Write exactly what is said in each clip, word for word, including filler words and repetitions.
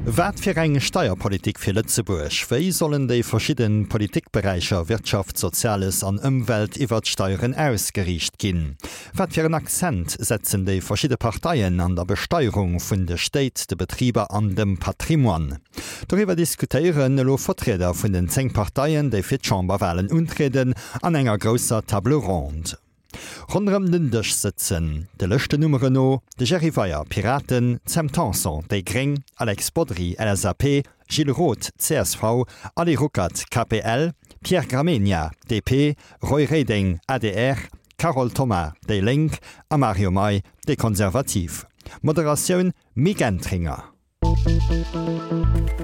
Wat fir eng Steierpolitik fir Lëtzebuerg? Wéi sollen déi verschidde Politikberäicher Wirtschaft, Soziales an Ëmwelt iwwert d'Steieren ausgeriicht ginn? Wat fir en Akzent setzen déi verschidde Parteien an der Besteierung vun de Stéit, de Betriber an dem Patrimoine? Doriwwer diskutéieren elo Vertrieder vun den zéng Parteien, déi fir d'Chamberwalen untrieden, an enger grousser Table ronde. Ronderëm den Dësch sëtzen, de Lëschtennummeren no, de Jerry Weyer, Piraten, Sam Tanson, déi gréng, Alex Bodry, LSAP, Gilles Roth, csv, Ali Ruckert, KPL, Pierre Gramegna, DP, Roy Reding, adr, Carole Thoma, déi Lénk, a Mario May, déi Konservativ. Moderatioun, Mick Entringer.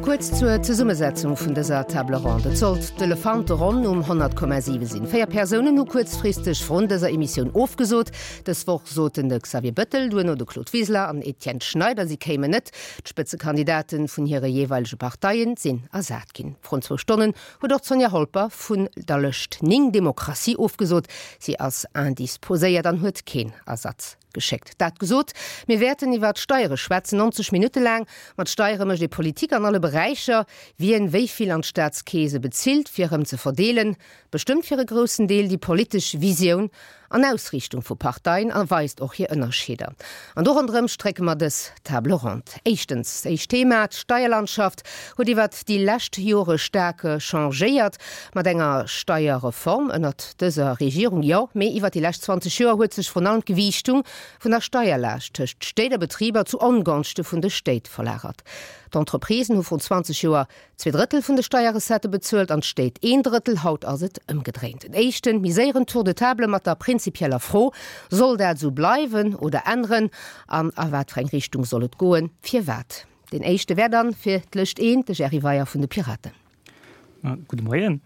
Kuerz zur Zesummesetzung vun dëser Table ronde. Et sollt d'Elefanteronn um honnert Komma siwe sinn. Véier Persounen hu kuerzfristeg vrun dëser Emissioun ofgesot. Dës Woch soten de Xavier Bëttel, duerno de Claude Wiseler an Etienne Schneider, si kéimen net. D'Spëtzekandidate vun hire jeeweilege Parteien sinn ersat ginn. Vrun zwou Stonnen huet och d'Sonja Holper vun der Lëscht néng Demokratie ofgesot. Si ass indisposéiert an huet keen Ersatz geschéckt. Dat gesot, mir wäerten iwwert d'Steiere schwätzen, neunzeg Minutte laang. Mat Steiere mécht ee Politik an alle Beräicher. Wien wéi vill an d'Staatskeese bezilt, fir erëm ze verdeelen, bestëmmt fir e groussen Deel déi politesch Visioun an Ausriichtung vu Parteien a weist och hir Ënnerscheeder. An do ronderëm strécke mer dës Table ronde. Éischtens, éischt Thema, D'Steierlandschaft huet iwwert déi lescht Jore staark changéiert. Mat enger Steierreform ënnert dëser Regierung, jo, mee iwwert déi lescht zwanzeg Joer huet sech vrun allem d'Gewiichtung vun der Steierlaascht tëscht Stéit a Betriber zu Ongonschte vun de Stéit verlagert. D'Entreprisen hu vrun zwanzeg Joer zwee Drëttel vun de Steierrecettë bezuelt an d'Stéit een Drëttel. Haut ass et ëmgedréint. En éischten, méi séieren Tour de table mat der prinzipieller Fro, Soll dat esou bleiwen oder änneren? An a wat fir eng Richtung soll et goen? Firwat? Deen éischte wär dann fir d'Lëscht eent de Jerry Weyer vun de Piraten. Gudde Moien.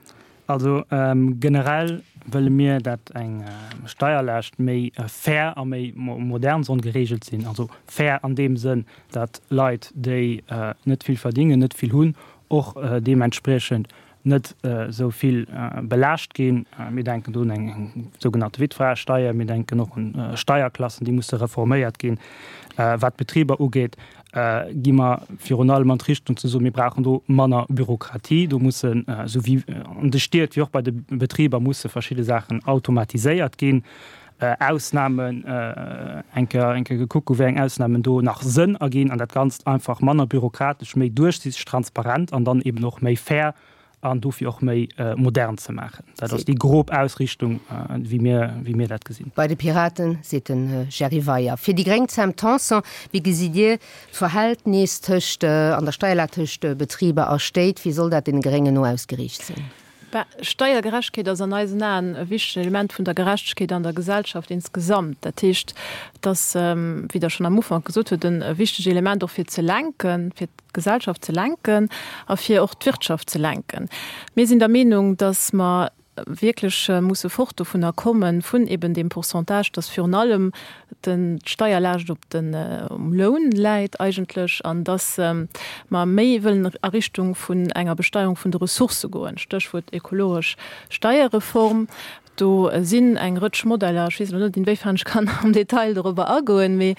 Also generell wëlle mir, dat eng Steierlaascht méi fair a méi modern soll geregelt sinn. Also fair an deem Sënn, dat Leit, déi net vill verdingen, net vill hunn, och deementspriechend net esou vill belaascht ginn. Mir denken do un eng sougenannte Witfraesteier, mir denken och un Steierklassen, déi musse reforméiert ginn. Wat d'Betriber ugeet, gi mer virun allem an d'Richtung ze soen, mir brauchen do manner Bürokratie. Do mussen, esou wéi an de Stied wéi och bei de Betriber, musse verschidde Saachen automatiséiert ginn. Ausnamen eng Kéier eng Kéier gekuckt gu wéi eng Ausnamen do nach Sënn erginn an dat Ganzt einfach manner bürokratesch, méi duerchsiichteg, transparent an dann eben och méi fair an dofir och méi modern ze maachen. Dat ass déi grob Ausrichtung, wéi mir, wéi mir dat gesinn. Bei de Piraten seet de Jerry Weyer. Fir déi gréng d'Sam Tanson. Wéi gesitt Dir d'Verhältnis tëscht, an der Steierlag tëscht Betriber a Stéit? Wéi soll dat deene Gréngen no ausgeriicht sinn? Ben, Steiergerechtegkeet ass an eisen Aen e wichtegt Element vun der Gerechtegkeet an der Gesellschaft insgesamt. Dat heescht, et ass, wéi Der schonn am Ufank gesot hutt, e wichtegt Element och fir ze lenken, fir d'Gesellschaft ze lenken a fir och d'Wirtschaft ze lenken. Mir sinn der Meenung, dass mer wierklech musse fort dovunner kommen, vun eben deem Pourcentage, dass virun allem d'Steierlaascht op den, um Loun läit eigentlech an dass mer méi wëllen a Richtung vun enger Besteierung vun de Ressourcë goen, Stéchwuert ekologesch Steierreform. Do sinn eng Rëtsch Modeller, ech weess elo net, inwéifern ech kann am Detail dorobber agoen, mee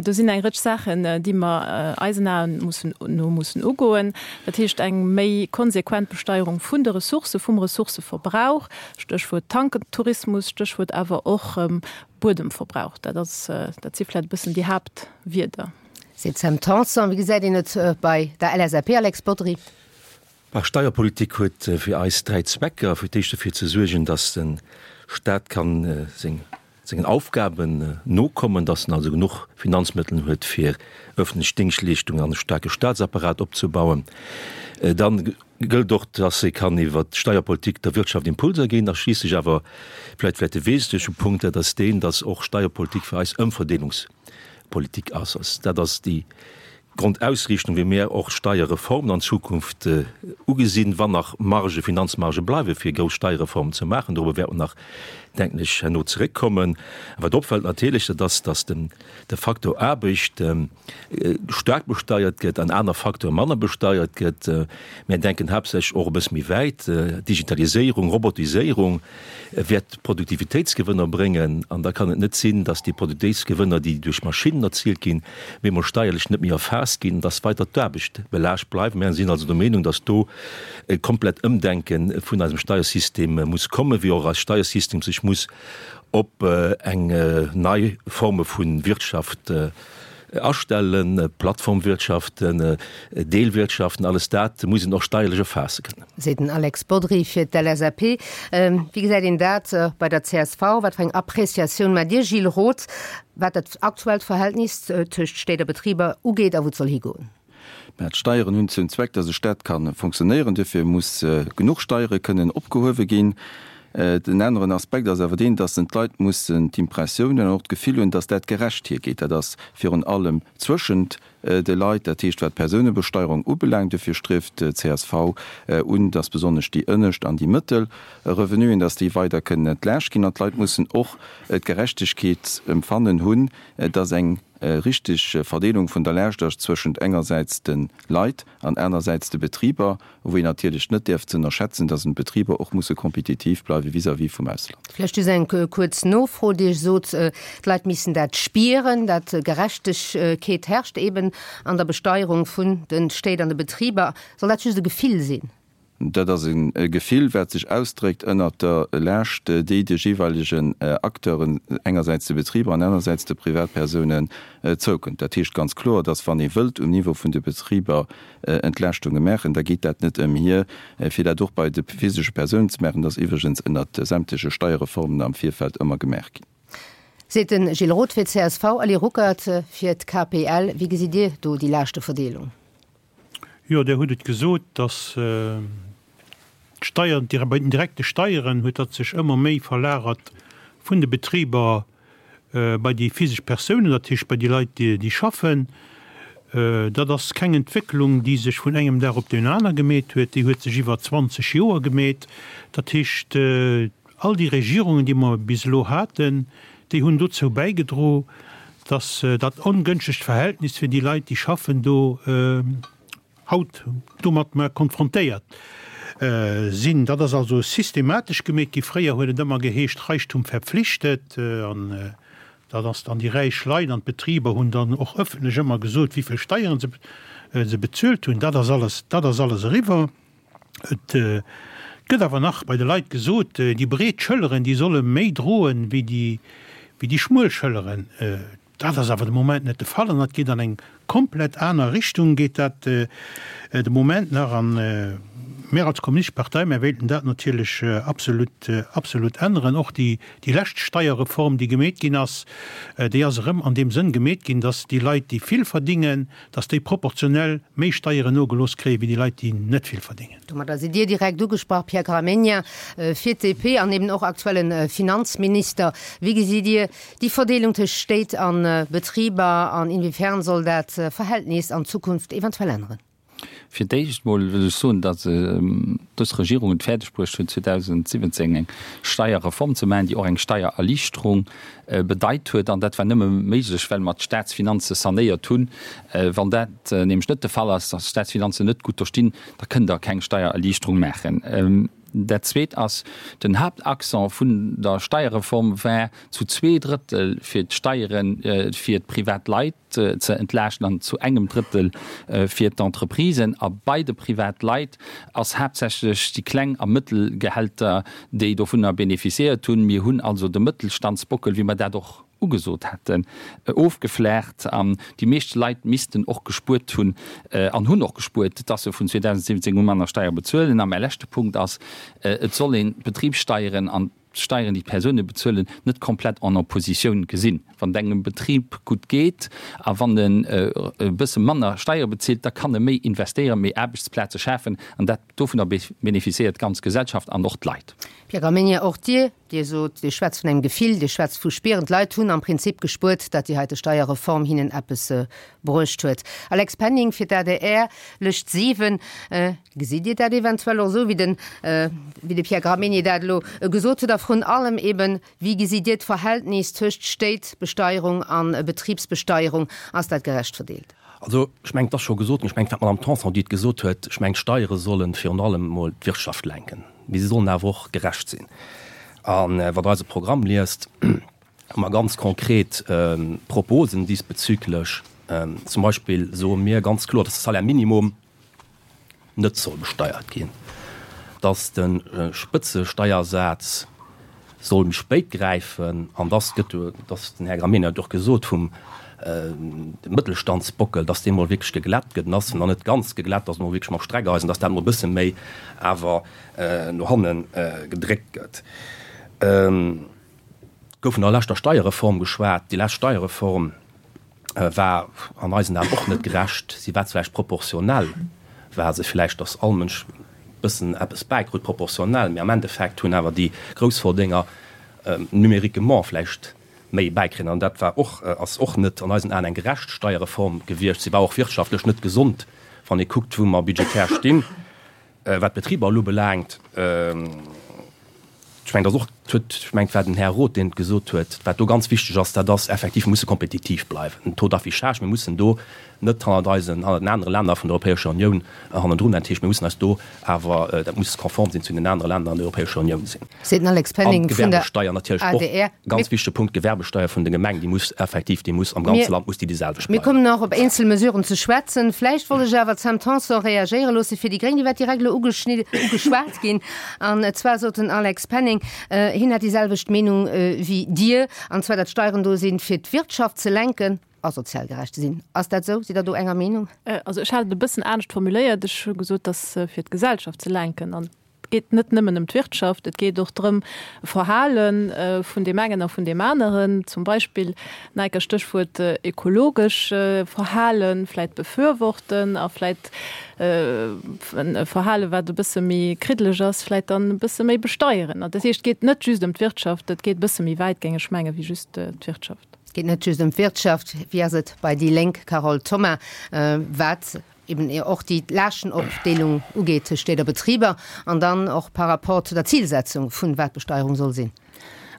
do sinn eng Rëtsch Saachen, déi mer eisen Aen mussen, no mussen ugoen. Dat heescht eng méi konsequent Besteierung vun de Ressourcë, vum Ressourcëverbrauch, Stéchwuert Tankentourismus, Stéchwuert awer och Buedemverbrauch. Dat ass, dat si vläicht e bëssen déi Haaptwierder. Seet d'Sam Tanson. Wéi gesäit een et bei der LSAP, Alex Bodry? Bah, Steierpolitik huet fir eis dräi Zwecker. Fir d'éischt dofir ze suergen, dass de Staat kann seng, sengen Aufgaben nokommen, dass en also genuch Finanzmëttel huet, fir öffentlech Dingschtleeschtungen an e staarke Staatsapparat opzebauen. Dann gëllt och, dass ee kann iwwert d'Steierpolitik der Wirtschaft Impulser ginn. A schliisslech awer vläicht vläicht de wesentleche Punkt, dat ass deen, dass och Steierpolitik fir eis Ëmverdeelungspolitik ass. Dat ass déi Grondausriichtung, wéi mir och Steierreformen an Zukunft ugesinn, wann nach Marge, Finanzmarge bleiwe fir grouss Steierreformen ze maachen. Dorobber wäerte mer nach, denken ech, herno zeréckkommen. Wat opfält natierlech, dat ass, datt den, de Faktor Aarbecht staark besteiert gëtt an aner Facteure manner besteiert gëtt. Mir denken haaptsächlech och e bësse méi wäit, Digitaliséierung, Robotiséierung wäert Produktivitéitsgewënner bréngen an da kann et net sinn, datt déi Produktivitéitsgewënner, déi duerch Maschinnen erziilt ginn, bemol steierlech net méi erfaasst erfaasst ginn, dass weiter d'Aarbecht belaascht bleift. Mir sinn also der Meenung, dass do e komplett Ëmdenke vun eisem Steiersystem muss kommen, wéi och eist Steiersystem sech muss op eng nei Forme vu Wirtschaft astellen, Plattformwirtschaften, Deelwirtschaften, alles dat muss een och steierlech erfaasse kënnen. Seet den Alex Bodry fir d'LSAP. Wéi gesäit een dat bei der csv? Wat fir eng Appreciatioun maacht Dir, Gilles Roth, wat dat aktuellt Verhältnis tëscht Stéit a Betriber ugeet a wou et soll higoen? Mä d'Steieren hunn zum Zweck, dass e Staat ka funktionéieren. Duerfir muss genuch Steiere kënnen opgehuewe ginn. Den aneren Aspekt ass awer deen, dass d'Leit mussen d'Impressioun hunn an och d'Gefill hunn, dass dat gerecht hiergeet. Dat ass virun allem zwëschent de Leit, dat heescht wat d'Personebesteierung ubelaangt. Duerfir strieft d'CSV un, dass besonnesch déi ënnescht an déi mëttel Revenuen, dass déi weider kënnen entlaascht ginn. An d'Leit mussen och d'Gerechtegkeet empfannen hunn, dass eng richteg Verdeelung vun der Laascht ass zwëschent engersäits de Leit an anersäits de Betriber, wou een natierlech net däerf ze ënnerschätzen, dass d'Betriber och musse kompetitiv bleiwe vis-à-vis vum Ausland. Vläicht just eng kuerz Nofro, Dir sot, d'Leit missten dat spieren, dat Gerechtegkeet herrscht eben an der Besteierung vun de Stéit an de Betriber. Soll dat just e Gefill sinn? Dat ass e Gefill, wat sech ausdréckt ënnert der Laascht, déi de jeeweilegen Acteuren, engersäits de Betriber an anersäits de Privatpersounen, zoukënnt. Dat heescht ganz kloer, dass wann ee wëllt um Niveau vun de Betriber Entlaaschtunge maachen, da geet dat net ëmhier, fir dat och bei de physesche Persounen ze maachen. Dat ass iwwregens ënnert sämtleche Steierreformen am Virfeld ëmmer gemaach ginn. Seet de Gilles Roth fir d'CSV. Ali Ruckert fir d'KPL. Wéi gesitt Dir do déi Laaschteverdeelung? Jo, Dir hutt et gesot, dass d'Steieren, bei den direkte Steieren huet dat sech ëmmer méi verlagert vun de Betriber bei déi physesch Persounen, dat heescht bei déi Leit, déi schaffen. Dat ass keng Entwécklung, déi sech vun engem Dag op deen aner gemeet huet, déi huet sech iwwer zwanzeg Joer gemeet. Dat heescht, all déi Regierungen, déi mer bis elo haten, déi hunn dozou bäigedro, dass dat ongënschtegt Verhältnis fir déi Leit, déi schaffen, do haut domat mer konfrontéiert sinn. Dat ass also systematesch gemeet gi. Fréier huet et ëmmer geheescht, Reichtum verpflichtet, an dat ass dann déi räich Leit an d'Betriber hunn dann och ëffentlech ëmmer gesot, wéi vill Steieren se se bezuelt hunn. Dat ass alles, dat ass alles eriwwer. Et gëtt awer nach bei de Leit gesot, déi breet Schëlleren, déi solle méi droen wéi déi, wéi déi schmuel Schëlleren. Dat ass awer de Moment net de Fall an dat geet an eng komplett aner Richtung geet dat de Moment nach. An mir als Kommunistesch Partei, mir wéilten dat natierlech absolut, absolut änneren. Och déi, déi lescht Steierreform, déi gemeet ginn ass, déi ass erëm an deem Sënn gemeet ginn, dass déi Leit, déi vill verdingen, dass déi proportionell méi Steieren nogelooss kréien, wéi déi Leit, déi net vill verdingen. Domadder sidd Dir direkt ugesprach, Pierre Gramegna, fir d'DP an eben och aktuellen Finanzminister. Wéi gesitt Dir déi Verdeelung tëscht Stéit a Betriber an inwiefern soll dat Verhältnis an Zukunft eventuell änneren? Fir d'éischt mol wëll ech soen, datt dës Regierung et fäerdeg bruecht huet, zweedausendsiwwenzéng eng Steierreform ze maachen, déi och eng Steiererliichterung bedeit huet. An dat war nëmme méiglech, well mer d'Staatsfinanze sanéiert hunn. Wann dat nämlech net de Fall ass, datt d'Staatsfinanzen net gutt do stinn, da kënnt Der keng Steiererliichterung maachen. Dat Zweet ass, den Haaptaccent vun der Steierreform war zu zwee Drëttel fir d'Steiere fir d'privat Leit ze entlaaschten an zu engem Drëttel fir d'Entreprisen. A bei de privat Leit ass haaptsächlech déi kleng a mëttel Gehälter, déi dovunner bénéficiéiert hunn. Mir hunn also de Mëttelstandsbockel, wéi mer dat och ugesot hätten, ofgeflaacht an déi meescht Leit missten och gespuert hunn an hunn och gespuert, dass se vun zweedausendsiwwenzéng u manner Steier bezuelen. A mäi leschte Punkt ass, Et soll een d'Betribssteieren an d'Steieren, déi d'Persoune bezuelen, net komplett en Oppositioun gesinn. Wann et engem Betrib gutt geet a wann en e bësse manner Steiere bezilt, da kann e méi investéieren, méi Aarbechtsplaze schafen an dat, dovunner bénéficiéiert d'ganz Gesellschaft an och d'Leit. Pierre Gramegna, och Dir Dir sot, Dir schwätzt vun engem Gefill, Dir schwätzt vu spieren. D'Leit hunn am Prinzip gespuert, datt déi heite Steierreform hinnen eppes bruecht huet. Alex Penning fir d'ADR, Lëscht siwen. Gesitt Dir dat eventuell och esou, wéi den, wéi de Pierre Gramegna dat elo gesot huet? A vrun allem eben, wéi gesitt Dir d'Verhältnis tëscht Stéitbesteierung a Betribsbesteierung? Ass dat gerecht verdeelt? Also, ech mengen, et ass scho gesot ginn, ech mengen, et war d'Madame Tanson, déi et gesot huet, ech mengen, d'Steiere solle virun allem emol d'Wirtschaft lenken, mee se sollen awer och gerecht sinn. A wann Der eise Programm liest, hu mer ganz konkret Proposen diesbezüglech. Zum Beispill soe mir ganz kloer, dass de Salaire minimum net soll besteiert ginn, dass de Spëtzesteiersaz soll méi spéit gräifen an dass gëtt, dass den Här Gramegna huet och gesot, vum Mëttelstandsbockel, dass dee mol wierklech geglätt gëtt, en ass nach net ganz geglätt, dass mol wierklech mam Streckeisen, dass dat mol e bësse méi awer no hanne gedréckt gëtt. Et gouf vun der leschter Steierreform geschwat. Déi lescht Steierreform war an eisen Aen och net gerecht. Si war vläicht proportionell, war se vläicht, dass all Mënsch e bëssen eppes bäikrut, proportionell, mee am Endeffekt hunn awer déi Groussverdénger numériquement vläicht méi bäikritt. An dat war och, ass och net an eisen Aen eng gerecht Steierreform gewiescht. Si war och wirtschaftlech net gesond, wann ee kuckt, wou mer budgetär stinn. Wat d'Betriber elo ubelaangt, ech mengen, dat ass och, huet, ech mengen, et war den Här Roth, deen et gesot huet, wat do ganz wichteg ass, dat ass effektiv, mir musse kompetitiv bleiwen. Den Taux d'affichage, mir mussen do net hannert eisen, hannert den anere Länner vun der Europäescher Unioun hannendrun. Dat heescht, mir mussen eis do awer, dat muss konform sinn zu den anere Länner an der Europäescher Unioun sinn. Seet den Alex Penning vun der An d'Gewerbesteier natierlech och, adr. ganz wichtege Punkt, d'Gewerbesteier vun de Gemeng, déi muss effektiv, déi muss am ganze Land muss déi déi selwecht Mir bleiwen. kommen nach op eenzel Mesuren ze schwätzen. Vläicht wollt ech awer d'Sam Tanson reagéiere loosse fir déi Gréng. Déi war direkt elo ugeschwat ginn. An zwar sot den Alex Penning, hien hätt déi selwecht Meenung wéi Dir, an zwar datt d'Steieren do sinn, fir d'Wirtschaft ze lenken a sozial gerecht ze sinn. Ass dat esou? Sidd Der do enger Meenung? Also ech hat et e bëssen anescht formuléiert. Ech hu gesot, datt fir d'Gesellschaft ze lenken. An et geet net nëmmen ëm d'Wirtschaft, et geet och drëm, Verhale vun deem engen a vun deem aneren, zum Beispill, neiker Stéchwuert, ekologesch Verhalen, vläit befürworten a vläit e Verhale wat e bësse méi kriddeleg ass, vläit dann e bësse méi besteieren. An dat heescht, et geet net just ëm d'Wirtschaft, et geet e bësse méi wäit, géing ech mengen, wéi just d'Wirtschaft. Et geet net just ëm d'Wirtschaft. Wéi ass et bei déi Lénk, Carole Thoma, wat eben och déi Laaschtenopdeelung ugeet tëscht Stéit a Betriber an dann och par rapport zu der Zilsetzung vun wat Besteierung soll sinn?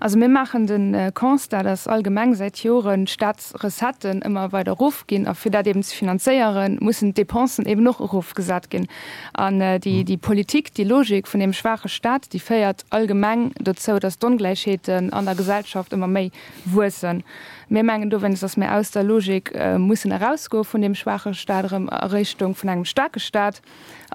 Also mir maachen de Constat, dass allgemeng säit Joren d'Staatsrecetten ëmmer weider erofginn a fir dat eben ze finanzéieren, mussen d'Depensen eben och erofgesat ginn. An déi Politik, déi Logik vun deem schwaache Staat, déi féiert allgemeng dozou, dass d'Ongläichheeten an der Gesellschaft ëmmer méi wuessen. Mir mengen dowéinst, dass mir aus der Logik mussen erausgoe vun deem schwaache Staat erëm a Richtung vun engem staarke Staat.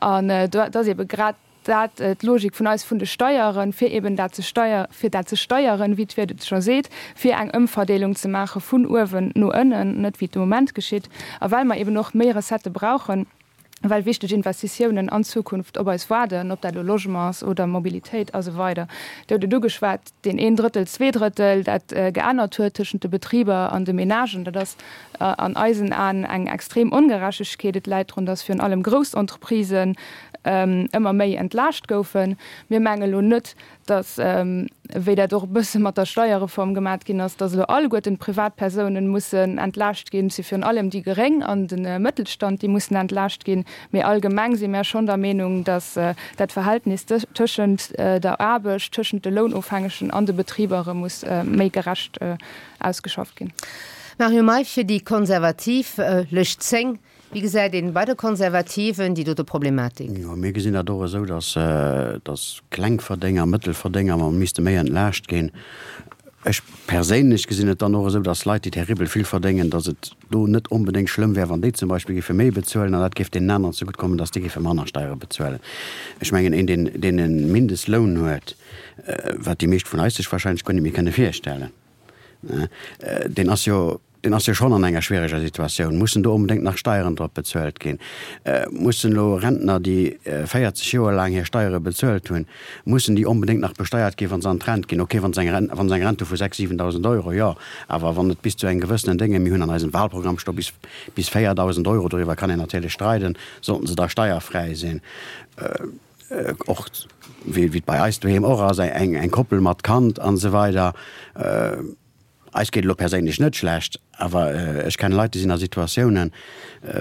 An dat ass ebe grad dat d'Logik vun eis vun de Steieren, fir eben dat ze steier, fir dat ze steieren, wéi d'Wuert et scho seet, fir eng Ëmverdeelung ze maache vun uewen no ënnen, net wéi et de Moment geschitt, a well mer eben och méi Recettë brauchen, well wichteg Investitiounen an Zukunft op eis waarden, ob dat elo Logement ass oder Mobilitéit a sou weider. Dir hutt et ugeschwat, deen een Drëttel, zwee Drëttel, dat geännert huet tëschent de Betriber an de Menagen, dat ass an eisen Aen eng extrem Ongerechtegkeet. Et läit drun, dass virun allem grouss Entreprisen ëmmer méi entlaascht goufen. Mir menge lo net, datt, wéi dat och e bësse mat der Steierreform gemat ginn ass, datt elo alleguerten d'Privatpersounen mussen entlaascht ginn. Et si virun allem déi Geréng an de Mëttelstand, déi mussen entlaascht ginn. Mee allgemeng si mär schonn der Meenung, datt dat Verhältnis tëschent der Aarbecht, tëschent de Lounofhängegen an de Betriber erëm muss méi gerecht ausgeschafft ginn. Mario May fir déi Konservativ, Lëscht zéng. Wéi gesäit een bei de Konservativen déi dote Problematik? Jo, mir gesinn dat och esou, datt, datt Klengverdénger, Mëttelverdénger mer misste méi entlaascht ginn. Ech perséinlech gesinn et dann och esou, datt Leit, déi terribel vill verdéngen, datt et do net onbedéngt schlëmm wär, wann déi zum Beispill géife méi bezuelen an dat géif deenen aneren zegutt kommen, datt déi géife manner Steiere bezuelen. Ech mengen, een, deen, deen e Mindestloun huet, wat déi meescht vun eis sech wahrscheinlech guer net méi kënne virstellen, deen ass jo, deen ass jo schonn an enger schwiereger Situatioun. Mussen do onbedéngt nach Steieren drop bezuelt ginn? Mussen elo Rentner, déi véierzeg Joer laang hir Steiere bezuelt hunn, mussen déi onbedéngt nach besteiert ginn, wa se an d'Rent ginn? Okay, wa se eng Rent, wa se eng Rent hu vu sechs, siwendausend Euro, jo, awer wann et bis zu engem gewëssenen Dénge, mir hunn an eisem Wahlprogramm sto bis, bis véierdausend Euro, doriwwer kann een natierlech streiden, sollten se da steierfräi sinn. Och wéi et bei eis doheem och ass, eng, eng Koppel mat Kand an esou weider. Eis geet elo perséinlech net schlecht, awer ech kenne Leit, déi sinn a Situatiounen,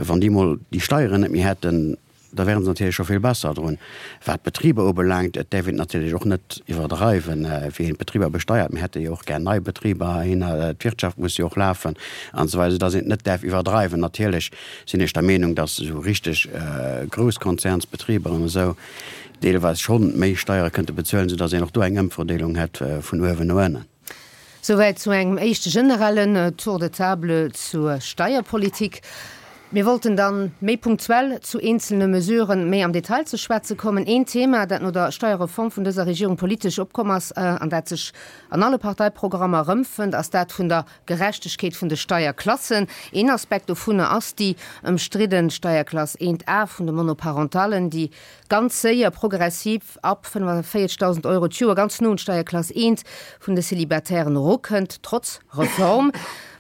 wann déi mol déi Steieren net méi hätten, da wäre se natierlech scho vill besser drun. Wat d'Betriber ubelaangt, et däerf een et natierlech och net iwwerdreiwen, wéi een d'Betriber besteiert. Mir hätte jo och gär nei Betriber heihinner, d'Wirtschaft muss jo och lafen an esou weider, soudass een et net däerf iwwerdreiwen. Natierlech sinn ech der Meenung, dass esou richteg grouss Konzernsbetriber an esou deelweis schonn méi Steiere kënnte bezuelen, soudass een och do eng Ëmverdeelung hätt vun uewen no ënnen. Souwäit zu engem éischte generellen Tour de table zur Steierpolitik. Mir wollten dann méi punktuell zu eenzelne Mesuren méi am Detail ze schwätze kommen. Een Thema, dat no der Steierreform vun dëser Regierung politesch opkomm ass an dat sech an alle Parteiprogrammer erëmfënnt, ass dat vun der Gerechtegkeet vun de Steierklassen. Een Aspekt dovunner ass déi ëmstridden Steierklass eent A vun de Monoparentallen, déi ganz séier progressiv ab fënnefenvéierzegdausend Euro d'Joer ganz no un d'Steierklass eent vun de Celibatairen erukënnt, trotz Reform.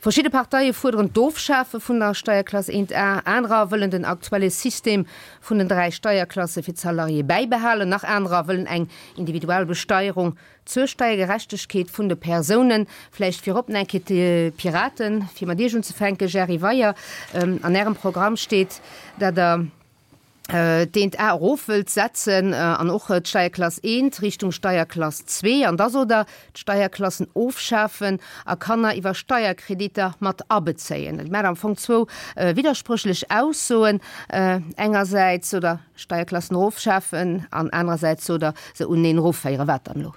Verschidde Parteie fuerderen d'Ofschafe vun der Steierklass eent A, anerer wëllen den aktuelle System vun den dräi Steierklasse fir d'Salariéë bäibehalen, nach anerer wëllen eng individuell Besteierung zur Steiergerechtegkeet vun de Persounen. Vläicht virop nach eng Kéier d'Piraten, fir mat Iech unzefänken, Jerry Weyer. An Ärem Programm steet, datt Der d'eent A erof wëllt setzen an och d'Steierklass eent Richtung Steierklass zwee an da sot Der, d'Steierklassen ofschafen a Kanner iwwer Steierkreditter mat abezéien. Dat maacht am Fong zwou widderspréchlech Aussoen. Engersäits sot Der, Steierklassen erofschafen an anerersäits sot Der, se uneneen erofféieren. Wat dann elo?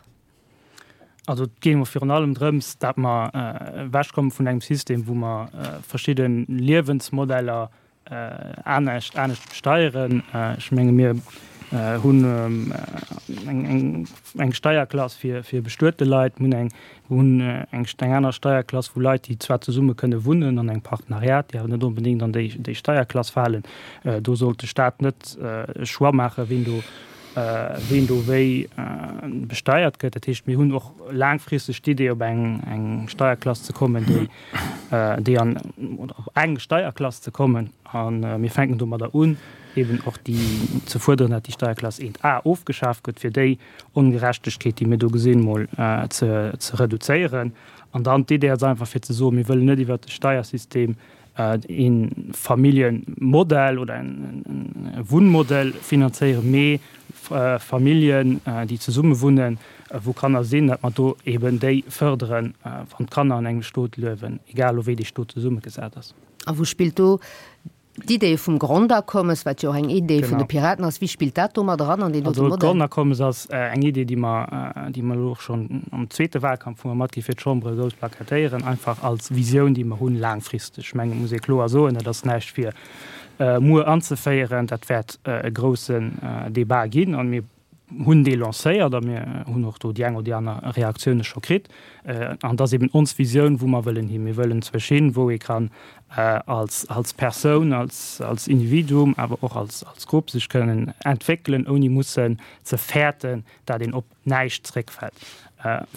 Also et geet emol virun allem drëms, datt mer ewechkomme vun engem System, wou mer verschidde Liewensmodeller anescht anescht besteieren. Ech menge mir hunn eng eng Steierklass fir fir bestuete Leit, mir hunn eng hunn eng eng aner Steierklass vu Leit, déi zwar zesumme kënne wunnen an engem Partenariat, déi awer net onbedéngt an déi déi Steierklass falen. Do sollt de Staat net e Choix maachen, wien do ween do wéi besteiert gëtt. Dat heescht, mir hunn och laangfristeg d'Idee, op eng eng Steierklass ze kommen, déi déi an oder op eng Steierklass ze kommen. A mir fänken domadder un, eeben och déi ze fuerderen, datt déi Steierklass eent A ofgeschaf gëtt, fir déi Ongerechtegkeet, déi mir do gesinn, mol ze ze reduzéieren. An dann d'Idee ass einfach fir ze soen, mir wëllen net iwwert de Steiersystem e Familljemodell oder e Wunnmodell finanzéieren, mee Familljen, déi zesumme wunnen, wou Kanner sinn, datt mer do eben déi fërderen, wann d'Kanner an engem Stot liewen, egal elo wéi dee Stot zesummegesat ass. A wou spillt do D'Idee vum Grondakommes, wat jo och eng Idee vun de Piraten ass, wéi spillt dat do mat eran an deen dote Modell? Also d'Grondakommes ass eng Idee, déi mer, déi mer elo och schonn am zweete Wahlkampf hu mer matgi fir d'Chambere grouss plakatéieren, einfach als Visioun, déi mer hunn laangfristeg. Ech mengen, et muss ee kloer soen, dat ass näischt fir muer anzeféieren, dat wäert e groussen Débat ginn a mir hunn dee lancéiert a mir hunn och do déi eng oder déi aner Reaktioune scho kritt. An dat ass eben ons Visioun, wou mer wëllen hin. Mir wëllen zwësch hin, wou ee kann als, als Persoun, als, als Individuum, awer och als, als Grupp sech kënnen entwéckelen, ouni mussen ze fäerten, dat een op näischt zréckfält.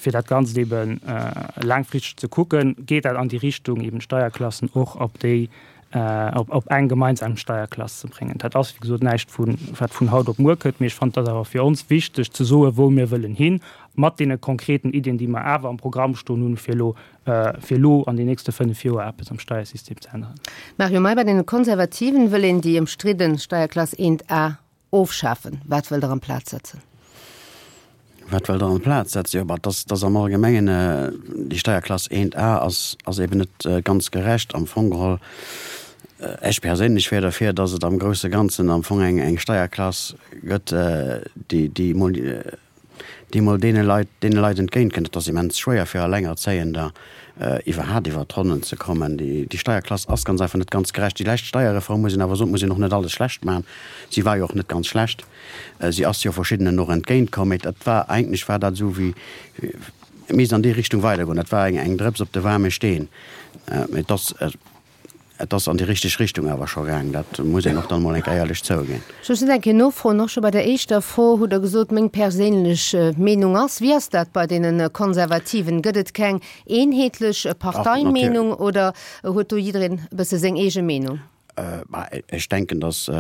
Fir dat Ganzt eben laangfristeg ze kucken, geet dat an déi Richtung, eben d'Steierklassen och op déi op eng gemeinsam Steierklass ze bréngen. Dat ass, wéi gesot, näischt, wat vun haut op muer kënnt, mee ech fannen, et ass awer fir ons wichteg ze soen, wou mir wëllen hin, mat deene konkreten Iddien, déi mer awer am Programm stoen hunn, fir elo, fir elo an den nächste fënnef Joer eppes am Steiersystem ze änneren. Mario May, Bei deene Konservativen wëll een déi ëmstridde Steierklass eent A ofschafen. Wat wëllt Der amplaz setzen? Wat wëllt Der amplaz setzen? Jo, bah, dass, dass am Allgemengen déi Steierklass eent A ass, ass eben net ganz gerecht am Fong geholl. Ech perséinlech wär derfir, dass et am grousse Ganzen am Fong eng, eng Steierklass gëtt, déi, déi emol, déi emol deene Leit, deene Leit entgéintkënnt. Et ass immens schwéier fir Allengerzéiender iwwerhaapt iwwert d'Ronnen ze kommen. Déi, déi Steierklass ass ganz einfach net ganz gerecht. Déi lescht Steierreform, muss een awer soen, muss een och net alles schlecht maachen, si war jo och net ganz schlecht, si ass jo verschiddenen och entgéintkomm, mee dat war, eigentlech war dat esou wéi, et misst an déi Richtung weidergoen. Dat war eng, eng Drëps op de waarme Steen. Mee et ass, Et ass an déi richteg Richtung awer scho gaang, dat muss een och dann emol eng Kéier éierlech zouginn. Ech muss eng Kéier nofroen, och scho bei der éischter Fro hutt Der gesot, meng perséinlech Meenung ass. Wéi ass dat bei deene Konservativen? Gëtt et keng eenheetlech Parteimeenung oder huet do jiddereen e bësse seng eege Meenung? Ech denken, datt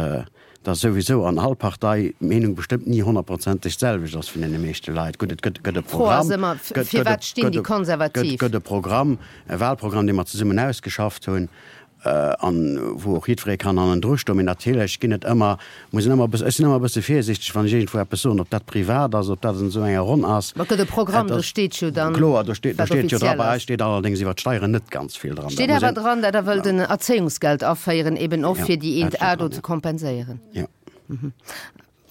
datt souwisou an all Partei d'Meenung bestëmmt ni honnertprozenteg d'selwecht ass vun deene meeschte Leit. Gutt, et gëtt e D'Fro ass Programm, ëmmer, fir wat stinn déi Konservativ? gëtt e Programm, e Wahlprogramm, dee mer zesummen ausgeschafft hunn an wou och jiddweree kann hannendru stoen. Mee natierlech ginn et ëmmer, muss een ëmmer e bëssen, ech sinn ëmmer e bësse virsiichteg, wann ech iergendwou eppes soen, ob dat privat ass, ob dat an esou enger Ronn ass. Ma et gëtt e Programm, do steet jo dann, Kloer, do steet, do wat steet jo dra. offiziell Bei ass. eis steet allerdéngs iwwert d'Steieren net ganz vill dran. Dat Steet muss awer een. dran, datt Der wëllt en Erzéiungsgeld aféieren, eben och Jo, fir déi dat eent steet A dran, do ze jo. kompenséieren. Jo.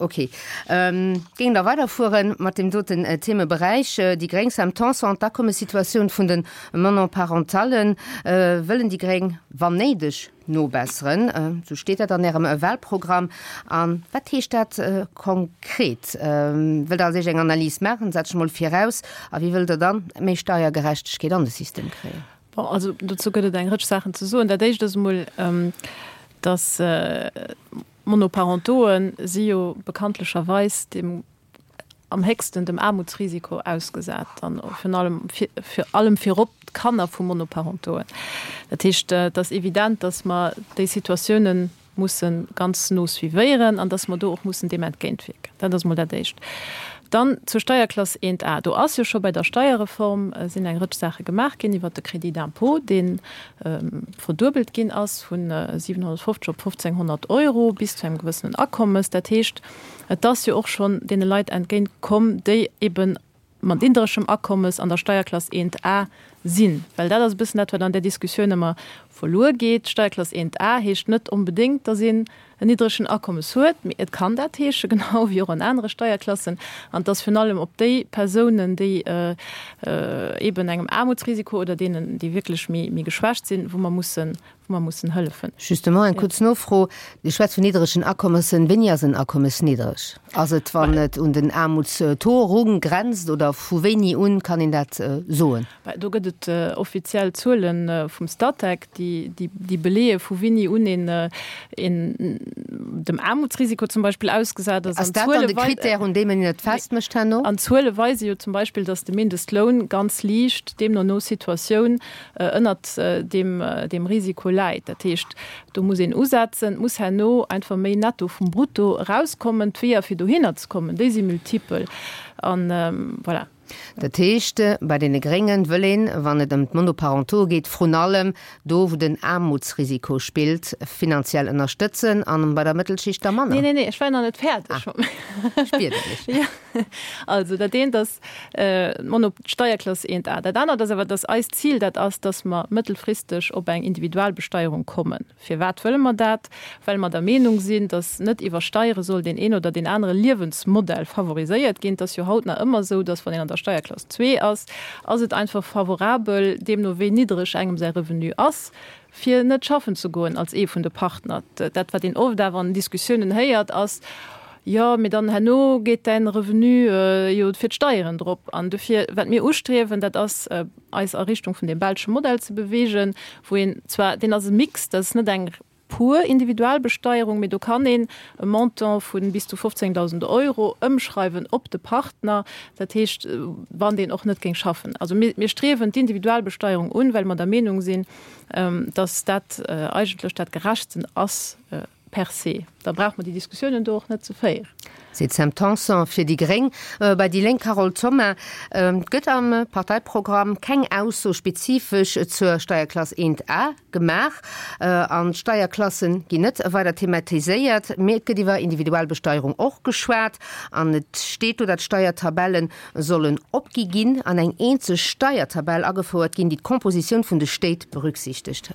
Ok. Géing da weiderfuere mat deem doten Themeberäich. Déi Gréng, Sam Tanson, d'Akommessituatioun vun de Monoparentalen wëllen déi Gréng, wann néideg, nobesseren. Esou steet dat an Ärem Wahlprogramm. A wat heescht dat konkret? Wëllt Der als éischt eng Analys maachen, setze ech mol viraus? A wéi wëllt Der dann méi Steiergerechtegkeet an de System kréien? Bon, also dozou gëtt et eng Rëtsch Saachen ze soen. Dat Éischt ass emol, dass Monoparentoe si jo bekanntlecherweis dem am héchsten dem Aarmutsrisiko ausgesat, an virun allem vir allem virop d'Kanner vu Monoparentoen. Dat heescht, et ass evident, dass mer déi Situatiounen musse ganz no suivéieren an dass mer do och mussen deem entgéintwierken. Dat ass emol dat Éischt. Dann zur Steierklass eent A. Do ass jo scho bei der Steierreform sinn eng Rëtsch Saache gemaach ginn iwwert de Crédit d'impôt, dee verduebelt ginn ass vu siwenhonnertfofzeg op fofzénghonnert Euro bis zu engem gewëssenen Akommes. Dat heescht, et ass jo och schonn deene Leit entgéint komm, déi ebe mat niddregem Akommes an der Steierklass eent A sinn. Well dat ass e bëssen dat, wat an där Diskussioun ëmmer verluer geet. Steierklass eent A heescht net onbedéngt, datt een en niddregen Akommes huet, mee et kann dat heeschen, genau wéi och an anere Steierklassen. An et ass virun allem op déi Persounen, déi eeben engem Aarmutsrisiko oder deenen, déi wierklech méi geschwächt sinn, wou mer mussen, wou mer mussen hëllefen. Justement, eng kuerz Nofro, Dir schwätzt vun niddregen Akommessen. Wéini ass en Akommes niddreg? Ass et, wann et un den Aarmutstaux erun grenzt oder vu wéini un kann een dat soen? Do gëtt et offiziell Zuele vum Statec, déi beleeë vu wéini un een dem Aarmutsrisiko zum Beispill ausgesat ass. Ass dat dann de Critère, un deem een et festmécht herno? An d'Zuele weise jo zum Beispill, datt de Mindestloun ganz liicht, deemno no Situatioun, ënnert deem Risiko läit. Dat heescht, do muss een usetzen, et muss herno einfach méi Netto vum Brutto erauskommen. D'Weeër, fir dohinner ze kommen, déi si multipel. An voilà. Dat heescht, bei deene Gréngen wëll een, wann et ëm d'Monoparentaux geet, vrun allem do, wou den Aarmutsrisiko spillt, finanziell ënnerstëtzen an bei der Mëttelschicht da manner? Nee, nee, nee, ech war nach net fäerdeg. Ah, ech bieden dech. Jo, also dat eent ass d'Mono, d'Steierklass eent A. Dat anert ass awer, dass eist Zil dat ass, dass mer mëttelfristeg op eng Individualbesteierung kommen. Firwat wëlle mer dat? Well mer der Meenung sinn, dass net iwwer Steiere soll deen een oder deen anere Liewensmodell favoriséiert ginn. Et ass jo haut nach ëmmer esou, dass wann een an der Steierklass zwee ass, ass et einfach favorabel, deemno wéi niddreg engem säi Revenu ass, fir net schaffen ze goen als ee vun de Partner. Dat, wat een oft awer an Diskussiounen héiert, ass, Jo, mee dann herno geet däin Revenu jo fir d'Steieren drop. An dofir, wat mir ustriewen, dat ass, eis a Richtung vun deem belsche Modell ze beweegen, wou een zwar, deen ass e Mix, dat ass net eng pur Individualbesteierung, mee do kann een e Montant vu bis zu fofzéngdausend Euro ëmschreiwen op de Partner, dat heescht, wann deen och net géing schaffen. Also mir, mir striewen d'Individualbesteierung un, well mer der Meenung sinn, dass dat eigentlech dat Gerechtsten ass per se. Da brauche mer déi Diskussiounen do och net ze féieren. Seet d'Sam Tanson fir déi gréng. Bei déi Lénk Carole Thoma, Et gëtt am Parteiprogramm keng Ausso spezifesch zur Steierklass eent A gemaach an d'Steierklasse ginn net weider thematiséiert, mee et gëtt iwwer Individualbesteierung och geschwat an et steet do, datt d'Steiertabelle sollen opgi ginn an eng eenzeg Steiertabell agefouert ginn, déi d'Compositioun vun de Stéit berücksichtegt.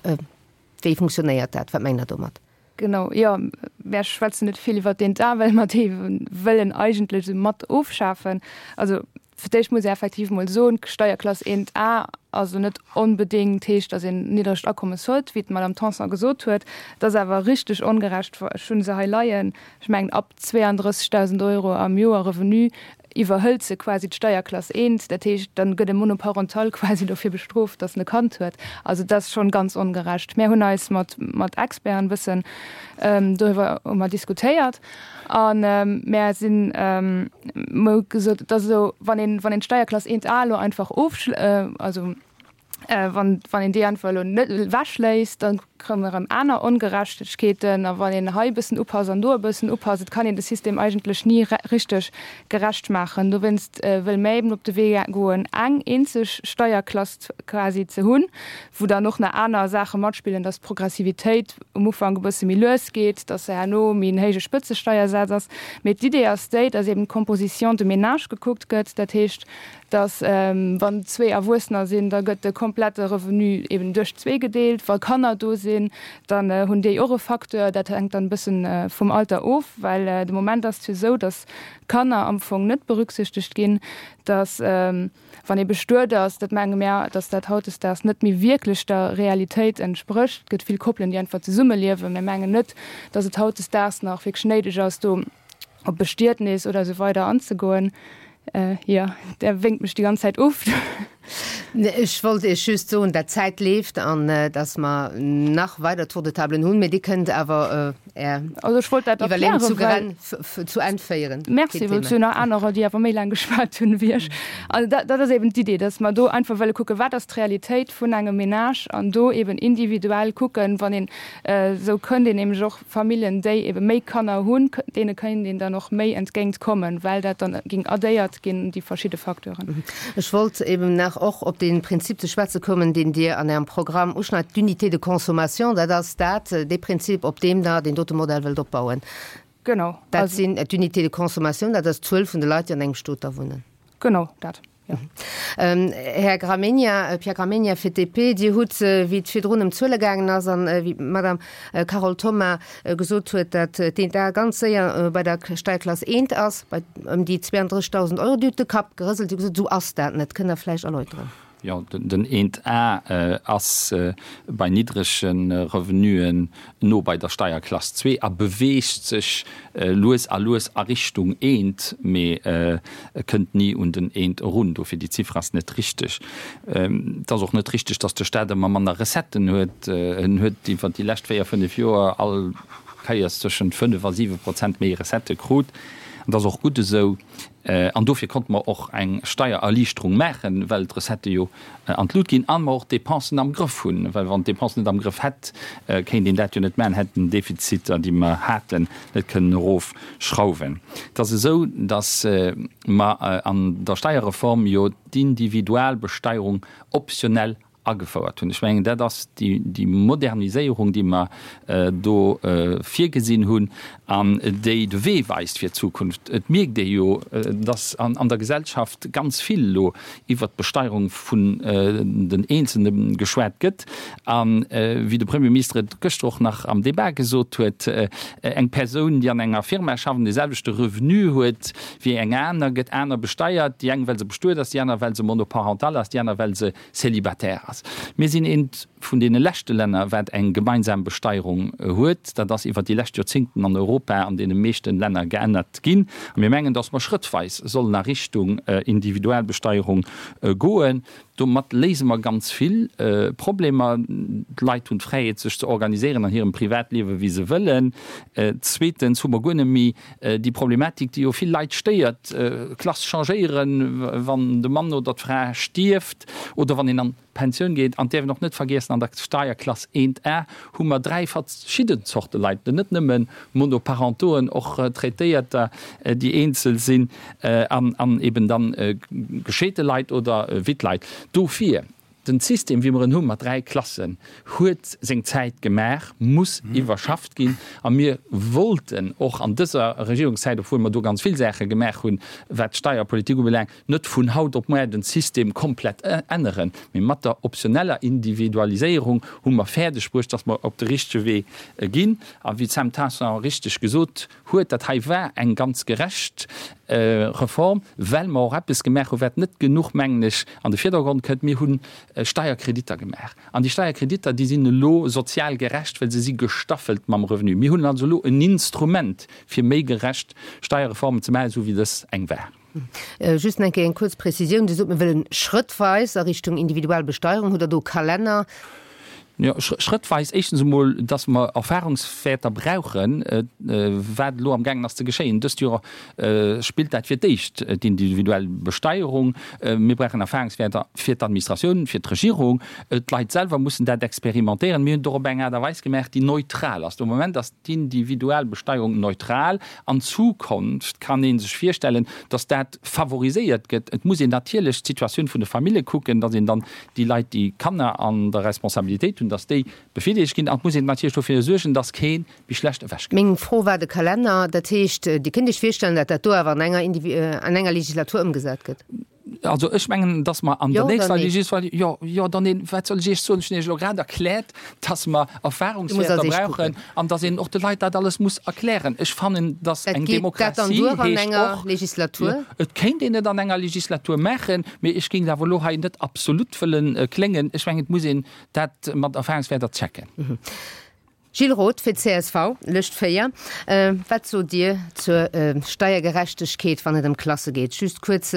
Wéi funktionéiert dat? Wat mengt Der domat? Genau, jo, mär schwätzen net vill iwwert deen A, well mer dee wëllen eigentlech esou mat ofschafen. Also fir d'éischt muss ee effektiv emol soen, d'Steierklass eent A ass elo net onbedéngt heescht, datt een niddregt Akommes huet, wéi d'Madame Tanson gesot huet. Et ass awer richteg ongerecht, ech hu se hei leien, ech mengen ab zweeandrëssegdausend Euro am Joer Revenu iwwerhëlt se quasi d'Steierklass eent. Dat heescht, dann gëtt e Monoparental quasi dofir bestrooft, datt en e Kand huet. Also dat ass schonn ganz ongerecht. Mär hunn eis mat mat Experten e bëssen doriwwer hu mer diskutéiert a mär sinn, mer hu gesot, et ass esou, wann een wann een d'Steierklass eent A elo einfach ofschl also Wann een déi einfach elo net ewechléisst, da kréie mer erëm aner Ongerechtegkeeten. A wann een hei e bëssen upasst an do e bëssen upasst, et kann een de System eigentlech ni richteg gerecht maachen. Dowéinst wëlle mir eben op de Wee goen, eng eenzeg Steierklass quasi ze hunn, wou dann och nach aner Saache matspillen, dass d'Progressivitéit um Ufank e bësse méi lues geet, dass se herno méi en héije Spëtzesteiersaz ass. Mee d'Idee ass déi, dass eben d'Composition de ménage gekuckt gëtt, dat heescht, dass wann zwee Erwuessener sinn, da gëtt de komplette Revenu eben duerch zwee gedeelt. Wa Kanner do sinn, sinn, dann hunn déi och e Facteur. Dat hänkt dann e bëssen vum Alter of, well de Moment ass et jo esou, datt Kanner am Fong net berücksichtegt ginn, datt wann ee bestuet ass, dat menge mär, datt dat hautdesdaags net méi wierklech der Realitéit entsprécht. Et gëtt vill Koppelen, déi einfach zesummeliewen. Mir mengen net, datt et hautdesdaags nach wierklech néideg ass, do op Bestietnis oder esou weider anzegoen. Jo, Der wénkt mech déi ganz Zäit of. Ech wollt Iech just soen, dat d'Zäit leeft an dass mer nach weider Tour-de-tablen hunn, mee Dir kënnt awer Är Also ech wollt dat Iwwerleeung erklären, zu well Geren, zu Enn féieren. Merci, Keen well et Thema. sinn nach anerer, déi awer méi laang geschwat hunn ewéi ech. Also dat, dat ass eben d'Idee, dass mer do einfach wëlle kucken, wat ass d'Realitéit vun engem Ménage an do eben individuell kucken, wann een, esou kënnt een nämlech och Familljen, déi ebe méi Kanner hunn, deene kéint een dann och méi entgéint kommen, well dat dann géing addéiert ginn, déi verschidde Facteuren. Ech wollt eben nach och op dee Prinzip ze schwätze kommen, deen Dir an Ärem Programm uschneit, d'Unité de consommation. Dat ass dat, dee Prinzip, op deem Der deen dote Modell wëllt opbauen. Genau. Dat sinn d'Unités de consommation, dat ass d'Zuel vun de Leit, déi an engem Stot da wunnen. Genau dat. Här Gramegna, Pierre Gramegna fir d'DP, Dir hutt, wéi et virdrun ëm d'Zuele gaangen ass an wéi d'Madame Carole Thoma gesot huet, datt d'Eent A ganz séier bei der Steierklass eent ass, bei ëm déi zweeëndrëssegdausend Euro. Dir hutt de Kapp gerëselt, Dir hutt gesot, esou ass dat net. Kënnt Der vläicht erläuteren? Jo, den Eent A ass bei niddrege Revenuen no bei der Steierklass zwee a beweegt sech lues a lues a Richtung eent, mee kënnt ni un den eent erun. Dofir, déi Ziffer ass net richteg. Et ass och net richteg, datt de Staat ëmmer manner Recetten huet. En huet iwwer déi lescht véier, fënnef Joer all Kéiers tëschent fënnef a siwe Prozent méi Recettë krut. An dat ass och gutt esou. An dofir konnte mer och eng Steiererliichterung maachen, well d'Recettë jo an d'Lut ginn a mer och d'Depensen am Grëff hunn. Well wann d'Depensen net am Grëff hätt, kéint een dat jo net maachen, hätt den Defiziter, déi mer haten, net kënnen erofschrauwen. Et ass esou, datt mer an der Steierreform jo d'Individualbesteierung optionell agefouert hunn. Ech mengen, dat ass déi Moderniséierung, déi mer do virgesinn hunn an déi de Wee weist fir d'Zukunft. Et mierkt ee jo, dass an der Gesellschaft ganz vill elo iwwert d'Besteierung vun den Eenzelne geschwat gëtt. A wéi de Premierminister et gëschter och nach am Débat gesot huet, eng Persoun, déi an enger Firma schafft an dee selwechte Revenu huet wéi eng aner, gëtt aner besteiert, déi eng well se bestuet ass, déi aner well se monoparental ass, déi aner well se célibataire ass. Mir sinn eent vun deene leschte Länner, wat eng gemeinsam Besteierung huet. Dat ass iwwert déi lescht Joerzéngten an Europa an deene meeschten Länner geännert ginn. A mir mengen, dass mer schrëttweis sollen a Richtung Individualbesteierung goen. Domat léise mer ganz vill Problemer. D'Leit hunn d'Fräiheet, sech ze organiséieren an hirem Privatliewe wéi se wëllen. Zweetens hu mer guer net méi déi Problematik, déi jo vill Leit stéiert, Klass changéieren, wann de Mann oder d'Fra stierft oder wann een an d'Pensioun geet. An däerf een och net vergiessen, an der Steierklass eent A hu mer dräi verschidden Zorte Leit, net nëmme Monoparentoen, och Traitéierter, déi eenzel sinn, an eben dann gescheete Leit oder Wittleit. Dofir, den System, wéi mer en hu mat dräi Klassen, huet seng Zäit gemaach, muss iwwerschafft ginn. A mir wollten och an dëser Regierungszäit, obwuel mer do ganz vill Saache gemaach hunn, wat d'Steierpolitik ubelaangt, net vun haut op muer den System komplett änneren, mee mat der optioneller Individualiséierung hu mer fäerdeg bruecht, dass mer op de richtege Wee ginn. A wéi d'Sam Tanson richteg gesot huet, dat hei war eng ganz gerecht Reform, well mer och eppes gemaach hu wat net genuch, mengen ech, an de Virdergrond kënnt, Mir hu Steierkreditter gemaach. An déi Steierkreditter, déi sinn elo sozial gerecht, well se si gestaffelt mam Revenu. Mir hunn also elo en Instrument, fir méi gerecht Steierreformen ze maachen, esou wéi dës eng war. Just nach eng Kéier eng kuerz Prezisioun, Dir sot, mir wëllen schrëttweis a Richtung individuell Besteierung. Hutt Der do e Kalenner? Jo, schrëttweis. Éischtens emol, dass mer Erfahrungswäerter brauchen, wat elo amgaangen ass ze geschéien. Dëst Joer spillt dat fir d'éischt, d'individuell Besteierung. Mir brauchen Erfahrungswäerter fir d'Administratioun, fir d'Regierung. D'Leit selwer mussen dat experimentéieren. Mir hunn et och op eng Aart a Weis gemaach, déi neutral ass. De Moment ass d'Individualbesteierung neutral. An Zukunft kann ee sech virstellen, dass dat favoriséiert gëtt. Et muss een natierlech d'Situatioun vun de Famille kucken, dass een dann déi Leit, déi Kanner an der Responsabilitéit hunn, dass déi bevirdeelegt ginn. An et muss een natierlech dofir suergen, dass kee méi schlecht ewechkënnt. Meng Fro war de Kalenner. Dat heescht, Dir kënnt Iech virstellen, datt dat do awer an enger, an enger Legislatur ëmgesat gëtt? Also ech mengen, dass mer an der nächster Legislatur, jo, jo, dann een, wat soll ech Iech soen, ech hunn Iech elo grad erkläert, dass mer Erfahrungswäerter brauchen an dass een och de Leit dat alles muss erklären. Ech fannen, dass eng Demokratie heescht och, et kéint een et an enger Legislatur maachen, mee ech géing awer elo hei net absolut wëllen kléngen. Ech mengen, et muss een dat mat Erfahrungswäerter checken. Gilles Roth fir d'CSV, Lëscht véier. Wat sot Dir zur Steiergerechtegkeet, wann et ëm Klasse geet? Just kuerz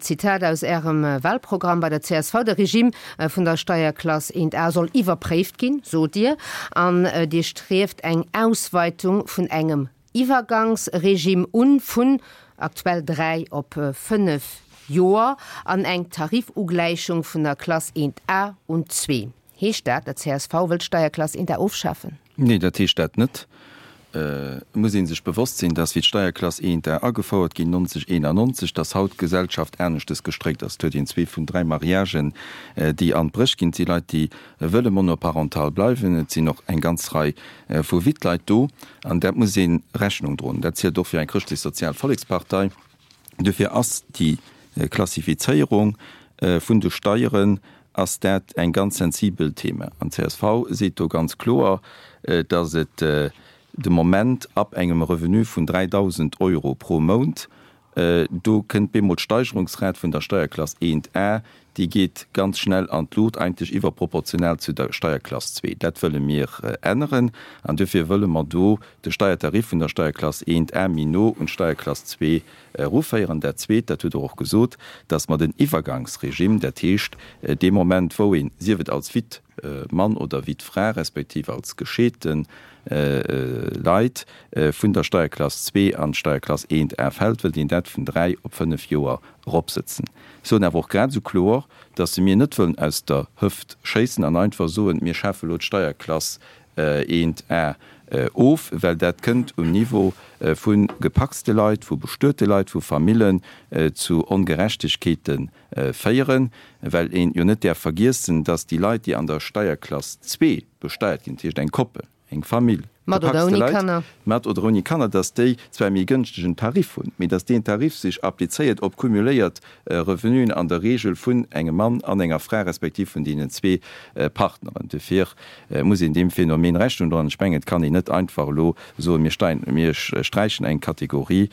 Zitat aus Ärem Wahlprogramm bei der csv, De Regime vun der Steierklass eent A soll iwwerpréift ginn, sot Dir, an Dir strieft eng Ausweitung vun engem Iwwergangsregime un, vun aktuell dräi op fënnef Joer, an eng Tarifugläichung vun der Klass eent A un zwee. Heescht dat, dat csv wëllt d'Steierklass eent A ofschafen? Nee, dat heescht dat net. Et muss ee sech bewosst sinn, dass wéi d'Steierklass eent A agefouert ginn neunzeg eenannonzeg, dass haut d'Gesellschaft aneschtes gestréckt ass. Et huet een zwee vun dräi Mariagen, déi an d'Bréch ginn. Et si Leit, déi wëlle monoparental bleiwen. Et sinn och eng ganz Rei vu Wittleit do. An dat muss ee Rechnung droen. Dat zielt och fir eng chrëschtlech-sozial Vollekspartei. Dofir ass déi Klassifizéierung vun de Steieren ass dat eng ganz sensibel Thema. An csv seet do ganz kloer, dass et de Moment ab engem Revenu vun dräidausend Euro pro Mount, do kënnt bemol d'Steigerungsrat vun der Steierklass eent A, déi geet ganz schnell an d'Luucht, eigentlech iwwerproportional zu der Steierklass zwee. Dat wëlle mir änneren an duerfir wëlle mer do de Steiertarif vun der Steierklass eent A méi no un d'Steierklass zwee eruféieren. Dat Zweet, dat hutt Der och gesot, dass mer den Iwwergangsregime, dat heescht dee Moment, wou een, sief et als Wittmann oder Wittfra respektiv als gescheete Leit, vun der Steierklass zwee an d'Steierklass eent A fält, wëllt een dat vun dräi op fënnef Joer eropsëtzen. Ech soen awer och grad esou kloer, dass mir net wëllen aus der Hëft schéissen an einfach soen, mir schafe elo d'Steierklass eent A of, well dat kënnt um Niveau vu gepacste Leit, vu bestuete Leit, vu Famillen zu Ongerechtegkeete féieren, well een jo net däerf vergiessen, dass déi Leit, déi an der Steierklass zwee besteiert ginn, dat heescht eng Koppel, eng Famill, Mat oder gepacste ouni Leit, Kanner. mat oder ouni Kanner, dass déi zwar e méi gënschtegen Tarif hunn, mee dass deen Tarif sech applizéiert op cumuléiert Revenuen an der Regel vun engem Mann an enger Fra respektiv vun deenen zwee Partneren. Dofir muss een deem Phänomen Rechnung droen. Ech mengen, et kann een net einfach elo soen, mir steien, mir sträichen eng Kategorie.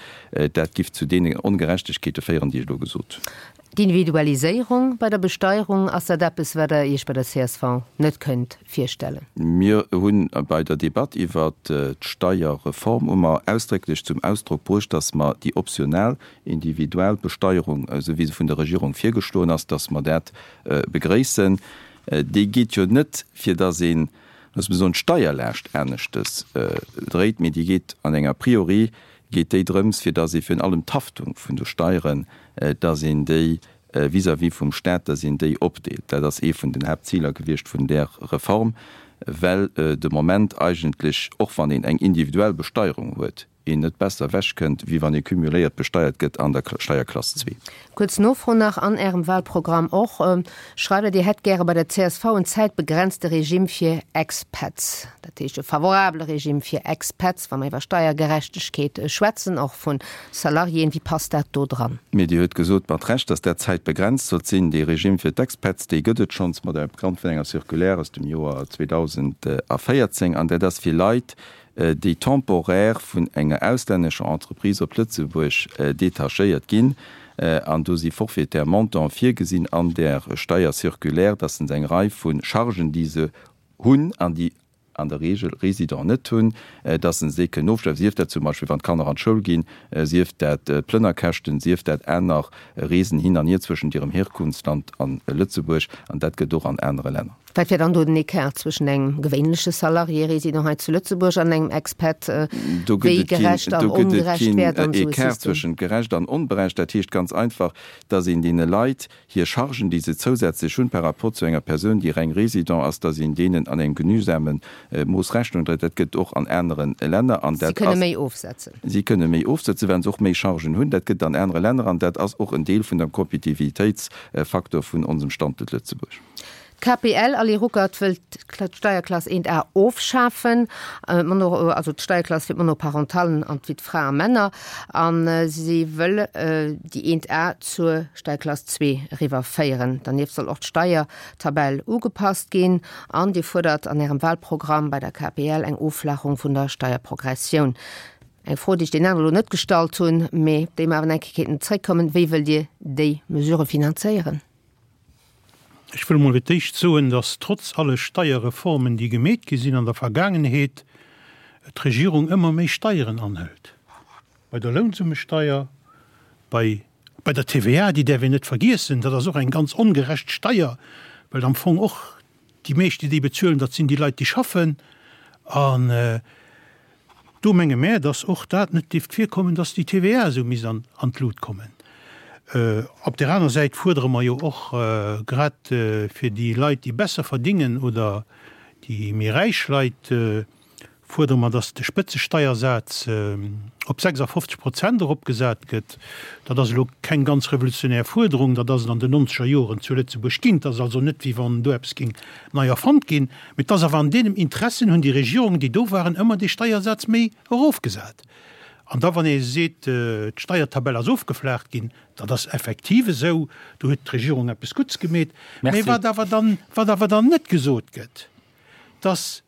Dat giff zu deenen Ongerechtegkeete féieren, déi ech elo gesot hunn. D'Individualiséierung bei der Besteierung, ass dat eppes, wat Der Iech bei der csv net kënnt virstellen? Mir hunn bei der Debatt iwwert d'Steierreform hu mer ausdrécklech zum Ausdrock bruecht, dass mer déi optional Individualbesteierung, esou wéi se vun der Regierung virgeschloen ass, dass mer dat begréissen. Déi geet jo net, fir dass een, loosse mer soen, d'Steierlaascht aneschtes dréit, mee déi geet an enger priori geet déi drëms, fir dass ee virun allem d'Haftung vun de Steieren, dass een déi vis-à-vis vum Stat, dass een déi opdeelt. Dat ass ee vun den Haaptziler gewiescht vun där Reform, well de Moment eigentlech, och wann een eng individuell Besteierung huet, een net besser ewechkënnt, wéi wann ee cumuléiert besteiert gëtt an der Steierklass zwee. Kuerz Nofro nach, An Ärem Wahlprogramm och schreift Der, Dir hätt gäre bei der csv en zäitbegrenzte Regime fir Expats, dat heescht e favorabele Regime fir Expats, wa mer iwwer Steiergerechtegkeet schwätzen, och vu Salariéen. Wéi passt dat do dran? Mee Dir huet gesot, mat Recht, datt dat zäitbegrenzt sollt sinn. Dee Regime fir d'Expats, dee gëtt et schonns mat opgrond vun enger Circulaire aus dem Joer zweedausendvéierzéng an dat ass fir Leit, déi temporaire vun enger auslännescher Entreprise op Lëtzebuerg détachéiert ginn, an do si forfaitaire Montante virgesinn an där Steiercirculaire, dass se eng Rei vu Chargen, déi se hunn an déi an der Regel Résidents net hunn, dass se déi kënnen ofschreiwen, sief dat zum Beispill wann d'Kanner an d'Schoul ginn, sief dat Plënnerkäschten, sief dat aner Reesen hin an hier zwëschent hirem Herkunftsland a Lëtzebuerg, an dat gëtt och an anere Länner. Wat wär dann do den Ecart zwëschen engem gewéinleche Salarié résident hei zu Lëtzebuerg an engem Expat? Do gëtt Wéi et keen, gerecht an do gëtt et ongerecht keen wär dann esou e Ecart System? zwëschent gerecht an onberecht. Dat heescht ganz einfach, dass een deene Leit hir Chargen, déi se zousätzlech hunn par rapport zu enger Persoun, déi reng Résident ass, dass een deenen an engem genügsame Mooss Rechnung dréit. Dat gëtt och an anere Länner an Si dat kënne ass. méi ofsetzen. Si kënne méi ofsetzen, well se och méi Chargen hunn. Dat gëtt an anere Länner an dat ass och en Deel vun dem Kompetitivitéitsfaktor vun onsem Standuert Lëtzebuerg. D'K P L, Ali Ruckert, wëllt d'Steierklass eent A ofschafen, also d'Steierklass fir d'Monoparentallen an fir d'Frae a Männer, a si wëll déi eent A zur Steierklass zwee eriwwerféieren. Dernieft soll och d'Steiertabell ugepasst ginn an Dir fuerdert an Ärem Wahlprogramm bei der K P L eng Offlaachung vun der Steierprogressioun. Eng Fro, déi ech deenen aneren elo net gestallt hunn, mee op déi mer awer nach eng Kéier kéinten zréckkommen, Wéi wëllt Dir déi Mesurë finanzéieren? Ech wëll emol fir d'éischt soen, dass trotz alle Steierreformen, déi gemeet gi sinn an der Vergaangenheet, d'Regierung ëmmer méi Steieren anhëlt. Bei der Lounsummesteier, bei bei der T V A, déi däerf een net vergiessen, dat ass och eng ganz ongerecht Steier, well am Fong och déi meescht, déi déi bezuelen, dat sinn déi Leit, déi schaffen. An do menge mär, dass och dat net dierft virkommen, dass déi T V A esou misst an an d'Lut kommen. Op där aner Säit fuerdere mer jo och grad fir déi Leit, déi besser verdingen oder déi méi räich Leit, fuerdere mer, dass de Spëtzesteiersaz op sechsafofzeg Prozent eropgesat gëtt. Dat ass elo keng ganz revolutionär Fuerderung, dat ass et an den nonzeger Joren zu Lëtzebuerg ginn. Et ass also net, wéi wann do eppes géing nei erfonnt ginn, mee et ass awer an deenem Interessen hunn déi Regierungen, déi do waren, ëmmer dee Steiersaz méi erofgesat. An da wann ee seet, d'Steiertabell ass ofgeflaacht ginn, dat ass effektiv esou, do huet d'Regierung eppes Gutts gemeet. Mee wat awer dann, wat awer dann net gesot gëtt, dass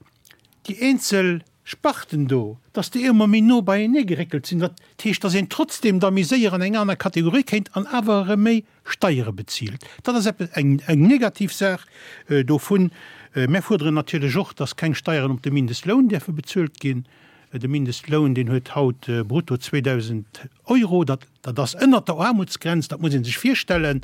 déi eenzel Sparten do, dass déi ëmmer méi no beienee geréckelt sinn, dat heescht, dass een trotzdem da méi séier an eng aner Kategorie kéint an awer erëm méi Steiere bezilt. Dat ass eppes, eng, eng negativ Saach dovun. Mär fuerderen natierlech och, dass keng Steieren op de Mindestloun däerfe bezuelt ginn. De Mindestloun, deen huet haut brutto zweedausend Euro. Dat, dat ass ënnert der Aarmutsgrenz, dat muss ee sech virstellen.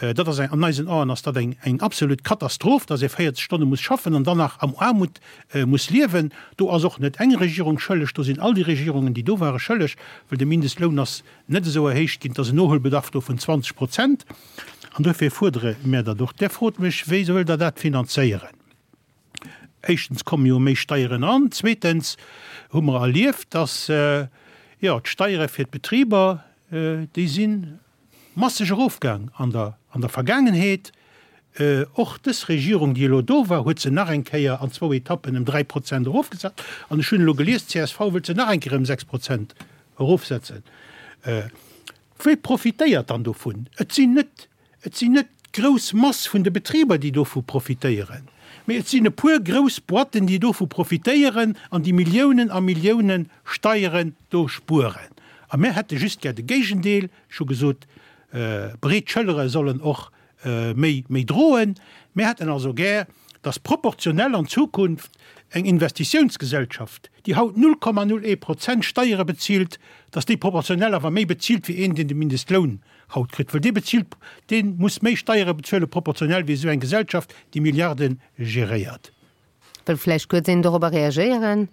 Dat ass eng, an eisen Aen ass dat eng, eng absolut Katastroph, dass ee véierzeg Stonne muss schaffen an dann nach am Aarmut muss liewen. Do ass och net eng Regierung schëlleg, do sinn all déi Regierungen, déi do ware schëlleg, well de Mindestloun ass net esou erhéicht ginn, et ass en Nohuelbedarf do vun zwanzeg Prozent. An duerfir fuerdere mär dat och. Där frot mech, Wéi wëllt Der dat finanzéieren? Éischtens komme jo méi Steieren an, zweetens hu mer erlieft, dass, jo, d'Steiere fir d'Betriber, déi si masseg erofgaang an der, an der Vergaangenheet. Och dës Regierung, déi elo do war, huet se nach eng Kéier an zwou Etappen ëm dräi Prozent erofgesat. An ech hunn elo gelies, d'C S V wëllt se nach eng Kéier ëm sechs Prozent erofsetzen. Wie profitéiert dann dovun? Et sinn net, et sinn net d'grouss Mass vun de Betriber, déi dovu profitéieren, mee et sinn e puer grouss Boîten, déi dovu profitéieren an déi Milliounen a Milliounen Steieren do spueren. A mir hätte just gär de Géigendeel. Ech hu gesot, breet Schëllere sollen och méi, méi droen. Mir hätten also gär, dass proportionell an Zukunft eng Investitiounsgesellschaft, déi haut null Komma null ee Prozent Steiere bezilt, dass déi proportionell awer méi bezilt wéi een, deen de Mindestloun haut kritt, well dee bezilt, dee muss méi Steiere bezuele proportionell wéi esou eng Gesellschaft, déi Milliarde geréiert. Wëll vläicht kuerz een dorobber reagéieren?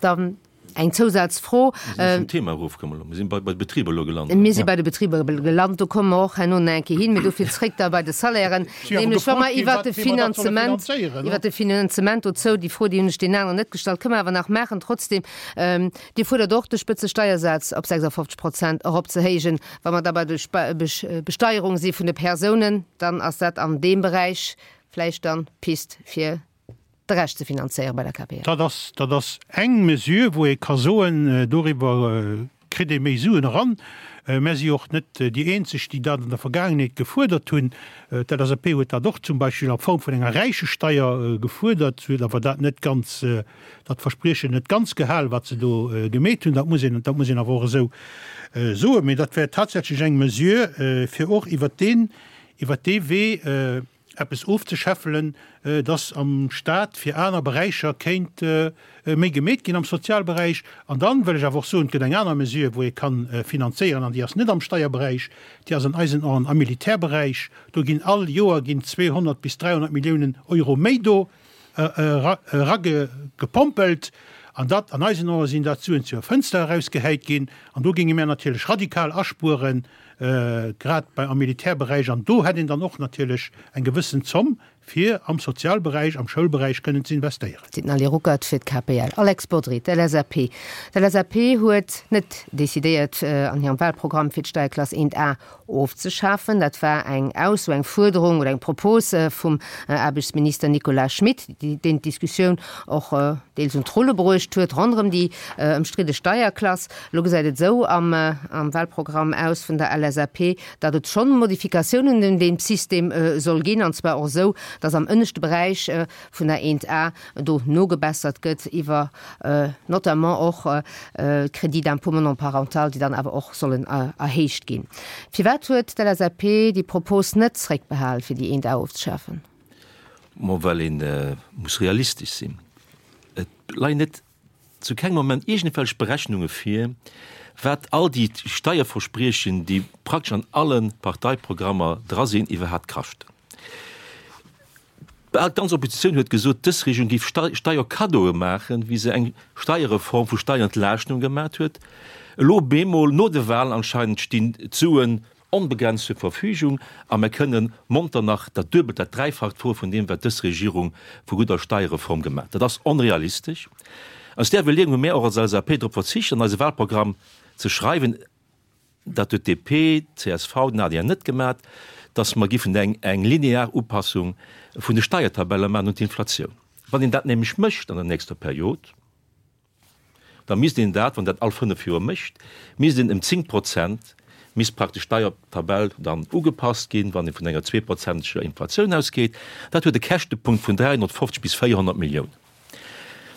Dann eng Zousazfro. Mir si vum Thema erofkomm elo. Mir si bei de Betriber elo gelant. Mir si bei de Betriber gelant, do komme mer och herno nach eng Kéier hin, mee dofir zréck da bei de Salairen. Nämlech wa mer iwwert de Finanzement, iwwert de Finanzement dozou, déi Fro, déi hunn ech deenen aneren net gestallt, kënne mer awer nach maachen trotzdem. Dir fuerdert och, de Spëtzesteiersaz op sechsafofzeg Prozent eropzehéijen. Wa mer da bei de Besteierung si vun de Persounen, dann ass dat an deem Beräich vläicht dann d'Pist fir de Rescht ze finanzéiere bei der K P L. Dat ass, dat ass eng Mesure, wou ee ka soen, doriwwer kritt ee méi Suen eran. Mär si och net déi eenzeg, déi dat an der Vergaangenheet gefuerdert hunn. D'L S A P huet dat och zum Beispill a Form vun enger Räichesteier gefuerdert. Se huet awer dat net ganz, dat Verspriechen net ganz gehal, wat se do gemeet hunn. Dat muss een, dat muss een awer och esou soen. Mee dat wär tatsächlech eng Mesure, fir och iwwert deen, iwwert dee Wee eppes ofzeschäffelen, dass am Stat fir aner Beräicher kéint méi gemeet ginn am Sozialberäich. An dann wëll ech awer och soen, et gëtt eng aner Mesure, wou ee ka finanzéieren, an déi ass net am Steierberäich, déi ass an eisen Aen am Militärberäich. Do ginn all Joer ginn zweehonnert bis dräihonnert Milliounen Euro méi do eragepompelt. An dat, an eisen Aen sinn dat Suen zur Fënster erausgehäit ginn. An do géinge mär natierlech radikal aspueren, grad bei am Militärberäich. An do hätt een dann och natierlech eng gewëssen Zomm, fir am Sozialberäich, am Schoulberäich kënnen ze investéieren. Seet den Ali Ruckert fir d'KPL. Alex Bodry, d'LSAP. D'LSAP huet net decidéiert an hirem Wahlprogramm fir d'Steierklass eent A ofzeschafen. Dat war eng Ausso, eng Fuerderung oder eng Propos vum Aarbechtsminister Nicolas Schmit, deen d'Diskussioun och deels un d'Rulle bruecht huet ronderëm déi ëmstridde Steierklass. Elo gesäit et esou am Wahlprogramm aus vun der LSAP, datt et schonn Modifikatiounen un deem System soll ginn, an zwar och esou, datt am ënneschte Beräich vun der eent A do nogebessert gëtt iwwer notamment och d'Crédits d'impôt monoparental, déi dann awer och sollen erhéicht ginn. Firwat huet d'LSAP déi Propos net zréckbehal, fir déi eent A ofzeschafen? Ma well ee muss realistesch sinn. Et leien net zu kengem Moment iergendwelch Berechnunge vir, wat all déi Steierverspriechen, déi praktesch an alle Parteiprogrammer dra sinn, iwwerhaapt kaschten. Bal d'ganz Oppositioun huet gesot, dës Regierung géif Steierkaddoe maachen, wéi se eng Steierreform vu Steierentlaaschtung gemat huet. Elo bemol, no de Wahlen anscheinend, stinn d'Suen onbegrenzt zur Verfügung a mer kënnen monter nach dat Duebelt, dat Dräifacht froe vun deem, wat dës Regierung vu gudder Steierreform gemat. Dat ass onrealistesch. Aus där Iwwerleeung hu mär och als LSAP drop verzicht, an eise Wahlprogramm ze schreiwen, dat huet d'DP, d'CSV, den adr net gemat, datt mer giffen eng eng linear Upassung vun de Steiertabelle maachen un d'Inflatioun. Wann een dat nämlech mécht an der nächster Period, da misst een dat, wann dat all fënnef Joer mécht, misst een ëm zéng Prozent, misst praktesch d'Steiertabell dann ugepasst ginn, wann ee vun enger zweeprozenteger Inflatioun ausgeet. Dat huet e Käschtepunkt vun dräihonnertfofzeg bis véierhonnert Milliounen.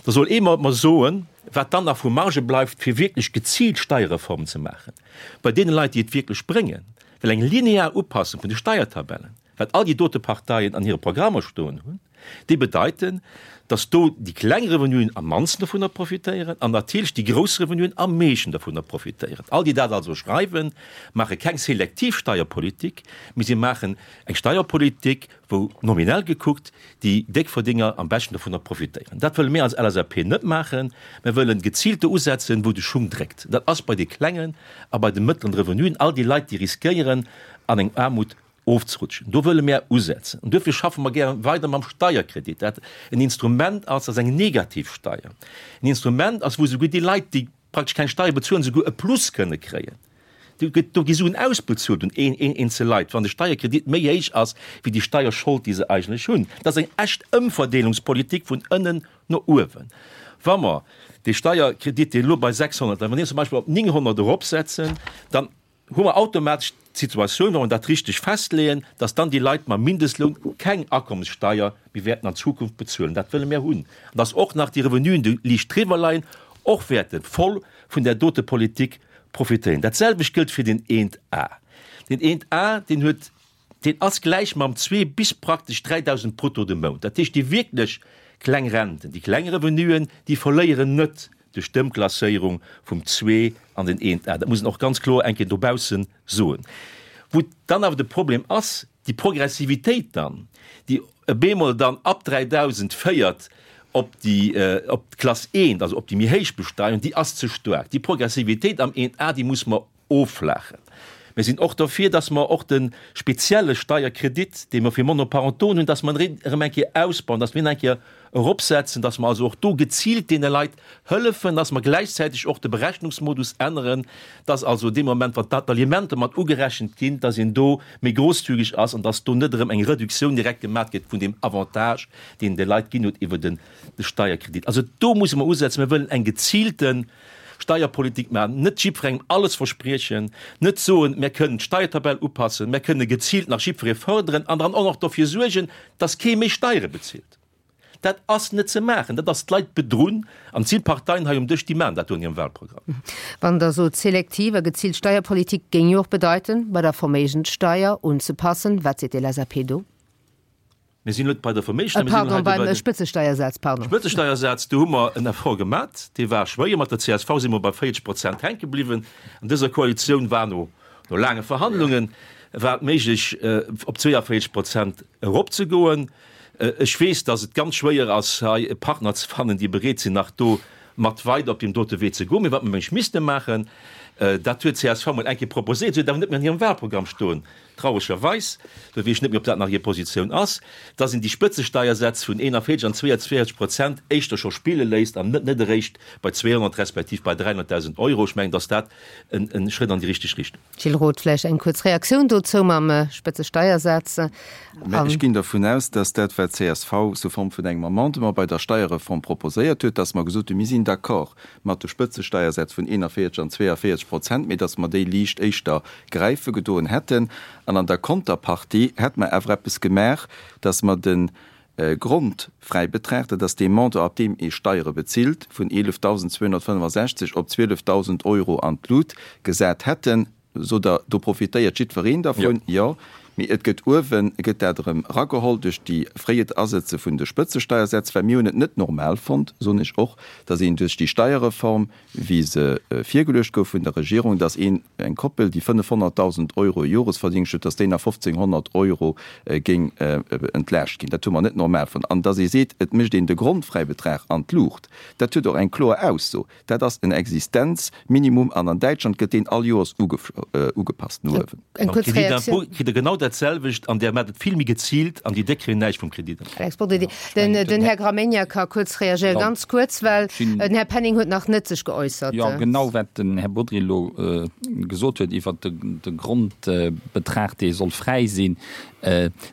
Da soll ee mer soen, wat dann nach vu Marge bleift, fir wierklech geziilt Steierreformen ze maachen bei deene Leit, déi et wierklech bréngen. Well eng linear Upassung vun de Steiertabellen, wat all déi dote Parteien an hire Programmer stoen hunn, déi bedeiten, datt do déi kleng Revenuen am mannsten dovunner profitéieren an natierlech déi grouss Revenuen am meeschten dovunner profitéieren. All déi dat also schreiwen, maache keng selektiv Steierpolitik, mee si maachen eng Steierpolitik, wou nominell gekuckt déi Déckverdénger am beschten dovunner profitéieren. Dat wëlle mir als LSAP net maachen. Mir wëllen geziilt do usetzen, wou de Schung dréckt. Dat ass bei de klengen a bei de mëttleren Revenuen, all déi Leit, déi riskéieren, an eng Aarmut ofzerutschen. Do wëlle mir usetzen. An duerfir schaffe mer gäre weider mam Steierkredit, dat en Instrument ass, dat ass eng negativ Steier, en Instrument ass, wou souguer déi Leit, déi praktesch keng Steier bezuelen, souguer e Plus kënne kréien. Do gëtt, do gi Suen ausbezuelt un een, een, eenzel Leit, wann de Steierkredit méi héich ass wéi déi Steierschold, déi se eigentlech hunn. Dat ass eng echt Ëmverdeelungspolitik vun ënnen no uewen. Wa mer dee Steierkredit, deen elo bei sechshonnert läit, wa mer deen zum Beispill op nénghonnert eropsetzen, dann hu mer automatesch d'Situatioun, wa mer dat richteg festleeën, dass dann déi Leit mam Mindestloun keng Akommessteier méi wäerten an Zukunft bezuelen. Dat wëlle mir hunn. An dass och nach déi Revenuen, déi liicht driwwer leien, och wäerte voll vun där dote Politik profitéieren. Dat selwecht gëllt fir den eent A. Den eent A, deen huet, deen ass gläich mam zwee bis praktesch dräidausend brutto de Mount. Dat heescht, déi wierklech kleng Renten, déi kleng Revenuen, déi verléieren net duerch d'Ëmklasséierung vum zwee an den eent A. Dat muss een och ganz kloer eng Kéier dobausse soen. Wou dann awer de Problem ass, déi Progressivitéit dann, déi e bemol dann ab dräidausend féiert op déi, op d'Klass eent, also op déi méi héich Besteierung, déi ass ze staark. Déi Progressivitéit am eent A, déi muss mer offlaachen. Mir sinn och derfir, dass mer och de spezielle Steierkredit, dee mer fir Monoparentoen hunn, dass mer en erëm eng Kéier ausbauen, dass mir en eng Kéier eropsetzen, dass mer also och do geziilt deene Leit hëllefen, dass mer gläichzäiteg och de Berechnungsmodus änneren, dass also dee Moment, wann d'Alimenten mat ugerechent ginn, dass een do méi großzügig ass an dass do net erëm eng Reduktioun direkt gemaach gëtt vun deem Avantage, deen de Leit ginn huet iwwer de Steierkredit. Also do musse mer usetzen. Mir wëllen eng geziilte Steierpolitik maachen, net jiddwerengem alles verspriechen, net soen, mir kënnen d'Steiertabell upassen, mir kënne geziilt nach jiddweree fërderen an dann och nach dofir suergen, dass kee méi Steiere bezilt. Dat ass net ze maachen, dat ass d'Leit bedrunn. An et si Parteien hei um Dësch, déi maachen dat do an hirem Wahlprogramm. Wann Der sot, selektiv a geziilt Steierpolitik géing jo och bedeiten, bei der Verméigenssteier unzepassen. Wat seet d'LSAP do? Mir sinn net bei der Verméigenssteuer, mir sinn Pardon, hei bei beim de Spëtzesteiersaz, pardon. Spëtzesteiersaz, do hu mer en Effort gemat, dee war schwéier. Mat der csv si mer bei véierzeg Prozent hänke bliwwen. An dëser Koalitioun war no, no laange Verhandlungen, war et méiglech, op zweeënvéierzeg Prozent eropzegoen. Ech weess, datt et ganz schwéier ass, hei e Partner ze fannen, déi bereet sinn, nach do mat weider op deem dote Wee ze goen. Mee wat mer mengen ech misste maachen, dat huet csv mol eng Kéier proposéiert, se huet awer net méi an hirem Wahlprogramm stoen, trauregerweis, do weess ech net méi, ob dat nach hir Positioun ass, dass een déi Spëtzesteiersätz vun eenanvéierzeg an zweeanzwéierzeg Prozent éischter scho spille léisst an net net eréischt bei zweehonnert respektiv bei dräihonnerttausend Euro. Ech mengen, dass dat en Schrëtt an déi richteg Richtung. Gilles Roth, vläicht eng kuerz Reaktioun dozou mam Spëtzesteiersaz. Mä ech ginn dervun aus, dass dat, wat d'CSV sous forme vun engem Amendement bei der Steierreform proposéiert huet, dass mer gesot hunn, mir sinn d'accord mat de Spëtzesteiersätz vun eenanvéierzeg an zweeavéierzeg Prozent, mee dass mer déi liicht éischter gräife gedoen hätten. An an der Konterpartie hätte mer awer eppes gemaach, dass mer de Grondfräibetrag, dat ass dee Montant, ab deem ee Steiere bezilt, vun eelefdausendzweehonnertfënnefasechzeg op zwielefdausend Euro an d'Lut gesat hätten. Sot Der, do profitéiert jiddwereen dervun? Jo. Mee et gëtt uewen, gëtt dat erëm erageholl duerch déi fréiet Asëtze vun de Spëtzesteiersätz, well mir hunn et net normal fonnt, soen ech och, dass een duerch déi Steierreform, wéi se virgeluecht gouf vun der Regierung, dass een, eng Koppel, déi fënnefhonnertdausend Euro Joresverdingscht huet, dass déi nach fofzénghonnert Euro géing entlaascht ginn. Dat hu mer net normal fonnt. An dass ee seet, et mécht een de Grondfräibetrag an d'Luucht, dat huet och eng kloer Ausso. Dat ass en Existenzminimum an an Däitschland gëtt deen all Joers ugepasst no uewen. Eng kuerz Crédit Reaktioun. d'impôt kritt Der genau dat selwecht an där maacht et vill méi geziilt an déi Déck kréien näischt vum Crédit d'impôt. Alex Bodry, Den, den Här Gramegna ka kuerz reagéieren, ganz kuerz, well den Här Penning huet nach net sech geäussert. Jo, genau wat den Här Bodry elo gesot huet iwwert de Grondbetrag, dee soll fräi sinn,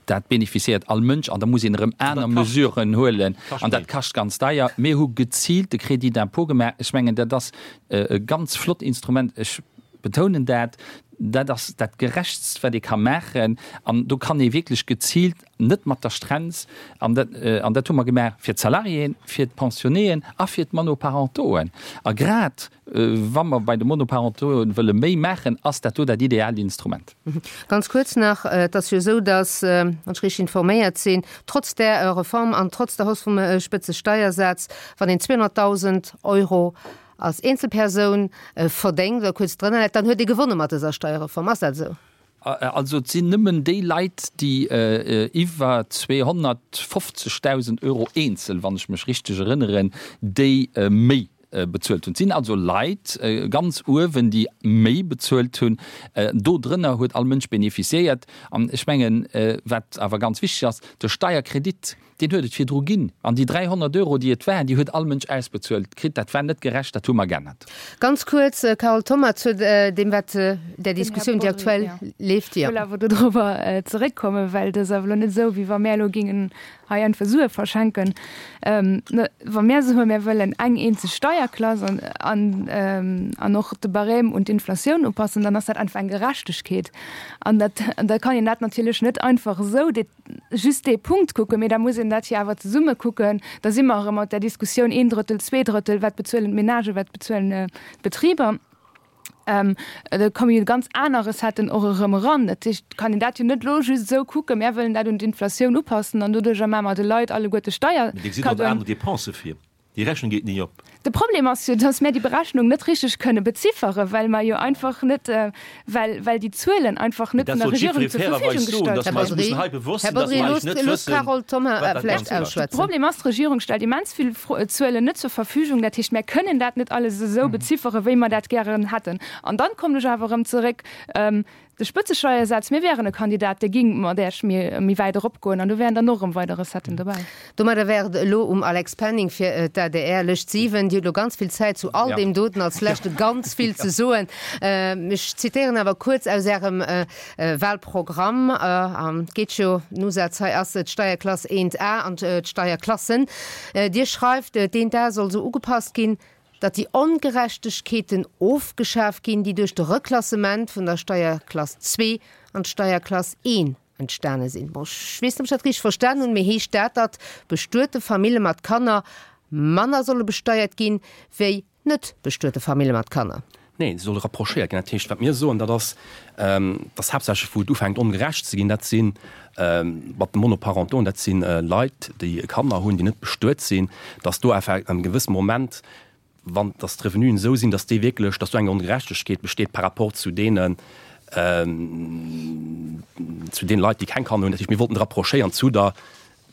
Dat bénéficiéiert all Mënsch an da muss een erëm aner Mesuren huelen an dat kascht ganz deier. Mir hu geziilt de Crédit d'impôt gemaach. Ech mengen, dat ass e ganz flott Instrument. Ech betounen dat. Dat ass dat Gerechtst, wat ee ka maachen. An do kann ee wierklech geziilt, net mat der Strenz, an dat, an dat hu mer gemaach fir d'Salariéen, fir d'Pensionnéeën a fir d'Monoparentoen. A grad wa mer bei de Monoparentoen wëlle méi maachen, ass dat do dat ideaalt Instrument. Ganz kuerz nach, Et ass jo esou, datt, wann ech richteg informéiert sinn, trotz där Reform an trotz der Hausse vum Spëtzesteiersaz, wann een zweehonnertdausend Euro als Eenzelpersoun verdéngt oder kuerz drënner läit, dann huet ee gewonne mat dëser Steierreform. Ass dat esou? Also et sinn nëmmen déi Leit, déi iwwer zweehonnertfofzegdausend Euro eenzel, wann ech mech richteg erënneren, déi méi bezuelt hunn. Et sinn also Leit ganz uewen, déi méi bezuelt hunn. Do drënner huet all Mënsch bénéficiéiert. An ech mengen, wat awer ganz wichteg ass, de Steierkredit, deen huet et virdru ginn. An déi dräihonnert Euro, déi et waren, déi huet all Mënsch ausbezuelt kritt. Dat war net gerecht, dat hu mer geännert. Ganz kuerz, Carole Thoma, zu deem, wat, där Diskussioun, déi aktuell leeft. Ech wëll awer dodrobber zeréckkommen, well et ass awer elo net esou, wéi wa mär elo géingen hei einfach Sue verschenken. Wa mär soen, mär wëllen eng eenzeg Steierklass an, an, an och de Barème un d'Inflatioun upassen, dann ass dat einfach eng Gerechtegkeet. An dat, an da kann een dat natierlech net einfach esou just dee Punkt kucken, mee da muss een dat jo awer zesumme kucken. Da si mer erëm mat där Diskussioun een Drëttel, zwee Drëttel, wat bezuelen d'Menagen, wat bezuelen d'Betriber. Da komme jo ganz aner Recetten och erëm eran. Dat heescht, et kann een dat jo net elo just esou kucken, mär wëllen dat un d'Inflatioun upassen an doduerjer maache mer de Leit alleguerte Mee Dir gesitt och Steierkaddoen. aner Dépensë vir. Déi Rechnung geet ni op. De Problem ass jo, dass mär déi Berechnung net richteg kënne bezifferen, well mer jo einfach net, well, well déi Zuelen einfach Mee net dat vun der sollt Regierung jiddweree zur fairerweis Verfügung soen, gestallt dass mer eis ginn. mussen hei bewosst Här sinn, dass Bodry, mer eigentlech loosst, net loosst wëssen, d'Carole Thoma wat dat vläicht Ganzt kascht. De ausschwätzen. Problem ass, d'Regierung stellt immens vill Zuelen net zur Verfügung. Dat heescht, mär kënnen dat net alles esou bezifferen, wéi mer dat gären hätten. An dann kommen ech awer erëm zeréck, De Spëtzesteiersaz, mir wären e Kandidat, dee ging mat Äech méi wäit eropgoen an do wären dann och erëm weider Recetten dobäi. Domadder wär et elo um Alex Penning fir d'ADR. Lëscht siwen. Dir hutt elo ganz vill Zäit zu all deem doten als Leschte ganz vill ze soen. Ech zitéieren awer kuerz aus Ärem Wahlprogramm, an et geet jo, den Usaz hei ass d'Steierklass eent A an d'Steierklassen. Dir schreift, d'eent A soll esou ugepasst ginn, datt déi Ongerechtegkeeten ofgeschaf ginn, déi duerch de Reklassement vun der Steierklass zwee an d'Steierklass een entstane sinn. Bon, ech weess net, ob ech dat richteg verstanen hunn, mee heescht dat, datt bestuete Famille mat Kanner manner solle besteiert ginn, wéi net bestuete Famille mat Kanner? Neen, se solle rapprochéiert ginn. Dat heescht, wat mir soen, dat ass, dass haaptsächlech, wou et ufänkt ongerecht ze ginn, dat si mat de Monoparentoen, dat si Leit, déi Kanner hunn, déi net bestuet sinn, dass do einfach an engem gewësse Moment, wann dass d'Revenuen esou sinn, dass déi wierklech, dass do eng Ongerechtegkeet besteet par rapport zu deenen, zu deene Leit, déi keng Kanner hunn. Dat heescht, mir wollten rapprochéieren zu der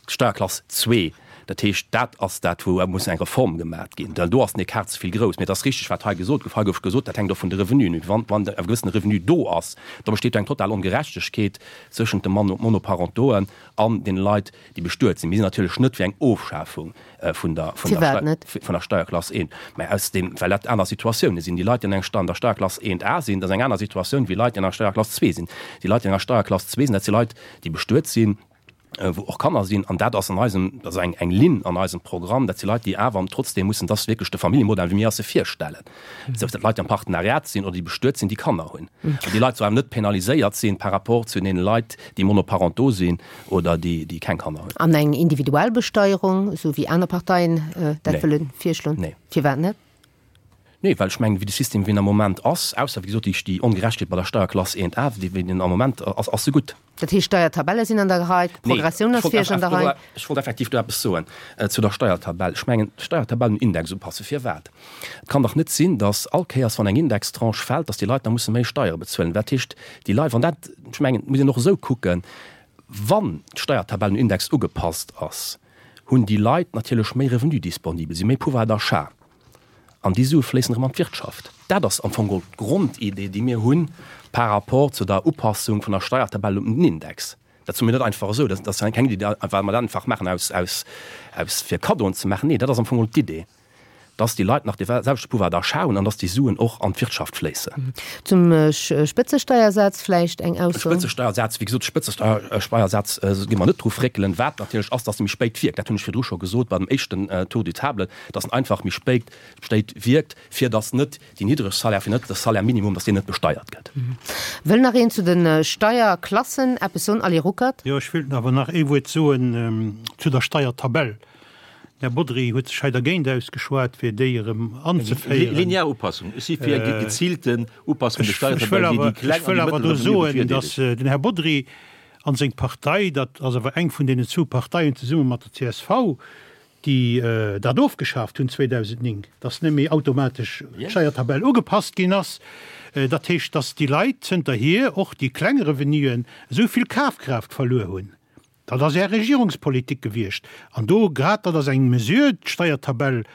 Steierklass zwee. Dat heescht, dat ass dat, wou muss eng Reform gemat ginn. Well do ass den Ecart ze vill grouss. Mee et ass richteg, wat hei gesot gouf. Hei gouf gesot, dat hänkt och vun de Revenuen of. Wann, wann e gewëssene Revenu do ass, da besteet do eng total Ongerechtegkeet zwëschent de Monoparentoen an deene Leit, déi bestuet sinn. Mir sinn natierlech net fir eng Ofschafung vun der, vun der, vun der Steierklass eent, mä aus deem, well dat aner Situatiounen sinn. Déi Leit, déi an eng, an der Steierklass eent A sinn, dat ass eng aner Situatioun wéi Leit, déi an der Steierklass zwee sinn. Déi Leit, déi an der Steierklass zwee sinn, dat si Leit, déi bestuet sinn, wou och Kanner sinn, an dat ass an eisem, dat ass eng, eng Linn an eisem Programm, dat si Leit, déi awer trotzdem mussen, dat ass wierklech de Familljemodell, wéi mir eis e virstellen, sief dat Leit, déi am Partenariat sinn oder déi bestuet sinn, déi Kanner hunn. An déi Leit sollen awer net penaliséiert sinn par rapport zu deene Leit, déi monoparentaux sinn oder déi, déi keng Kanner hunn. An eng individuell Besteierung, esou wéi aner Parteien dat wëlle virschloen? Nee. Firwat net? Nee, well ech mengen, wéi de System, wéi en am Moment ass, ausser, wéi gesot, déi, déi Ongerechtegkeet bei der Steierklass eent A, déi, wéi en am Moment ass, ass se gutt. Dat heescht, d'Steiertabelle sinn an der Rei, d'Progressioun ass fir Iech an der Rei? Ech wollt effektiv do eppes soen zu der Steiertabell. Ech mengen, d'Steiertabell un Index upassen. Firwat? Et kann dach net sinn, datt all Kéiers, wann eng Indextranche fält, datt déi Leit da musse méi Steiere bezuelen. Dat heescht, déi Leit, wann dat, ech mengen, et muss een och esou kucken, wann d'Steiertabell un Index ugepasst ass, hunn déi Leit natierlech méi Revenu disponibel, si méi Pouvoir d'achat. An déi Sue fléissen erëm an d'Wirtschaft. Dat ass am Fong geholl d'Grondidee, déi mir hunn par rapport zu der Upassung vun der Steiertabell un den Index. Dat soe mir net einfach esou, dat ass keng Idee, well mer dat einfach maachen aus, aus, aus fir Kaddoen ze maachen. Nee, dat ass am Fong geholl d'Idee, dass déi Leit nach dee selwechte Pouvoir d'achat hunn an dass déi Suen och an d'Wirtschaft fléissen. Zum Spëtzesteiersaz vläicht eng Ausso? Spëtzesteiersaz, wéi gesot, Spëtzesteiersaz gi mer net dru fréckelen. Wat natierlech ass, dass e méi spéit wierkt, dat hunn ech virdru scho gesot bei dem éischten Tour de table, dass en einfach méi spéit, spéit wierkt, fir dass net déi niddreg Salaire, fir net de Salaire minimum, dass deen net besteiert gëtt. Wëll nach een zu de Steierklassen eppes soen? Ali Ruckert. Jo, ech wéilt awer nach ee Wuert soen zu der Steiertabell. Den Här Bodry huet sech hei dergéint ausgeschwat, fir déi erëm anzeféieren. Linear Upassung. Ech si fir eng geziilten Upassung vun de Steiertabell, déi déi kleng Ech wëll an déi awer do mëttel Revenue soen, bevirdeelegt. datt den Här Bodry a seng Partei, dat ass awer eng vun deenen zwou Parteien zesumme mat der C S V, déi dat ofgeschaaft hunn zweedausendnéng, datt net méi automatesch d'Steiertabell ugepasst ginn ass. Dat heescht, datt déi Leit zënterhier, och déi kleng Revenuen, esou vill Kafkraaft verluer hunn. Dat ass Är Regierungspolitik gewiescht. An do grad, dat ass eng Mesure, d'Steiertabell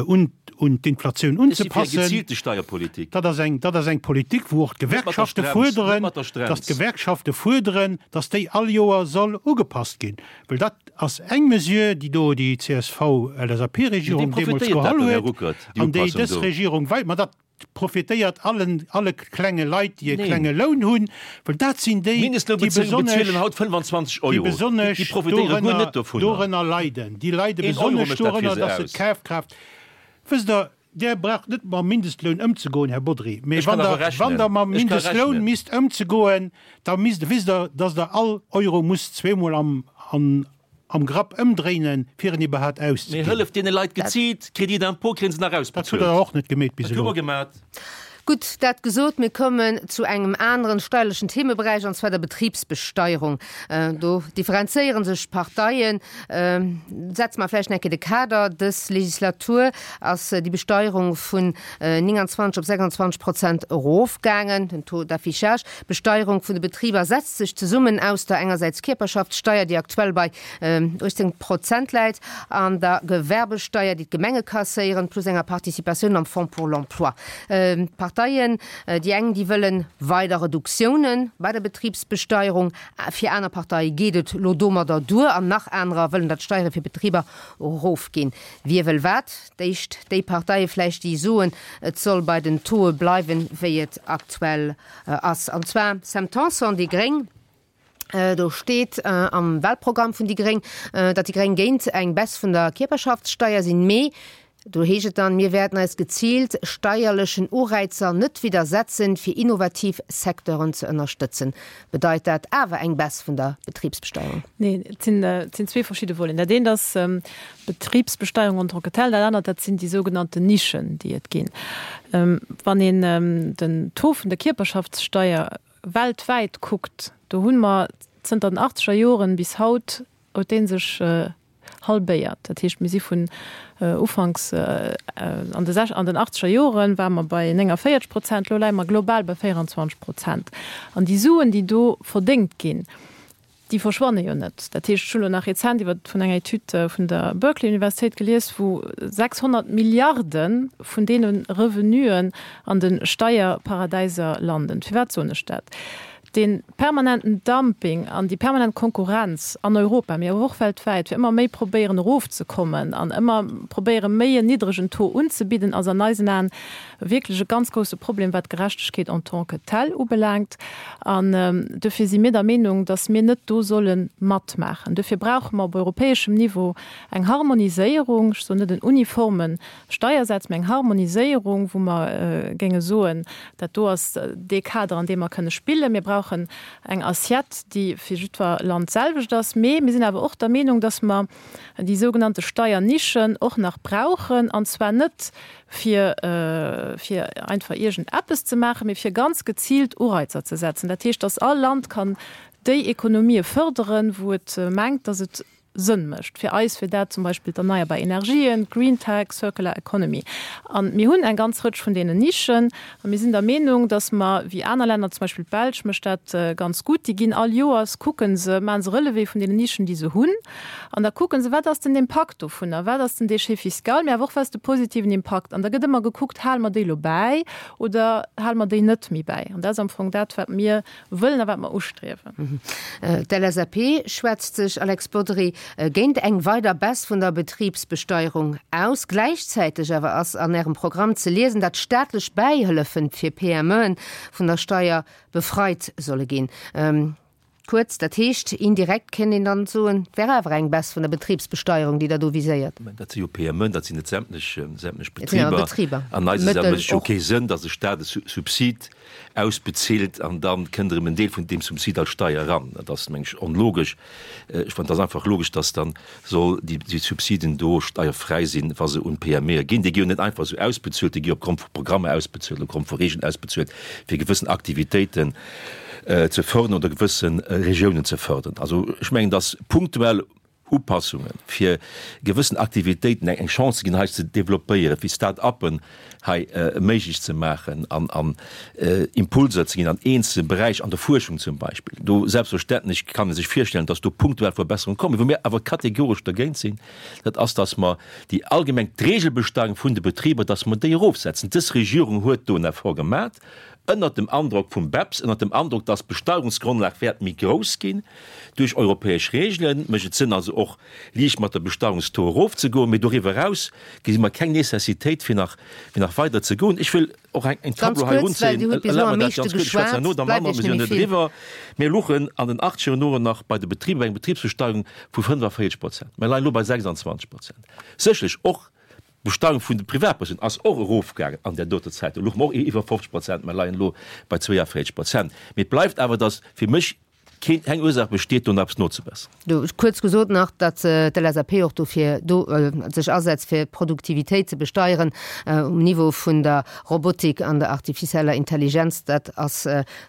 un un d'Inflatioun Ech si fir eng unzepassen. geziilte Steierpolitik. Dat ass eng, dat ass eng Politik, wou och Net mat der d'Gewerkschafte Strems, net fuerderen, mat der dass Strems. d'Gewerkschafte fuerderen, dass déi all Joer soll ugepasst ginn. Well dat ass eng Mesure, déi do déi Mee C S V-L S A P-Regierung wee deemools profitéiert dat geholl dann, Här huet Ruckert, déi an déi Upassung dës do? Regierung wei-, ma dat profitéiert allen, alle klenge Leit, déi e Neen. klenge Loun hunn, well dat sinn déi, déi Mindestlounbezéier besonnesch, bezuelen haut fënnfanzwanzeg déi Euro. Déi besonnesch profitéiere guer dorënner, net dovunner. dorënner leiden. Déi leide Een Euro besonnesch mécht dat fir dorënner, se dass se aus. d'Kafkraaft, wësst Der, Där braucht net mam Mindestloun ëmzegoen, Här Bodry, mee Ech kann wann awer Der, wann rechnen. Der mam Ech ka Mindestloun rechnen. misst ëmzegoen, da misst, wisst Der, dass Der all Euro musst zweemol am, an, am Grapp ëmdréinen, fir en iwwerhaapt Mir auszeginn. hëlleft deene Leit geziilt, Crédit d'impôt kréien se nach Dat hutt Der ausbezuelt. och net gemeet bis Dat hu elo. mer gemat. Gutt, dat gesot, mir kommen zu engem aneren steierlechen Themeberäich, an zwar der Betribsbesteierung. Do differenzéiere sech d'Parteien. Setze mer vläicht nach eng Kéier de Kader, Dës Legislatur ass déi Besteierung vun nénganzwanzeg op sechsandzwanzeg Prozent erofgaangen, den Taux d'affichage. D'Besteierung vun de Betriber setzt sech zesummen aus der engersäits Kierperschaftssteier, déi aktuell bei uechtzéng Prozent läit, an der Gewerbesteier, déi d'Gemenge kasséieren, plus enger Participatioun am Fonds pour l'emploi. D'Parteien, déi eng, déi wëlle weider Reduktiounen bei der Betribsbesteierung, fir aner Parteie geet et lo domadder duer an nach anerer wëllen, datt d'Steiere fir Betriber erofginn. Wie wëll wat? D'éischt déi Parteie vläicht, déi soen, et soll bei den Tauxe bleiwen, wéi et aktuell ass. An zwar Sam Tanson, déi gréng. Do steet am Wahlprogramm vun déi gréng, datt déi gréng géint eng Baisse vun der Kierperschaftssteier sinn, mee do heescht et dann, Mir wäerten eis geziilt steierlechen Ureizer net widdersetzen, fir innovativ Secteuren ze ënnerstëtzen. Bedeit dat awer eng Baisse vun der Betribsbesteierung? Neen, et sinn, et sinn zwee verschidde Voleten. Dat eent ass d'Betribsbesteierung en tant que telle, dat anert, dat sinn déi sougenannten Nischen, déi et ginn. Wann een den Taux vun der Kierperschaftssteier weltwäit kuckt, do hu mer zënter den achtzeger Joren bis haut huet dee sech halbéiert. Dat heescht, mir si vun ufanks an de an den achtzeger Joren ware mer bei nénganvéierzeg Prozent, elo leie mer global bei véieranzwanzeg Prozent. An déi Suen, déi do verdéngt ginn, déi verschwanne jo net. Dat heescht, ech hunn elo nach rezent iwwer vun enger Etüd vun der Berkeley Universitéit gelies, wou sechshonnert Milliarde vun deene Revenuen an de Steierparadäiser landen. Firwat soen ech dat? Dee permanenten Dumping an déi permanent Konkurrenz an Europa, mee awer och weltwäit, fir ëmmer méi probéieren erofzekommen an ëmmer probéiere méi en niddregen Taux unzebidden, ass an eisen Aen wierklech e ganz grousse Problem, wat d'Gerechtegkeet en tant que telle ubelaangt. An dofir si mir der Meenung, dass mir net do solle matmaachen. Dofir brauche mer op europäeschem Niveau eng Harmoniséierung, ech soen net en uniforme Steiersaz, mä eng Harmoniséierung, wou mer géinge soen, dat do ass dee Kader, an deem mer kënne spillen. Mir brauchen eng Assiette, déi fir jiddwer Land d'selwecht ass. Mee mir sinn awer och der Meenung, dass mer déi sougenannte Steiernischen och nach brauchen, an zwar net fir fir einfach iergend eppes ze maachen, mee fir ganz geziilt Ureizer ze setzen. Dat heescht, dass all Land kann déi Ekonomië fërderen, wou et mengt, dass et Sënn mécht. Fir eis wier dat zum Beispill d'erneierbar Energien, d'Green Tech, Circular Economy. A mir hunn eng ganz Rëtsch vun deenen Nischen. A mir sinn der Meenung, dass mer, wéi aner Länner, zum Beispill d'Belsch mécht dat ganz gutt, déi ginn all Joers, kucke se, maache se Relevé vun deenen Nischen, déi se hunn. An da kucke se, wat ass den Impakt dovunner, wat ass den Déchet fiscal, mee awer och, wat ass de positiven Impakt. An da gëtt ëmmer gekuckt, hale mer déi elo bäi oder hale mer déi net méi bäi. An dat ass am Fong dat, wat mir wëllen a wat mer ustriewen. D'LSAP schwätzt sech, Alex Bodry, géint eng weider Baisse vun der Betribsbesteierung aus. Gläichzäiteg awer ass an Ärem Programm ze liesen, datt staatlech Bäihëllefen fir PMEen vun der Steier befreit solle ginn. Kuerz, dat heescht, indirekt kéint een dann soen, et wär awer eng Baisse vun der Betribsbesteierung, déi Der do viséiert. Mä dat si jo PMEen, dat sinn net sämtlech, sämtlech Betriber. An eise Sënn mécht et jo kee Sënn, datt de Stat e Subsid ausbezilt an da kënnt erëm en Deel vun deem Subsid als Steier eran. Dat ass, meng ech, onlogesch. Ech fannen, et ass einfach logesch, datt dann soll déi, déi Subsiden do steierfräi sinn, wa se un d'PMEe ginn. Déi gi jo net einfach esou ausbezuelt, déi gi opgrond vu Programmer ausbezuelt, opgrond vu Regeln ausbezuelt, fir gewëssen Aktivitéiten ze fördern oder gewësse Regiounen ze fördern. Also ech mengen, datt punktuell Upassungen, fir gewëssen Aktivitéiten eng Chance ze ginn, hei ze developpéieren, fir Start-uppen hei méiglech ze maachen an an Impulser ze ginn an eenzelne Beräich, an der Fuerschung zum Beispill. Do selbstverständlech kann ee sech virstellen, dass do punktuell Verbesserungen kommen. Wou mir awer kategoresch dergéint sinn, dat ass, dass mer déi allgemeng d'Regelbesteuerung vun de Betriber, dass mer déi erofsetzen. Dës Regierung huet do en Effort gemaach, ënnert dem Androck vum BEPS, ënnert dem Androck, dass d'Besteuerungsgrondlag wäert méi grouss ginn duerch europäesch Regelen, mécht et Sënn also och liicht mat der Besteuerungstaux erofzegoen. Mee doriwwer eraus gesi mer keng Necessitéit fir nach, fir nach weider ze goen. Ech wëll och eng, eng Ganz Tableau hei kuerz, well erunzéien. Dir hutt bis elo Erlaabt am mer dat meeschte ganz kuerz, ech schwätzen geschwat, herno da bleift manner, Iech mir sinn net jo méi net vill. eriwwer. Mir luchen an den achtzeger Joren nach bei de Betriber bei enger Betribsbesteuerung vu fënnefavierzeg Prozent. Mir leien elo bei sechsundzwanzeg Prozent. Sécherlech och D'Besteuerung vun de Privatpersounen ass och erofgaangen an där doter Zäit. Do louche mer och iwwer fofzeg Prozent, mer leien elo bei zwéiavéierzeg Prozent. Mee et bleift awer, datt fir mech keen, keng Ursaach besteet, do nach eppes nozebesseren. Kuerz gesot nach, datt d'LSAP och dofir do sech asetzt, fir d'Produktivitéit ze besteieren um Niveau vun der Robotik an der artificieller Intelligenz. Dat ass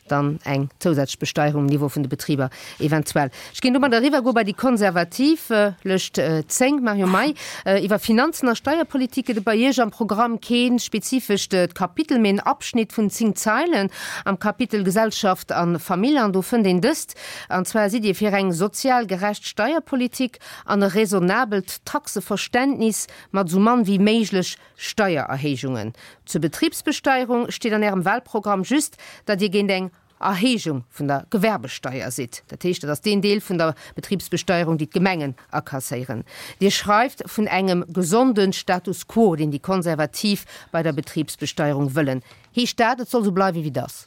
dann eng zousätzlech Besteierung um Niveau vun de Betriber eventuell. Ech géing domat eriwwer goe bei déi Konservativ, Lëscht zéng, Marion May. Iwwer Finanzen a Steierpolitik gëtt et bei Iech am Programm kee spezifescht Kapitel, mee en Abschnitt vun zéng Zeilen am Kapitel Gesellschaft a Famill. An do fënnt een dëst, An zwar sidd Dir fir eng sozial gerecht Steierpolitik an e raisonnabelt Taxeverständnis mat esou mann wéi méiglech Steiererhéijungen. Zur Betribsbesteierung steet an Ärem Wahlprogramm just, datt Dir géint eng Erhéijung vun der Gewerbesteier sidd. Dat heescht, dat ass deen Deel vun der Betribsbesteierung, déi d'Gemengen akasséieren. Dir schreift vun engem gesonde Status quo, deen déi Konservativ bei der Betribsbesteierung wëllen. Heescht dat, et soll esou bleiwen, wéi et ass?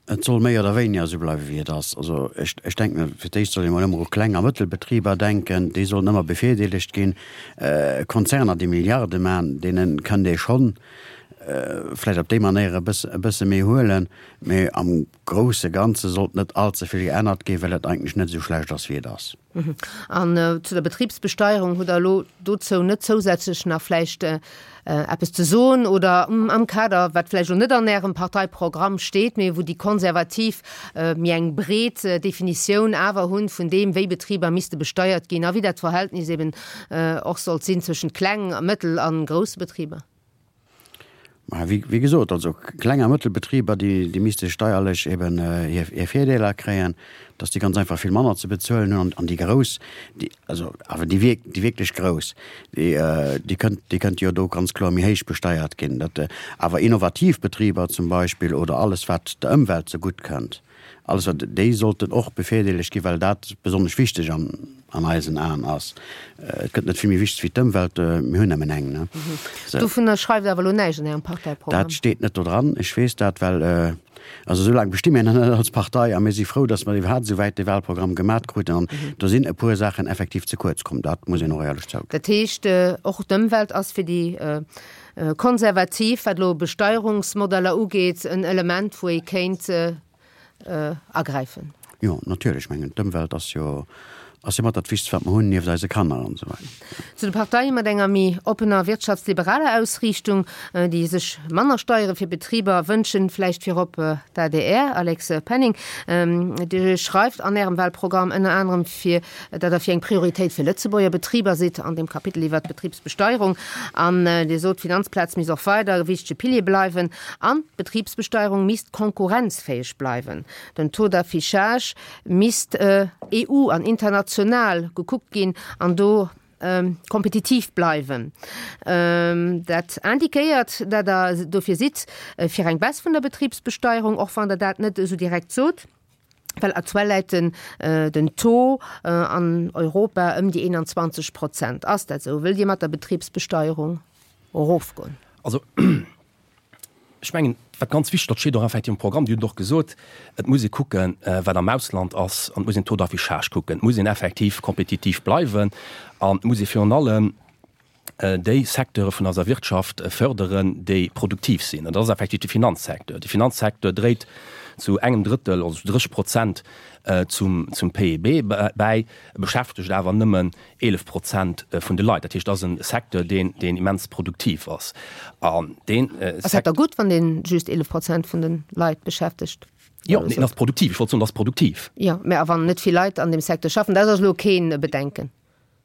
Et soll méi oder wéiniger esou bleiwen, wéi et ass. Also ech, ech denken, fir d'éischt soll ee mol ëmmer u Kleng a Mëttelbetriber denken. Déi sollen ëmmer bevirdeelegt ginn. Konzerner, déi Milliarde maachen, deene kënnt ee schonn vläicht op déi Manéier e bësse, e bësse méi huelen. Mee am grousse Ganze sollt net allze vill geännert ginn, well et eigentlech net esou schlecht ass, wéi et ass. An zu der Betribsbesteierung, hutt Der elo dozou net zousätzlech nach vläicht eppes ze soen oder am Kader, wat vläicht elo net an Ärem Parteiprogramm steet, mee wou déi Konservativ méi eng breet Definitioun awer hunn vun deem, wéi Betriber misste besteiert ginn a wéi dat Verhältnis eben och sollt sinn zwëschent kleng, mëttel a grousse Betriber? Ma wéi, wéi gesot, also Kleng a Mëttelbetriber, déi, déi misste steierlech eben hir, hir Virdeeler kréien, dass déi ganz einfach vill manner ze bezuelen hunn. An, an déi Grouss, déi, also awer déi wierk, déi wierklech Grouss, déi, déi kënnt, déi kënnte jo do ganz kloer méi héich besteiert ginn. Dat, awer innovativ Betriber zum Beispill oder alles, wat der Ëmwelt zegutt kënnt, Alles wat, déi sollten och bevirdeelegt ginn, well dat besonnesch wichteg an, an eisen Aen ass. Et gëtt net vill méi wichteg wéi d'Ëmwelt, mir hunn nëmmen eng, ne? Sou. Dovunner schreift Der awer elo näischt an Ärem Parteiprogramm. Dat steet net do dran, ech weess dat, well, also esou laang besti mir nach net als Partei a mir si frou, datt mer iwwerhaapt esou wäit de Wahlprogramm gemat kruten an do sinn e puer Saachen effektiv ze kuerz komm, dat muss een och éierlech zouginn. Dat heescht, och d'Ëmwelt ass fir déi Konservativ, wat elo Besteierungsmodeller ugeet, en Element, wou ee kéint agräifen. Jo, natierlech. Ech mengen, d'Ëmwelt ass jo, ass jo mat dat Wichtegst, wat mer hunn, nieft eise Kanner an esou weider. Zu de Parteie mat enger méi oppener wirtschaftsliberaler Ausriichtung, déi sech manner Steiere fir Betriber wënschen, vläicht virop d'ADR. Alex Penning, Dir schreift an Ärem Wahlprogramm ënner anerem fir, datt Der fir eng Prioritéit fir Lëtzebuerger Betriber sidd an dem Kapitel iwwert d'Betribsbesteierung. An Dir sot, d'Finanzplaz misst och weider e wichtege Pilier bleiwen an d'Betribsbesteierung misst konkurrenzfäeg bleiwen. Den Taux d'affichage misst EU an international gekuckt ginn an do kompetitiv bleiwen. Dat indiquéiert, datt Der dofir sidd, fir eng Baisse vun der Betribsbesteierung, och wann Der dat net esou direkt sot. Well aktuell läit den den Taux an Europa ëm déi eenanzwanzeg Prozent. Ass dat esou? Wëllt Dir mat der Betribsbesteierung erofgoen? Also, ech mengen, wat ganz wichteg, dat steet och effektiv am Programm, Dir hutt et och gesot, et muss ee kucken, wat am Ausland ass, an et muss een den Taux d'affichage kucken. Et muss een effektiv kompetitiv bleiwen an et muss ee virun allem déi Secteure vun eiser Wirtschaft förderen, déi produktiv sinn. An dat ass effektiv de Finanzsecteur. De Finanzsecteur dréit zu engem Drëttel, also zu dréisseg Prozent zum, zum P I B bäi, beschäftegt awer nëmmen eelef Prozent vun de Leit. Dat heescht, dat ass e Secteur, deen, deen immens produktiv ass. An deen Ass dat da gutt, wann dee just eelef Prozent vun de Leit beschäftegt? Jo, en ass produktiv. Ech wollt soen, en ass produktiv. Jo, mä a wann net vill Leit an deem Secteur schaffen, dat ass elo kee Bedenken.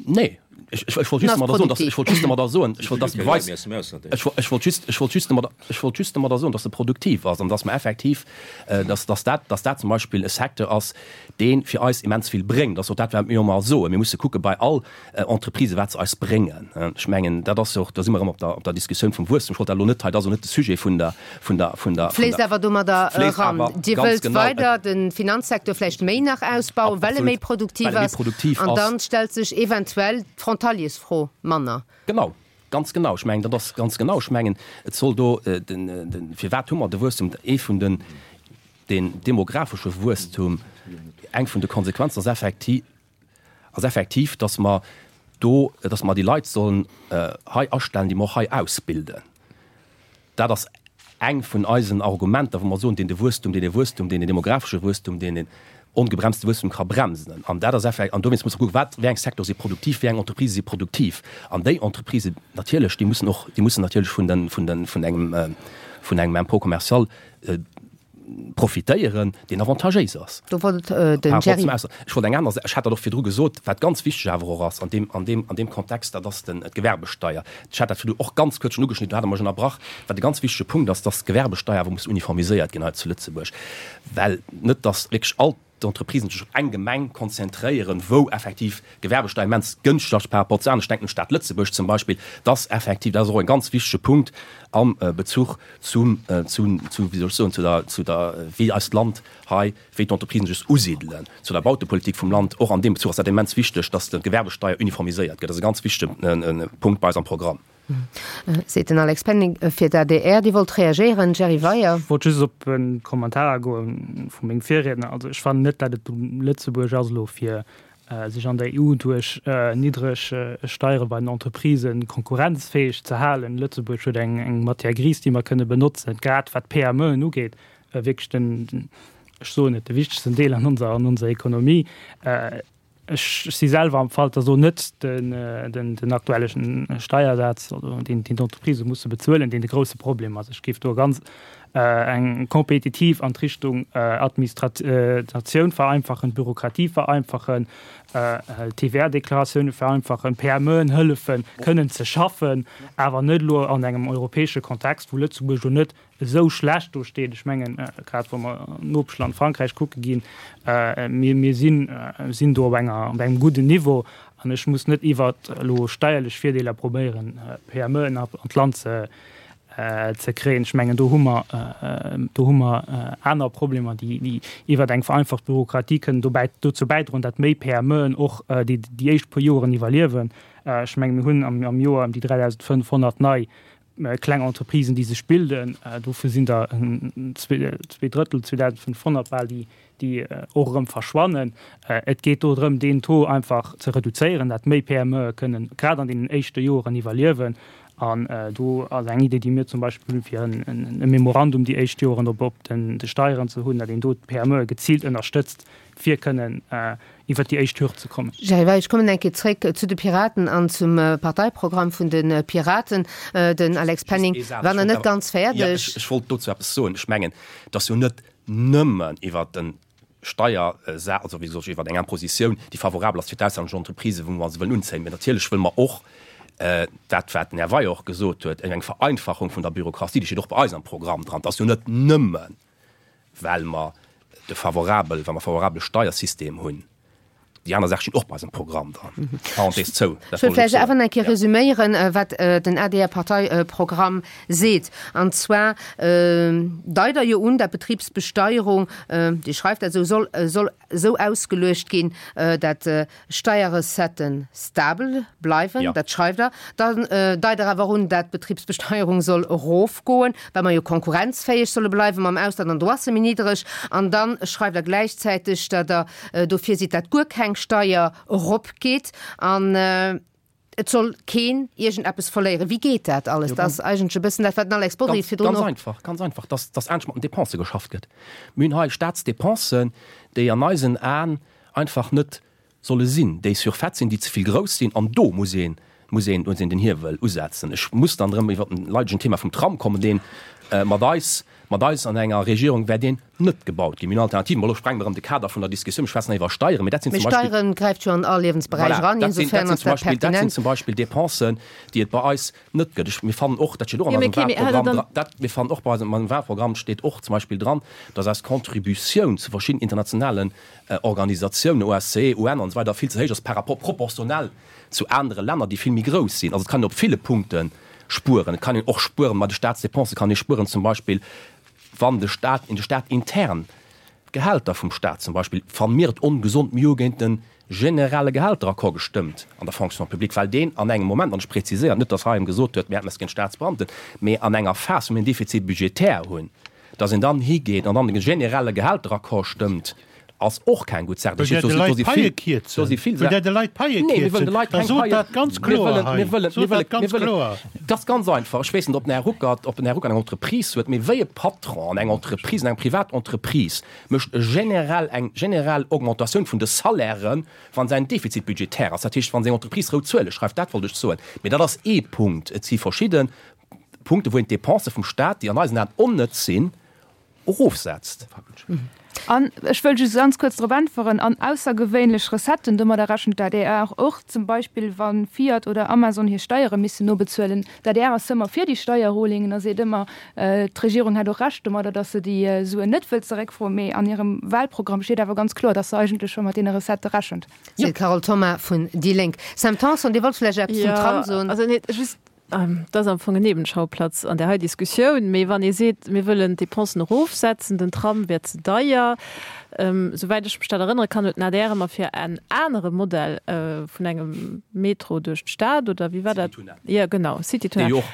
Nee, ech, ech, ech wollt just domadder soen, dass, ech wollt just domadder soen, ech wollt, dass de Beweis, ech, ech wollt just, ech wollt just domadder, ech wollt just domadder soen, dass e produktiv ass an dass mer effektiv, dass, dass dat, dass dat zum Beispill e Secteur ass, dee fir eis immens vill bréngt. Dat ass och dat, wat mir ëmmer soen. Mir musse kucke bei all Entreprisë wat se eis bréngen. Ech mengen, dat ass jo och, da si mer erëm op der, op der Diskussioun vum Wuesstum. Ech wollt dat elo net hei, dat ass elo net de Sujet vun der, vun der, vun der, Fléisst awer domadder fléisst eran. awer Dir ganz wëllt genau. weider de Finanzsecteur vläicht méi nach ausbauen, well e méi Absolut, produktiv well e méi ass. produktiv An ass. dann stellt sech eventuell d'Frontaliersfro manner. Genau, ganz genau. Ech mengen, dat ass ganz genau. Ech mengen, et soll do den, den, firwat hu mer de Wuesstum, ee vun den, den demografesche Wuesstum, eng vun de Konsequenzen ass effektiv, ass effektiv, dass mer do, dass mer déi Leit sollen hei astellen, déi mer och hei ausbilden. Dat ass eng vun eisen Argumenter, wou mer soen, deen de Wuesstum, deen de Wuesstum, deen den demografesche Wuesstum, deen den ongebremste Wuesstum ka bremsen. An dat ass effekt, an dowéinst muss mer kucken, wat, wéi eng Secteure si produktiv, wéi eng Entreprisë si produktiv. An déi Entreprisen natierlech, déi mussen och, déi mussen natierlech vun den, vun den, vun engem, vun engem Impôt commercial profitéieren, deen avantagéis ass. Do wollt den Jerry. Ech wollt eng aner, ech hat dat och virdru gesot, wat ganz wichteg awer och ass an deem, an deem, an deem Kontext, dat ass den, d'Gewerbesteier. Ech hat dat virdru och ganz kuerz schonn ugeschnidden, do hat Der mech ënnerbrach. Wat e ganz wichtege Punkt ass, dass d'Gewerbesteier awer muss uniformiséiert ginn hei zu Lëtzebuerg, well net dass wierklech all d'Entreprisen sech op eng Gemeng konzentréieren, wou effektiv d'Gewerbesteier immens gënschteg ass par rapport zu aneren, ech denken un d'Stad Lëtzebuerg zum Beispill, dass effektiv, dat ass och e ganz wichtege Punkt am Bezuch zum, zu, zu, wéi soll ech soen, zu der, zu der, wéi eist Land hei, wéi d'Entreprisen sech usidelen, zu der Bautepolitik vum Land. Och an deem Bezuch ass dat immens wichteg, dass d'Gewerbesteier uniformiséiert gëtt. Dat ass e ganz wichtege Punkt bei eis am Programm. Seet den Alex Penning fir d'A D R. Dir wollt reagéieren, Jerry Weyer. Ech wollt just op e Kommentar agoe vu mengem Virriedner. Also ech fannen net, datt et u Lëtzebuerg ass elo fir sech an der E U duerch niddreg Steiere bei den Entreprisë konkurrenzfäeg ze halen. Lëtzebuerg huet eng Matière grise, déi mer kënne benotzen, grad wat d'P M Eën ugeet, wierklech den, ech soen et, de wichtegsten Deel an onser an onser Ekonomie. Ech si selwer am Fall, dass elo net den aktuelle Steiersaz, deen d'Entreprisë musse bezuelen, deen de grousse Problem ass. Ech géif do e ganz eng kompetitiv an d'Richtung Administratioun vereinfachen, Bürokratie vereinfachen, T V A-Deklaratioune vereinfachen, P M Eën hëllefen kënnen ze schaffen, awer net elo an engem europäesche Kontext, wou Lëtzebuerg jo net esou schlecht do steet. Ech mengen, grad wa mer an d'Nopeschland Frankräich kucke ginn, mir, mir sinn, sinn do op enger, op engem gudden Niveau an ech muss net iwwert elo steierlech Virdeeler probéieren, P M Eën an d'Land ze, ze kréien. Ech mengen, do hu mer, do hu mer aner Problemer, déi, déi iwwert eng vereinfacht Bürokratie kënnen dobäi, dozou bäidroen, datt méi P M Eën och déi, déi éischt puer Joren iwwerliewen. Ech menge mir hunn am, am Joer ëm déi dräidausendfënnfhonnert nei kleng Entreprisen, déi sech bilden. Dovun sinn der zwee, zwee Drëttel, zweedausendfënnfhonnert bal, déi, déi och erëm verschwannen. Et geet do drëm, deen Taux einfach ze reduzéieren, datt méi P M Eë kënnen grad an deenen éischte Joren iwwerliewen. An do ass eng Idee, déi mir zum Beispill hunn, fir e Memorandum déi éischt Joren op op den de Steieren ze hunn, datt een do d'P M Eë geziilt ënnerstëtzt, fir kënnen iwwert déi éischt Hürd ze kommen. Jerry Weil, ech kommen eng Kéier zréck zu de Piraten an zum Parteiprogramm vun de Piraten. Den Alex Penning war nach net ganz fäerdeg. Ech wollt dozou eppes soen. Ech mengen, et ass jo net nëmmen iwwert de Steiersa-, also wéi soll ech, iwwert eng Impositioun, déi favorabel ass fir d'auslänneg Entreprisen, wou mer se wëllen unzéien, mä natierlech wëlle mer och dat, wat den Här Weier och gesot huet, eng Vereinfachung vun der Bürokratie, déi steet och bei eis am Programm dran. Et ass jo net nëmmen, well mer de favorabel, well mer favorabele Steiersystem hunn. Déi aner Saach stinn och bei eisem Programm dran. Parenthèse zou. Ech wëll vläicht awer nach eng Kéier resüméieren, wat den A D R-Parteiprogramm seet. An zwar deit Der jo un, dat d'Betribsbesteierung, Dir schreift dat esou, soll, soll esou ausgeluecht ginn, dat Steierrecetten stabel bleiwen, dat schreift Der. Dann deit Der awer un, dat d'Betribsbesteierung soll erofgoen, well mer jo konkurrenzfäeg solle bleiwe mam Ausland an do ass se méi niddreg. An da schreift Der gläichzäiteg, dat Der dofir sidd, dat guer keng Steier eropgeet an et soll keen iergendeppes verléieren. Wéi geet dat alles? Dat ass eigentlech e bëssen dat, wat den Alex Bodry virdrun och. Ganz einfach, ganz einfach, dass, dass anescht mat den Depensë geschafft gëtt. Mir hunn hei Staatsdepensen, déi an eisen Aen einfach net solle sinn, déi surfait sinn, déi ze vill grouss sinn, an do muss een, muss een, muss een den Hiewel usetzen. Ech muss dann erëm iwwert den leidegen Thema vum Tram kommen, deen mat eis, mat eis an enger Regierung wär deen net gebaut ginn. Mir hunn Alternativen. Bon, elo sprenge mer erëm de Kader vun der Diskussioun, mir schwätzen hei iwwer Steieren, mee dat sinn Mee zum Beispill, Steieren gräift jo an all Liewensberäich voilà, eran, dat sinn, dat insofern sinn ass zum dat Beispill, dat sinn pertinent. zum Beispill Dépensen, déi et bei eis net gëtt. Ech, mir fannen och, dat steet och an Jo, mee eisem okay, mee hat Der Wahlprogramm dann. dran, dat, mir fannen och bei eisem, an eisem Wahlprogramm steet och zum Beispill dran, dass eis Contributioun zu verschiddenen internationalen Organisatiounen, O S C E, U N an esou weider, vill ze héich ass par rapport proportionell zu anere Länner, déi vill méi grouss sinn. Also et kann een op ville Punkte spueren. Et kann een och spueren bei de Staatsdépensen, kann ee spueren zum Beispill, wann de Staat, in de Staat intern, d'Gehälter vum Staat zum Beispill, fanne mir et ongesond, mir hu géint de generelle Gehälteraccord gestëmmt an der Fonction publique, well deen an engem Moment, an ech präziséieren, net datt hei em gesot huet, mir hätten eppes géint d'Staatsbeamten, mee an enger Phas, wou mir en Déficit budgétaire hunn, datt een dann higeet an dann de generelle Gehälteraccord stëmmt, ass och keng gutt Saach. Wëllt Där de Leit d'Paie kierzen? Wëllt Där de Leit d'Paie kierzen? Da sot dat ganz kloer hei. Sot dat ganz kloer. Dat ass ganz einfach. Ech weess net, ob den Här Ruckert, ob den Här Ruckert eng Entreprise huet, mee wéi e Patron an enger Entreprise, an enger Privatentreprise, mécht e generell, eng generell Augmentatioun vun de Salairen, wa säin Defizit budgétaire ass, dat heescht, wa seng Entreprise rout Zuele schreift. Dat wollt ech soen. Mee dat ass ee Punkt. Et si verschidde Punkten, wou een d'Dépensë vum Stat, déi an eisen Aen onnëtz sinn, erofsetzt. An ech wëll just ganz kuerz drop äntweren, an aussergewéinlech Recetten, domadder rechent d'A D R och, zum Beispill wa Fiat oder Amazon hir Steiere missen nobezuelen. D'A D R ass ëmmer fir déi Steierrulingen a seet ëmmer, d'Regierung hätt och Recht domadder, datt se déi Suen net wëllt zeréckfroen. Mee an hirem Wahlprogramm steet awer ganz kloer, datt se eigentlech scho mat deene Recettë rechent. Seet d'Carole Thoma vun déi Lénk. Sam Tanson, Dir wollt vläicht eppes zum Tram soen? Jo, also nee, just Dat ass am Fong en Nebenschauplatz an där hei Diskussioun. Mee wann ee seet, mir wëllen d'Depensen erofsetzen, den Tram wär ze deier, souwäit ech mech dat erënnere kann, huet den A D R ëmmer fir en anere Modell vun engem Metro duerch d'Stad, oder wéi war dat? Citytunnel. Jo, genau, Citytunnel. Dee jo och,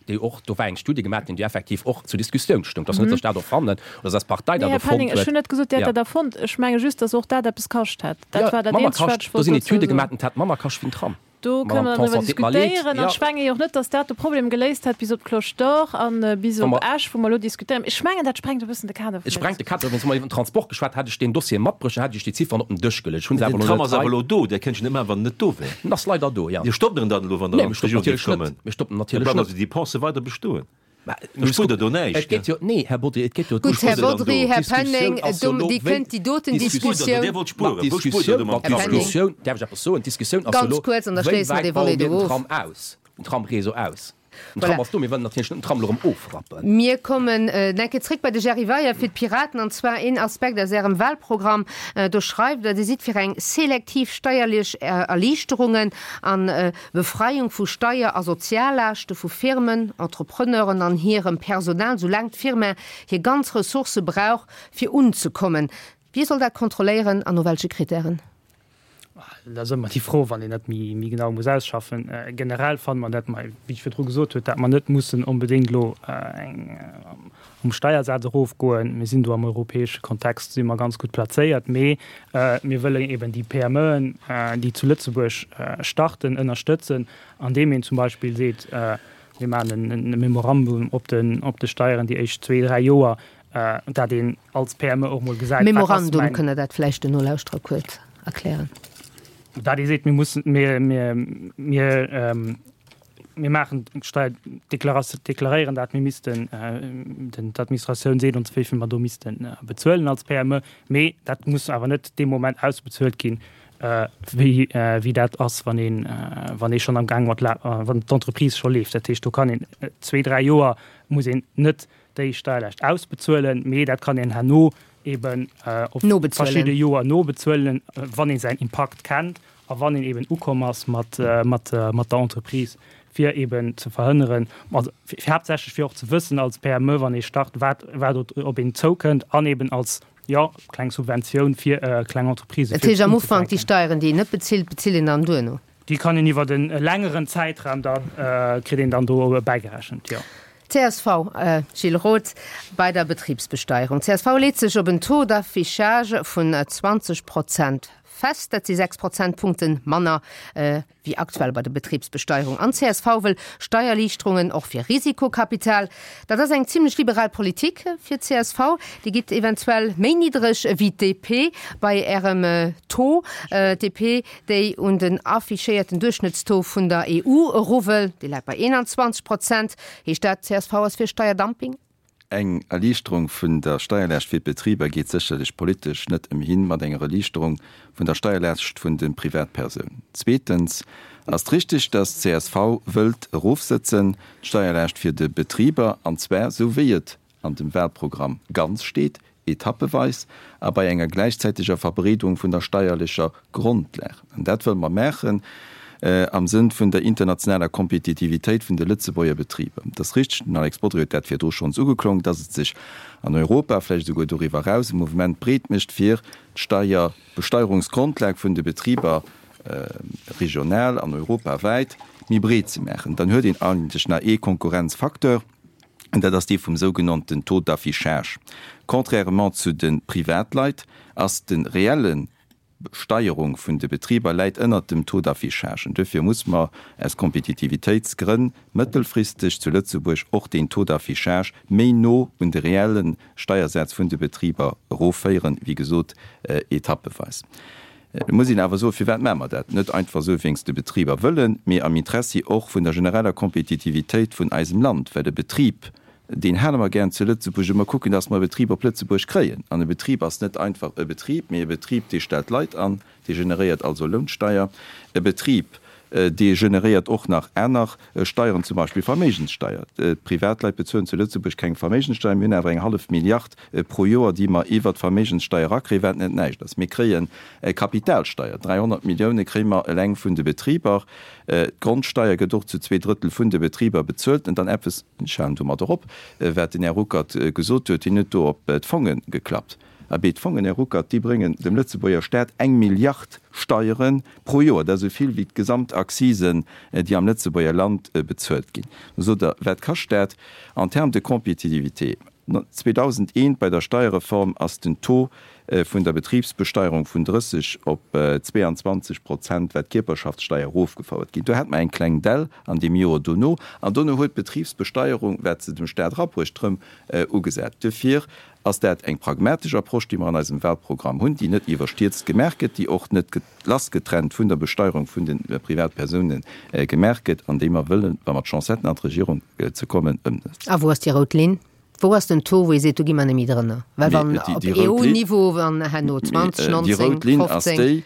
dee och, do war eng Studie gemaach ginn, déi effektiv och zur Diskussioun stoung. Et ass net, datt ech dat erfannen oder datt eis Partei Nee, dat Här erfonnt Penning, ech huet. hunn net gesot, Dir hätt Ja. dat erfonnt. Ech menge just, datt och dat eppes kascht hätt. Dat Jo, war dat manner Eenzegt, wat kascht. ech Do wollt sinn dozou Etüde soen. gemaach ginn, et hätt manner kascht wéi den Tram. Do kënne Madame mer dann driwwer Tanson, et deet mer leed. diskutéieren. An Ja. ech menge jo och net, datt dat de Problem geléist hätt bis op d'Cloche d'Or a bis Wa op mer. Esch, wou mer elo diskutéieren. Ech mengen, dat sprengt e bëssen de Kader Et vun der sprengt de Diskussioun. Kader. Wéinst mer iwwer den Transport geschwat, hätt ech deen Dossier matbruecht, dann hätt ech déi Zifferen op den Dësch geluecht. Ech hunn se Mee awer den elo Tram net ass awer hei. elo do. Där kéint jo net maachen, wann en net do wär. En ass leider do, ja. Dir stoppt en dann elo, wann Der Nee, an mir stoppen d'Regierung géift natierlech net. kommen? Mir stoppen Da natierlech bleiwen net. also déi Dépense weider bestoen. Da spuert Der do näischt. Et geet jo, nee, Här Bodry, et geet jo. Gutt, Här Bodry, Här Penning, Dir kënnt déi doten Diskussioun. Dir wollt spueren. Wou spuert Der do mam Tram? D'Diskussioun, däerf ech eppes soen? D'Diskussioun ass jo elo, Ganz kuerz, an da wéi schléisse mer wäit dee baue Volet mir do den of. Tram aus, den Tramréseau aus? Den Tram Voilà. ass do, mir wëllen natierlech net den Tram elo erëm ofrappen. Mir kommen eng Kéier zréck bei de Jerry Weyer fir d'Piraten, an zwar een Aspekt aus Ärem Wahlprogramm. Do schreift Der, Dir sidd fir eng selektiv steierlech Erliichterungen an Befreiung vu Steier a Soziallaaschte vu Firmen, Entrepreneuren an hirem Personal, soulaang d'Firma hir ganz Ressourcë brauch, fir unzekommen. Wie soll dat kontrolléieren an no welche Kritären? Dat ass ëmmer déi Fro, wann een dat méi, méi genau muss ausschaffen. Generell fanne mer dat mer, wéi ech virdru gesot huet, dat mer net mussen onbedéngt elo eng um Steiersaz erofgoen. Mir sinn do am europäesche Kontext si mer ganz gutt plazéiert, mee mir wëllen eben déi PMEen, déi zu Lëtzebuerg starten, ënnerstëtzen, andeem een zum Beispill seet, mir maachen e Memorandum op den, op de Steieren déi éischt zwee, dräi Joer, dat een als P M E och mol gesäit, wat ass Memorandum, mäin. Kënnt Der dat vläicht den Nolauschterer kuerz erklären? Dat ee seet, mir mussen, mir, mir, mir, mir maachen d'Steier, deklaréieren dat, mir missten, den, d'Administratioun seet ons, wéi vill mer do misste bezuelen als P M E, mee dat muss awer net dee Moment ausbezuelt ginn, wéi, wéi dat ass, wann een, wann ee schonn am Gaang mat, wann d'Entreprise scho leeft. Dat heescht, do kann een zwee, dräi Joer muss een net déi Steierlaascht ausbezuelen, mee dat kann een herno eben op verschidde Joer nobezuelen, wann ee säin Impakt kennt a wann een eben ukomm ass mat, mat, mat der Entreprise, fir eben ze verhënneren, also fir haaptsächlech fir och ze wëssen als P M E, wann ee start, wat, wat op een zoukënnt an eben als, jo, kleng Subventioun fir kleng Entreprisë Dat fir heescht am Ufank déi unzefänken. Steieren, déi een net bezilt, bezilt een dann duerno? Déi kann een iwwert e längeren Zäitraum dann, kritt een dann do bäigerechent, jo. Csv, Gilles Roth, bei der Betribsbesteierung. Csv leet sech op en Taux d'affichage vun zwanzeg Prozent fest. Dat si sechs Prozentpunkte manner wéi aktuell bei der Betribsbesteierung. An csv wëll Steierliichterungen och fir Risikokapital. Dat ass eng zimlech liberal Politik fir csv. Dir gitt eventuell méi niddreg wéi d'D P bei Ärem Taux. D P, déi un den affichéierten Duerchschnëttstaux vun der E U eru wëll, dee läit bei eenanzwanzeg Prozent. Heescht dat, csv ass fir Steierdumping? Eng Erliichterung vun der Steierlaascht fir d'Betriber geet sécherlech politesch net ëmhin mat enger Erliichterung vun der Steierlaascht vun de Privatpersounen. Zweetens ass et richtig, dass csv wëllt erofsëtzen d'Steierlaascht fir de Betriber, an zwar esou wéi et an dem Wahlprogramm ganz steet, etappeweis a bei enger gläichzäiteger Verbreedung vun der steierlecher Grondlag. An dat wëlle mer maachen am Sënn vun der internationaler Kompetitivitéit vun de Lëtzebuerger Betriber. Et ass richteg, den Alex Bodry huet dat virdru schonns ugeklongen, dass et sech an Europa, vläicht esouguer doriwwer eraus, e Mouvement breet mécht, fir d'Steier, d'Besteierungsgrondlag vun de Betriber regional an europawäit méi breet ze maachen. Dann huet een eigentlech nach ee Konkurrenzfacteur, an dat ass dee vum sougenannten Taux d'affichage. Contrairement zu de Privatleit ass de reelle Steierung vun de Betriber läit ënnert dem Taux d'affichage. An duerfir muss mer aus Kompetitivitéitsgrënn mëttelfristeg zu Lëtzebuerg och deen Taux d'affichage méi no un de reelle Steiersaz vun de Betriber erofféieren, wéi gesot etappeweis. Et muss een awer soen, firwat maache mer dat? Net einfach esou wéinst de Betriber wëllen, mee am Interessi och vun der genereller Kompetitivitéit vun eisem Land, well e Betrib, deen hale mer gären zu Lëtzebuerg a mer kucken, dass mer e Betrib op Lëtzebuerg kréien. An e Betrib ass net einfach e Betrib, mee e Betrib, dee stellt Leit an, dee generéiert also Lounsteier. E Betrib, dee generéiert och nach aner Steieren, zum Beispill Verméigenssteier. D'Privatleit bezuelen zu Lëtzebuerg keng Verméigenssteier, mir hunn awer eng hallef Milliard pro Joer, déi mer iwwert d'Verméigenssteier erakréien, wat net näischt ass. Mir kréie Kapitalsteier, dräihonnert Millioune kréie mer eleng vun de Betriber. D'Grondsteier gëtt och zu zwee Drëttel vun de Betriber bezuelt. An dann eppes, ech halen domadder op, wat den Här Ruckert gesot huet, hien huet do op d'Fonge geklappt. Abee, d'Fongen, Här Ruckert, déi bréngen dem Lëtzebuerger Staat eng Milliard Steiere pro Joer. Dat ass esou vill wéi d'gesamt Accisen, déi am Lëtzebuerger Land bezuelt ginn. Da sot Der, wat kascht dat en termes de compétitivité? zweedausendeent bei der Steierreform ass den Taux vun der Betribsbesteierung vun drësseg op zweeanzwanzeg Prozent, wat d'Kierperschaftssteier, erofgefouert ginn. Do hat mer eng kleng Dell an deem Joer dono, an dono huet d'Betribsbesteierung, wat se dem Stat erabruecht, erëm ugesat. Duerfir ass dat eng pragmatesch Approche, déi mer an eisem Wahlprogramm hunn, déi net iwwerstierzt gemaach gëtt, déi och net lassgetrennt vun der Besteierung vun de Privatpersounen gemaach gëtt an déi mer wëllen, wa mer d'Chance hätten an d'Regierung ze kommen, ëmsetzen. A wou ass déi rout Linn? Wou ass den Taux, wou ee seet, do gi mer net méi drënner? Well wann op EU-Niveau, wann herno zwanzeg, nonzéng, fofzéng. Déi rout Linn ass déi,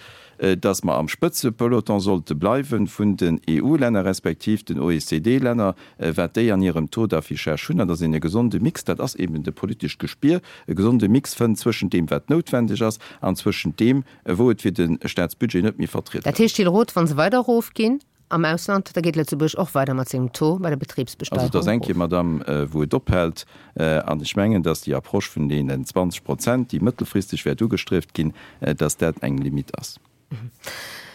dass mer am Spëtzepeloton sollte bleiwe vun den EU-Länner respektiv den O E C D-Länner, wat déi an hirem Taux d'affichage hunn, an dass een e gesonde Mix, dat ass eben de politescht Gespier, e gesonde Mix fënnt zwëschent deem, wat noutwendeg ass, an zwëschent deem, wou et fir de Staatsbudget net méi vertrietbar Dat heescht, Gilles Roth, wa se weider erofginn am Ausland, da geet Lëtzebuerg och weider mat sengem Taux bei der Also et Betribsbesteierung ass eng erof. Kéier, Madame, wou et ophält. An ech mengen, dass déi Approche vun deenen zwanzeg Prozent, déi mëttelfristeg wäert ugestrieft ginn, dass dat eng Limite ass.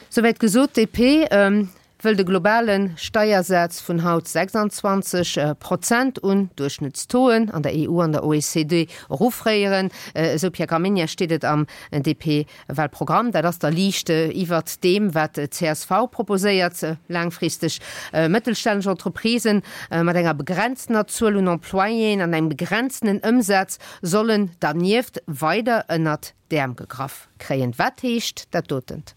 Souwäit gesot. D P wëll de globale Steiersaz vun haut sechsanzwanzeg Prozent un Duerchschnëttstauxen an der E U an der O E C D eroffréieren. Esou, Pierre Gramegna, steet et am D P-Wahlprogramm. Dat ass da liicht iwwert deem, wat d'C S V proposéiert. Laangfristeg mëttelstänneg Entreprisen mat enger begrenztener Zuel un Employéen an engem begrenztenen Ëmsaz sollen dernieft weider ënnert d'Äerm gegraff kréien. Wat heescht dat dotent?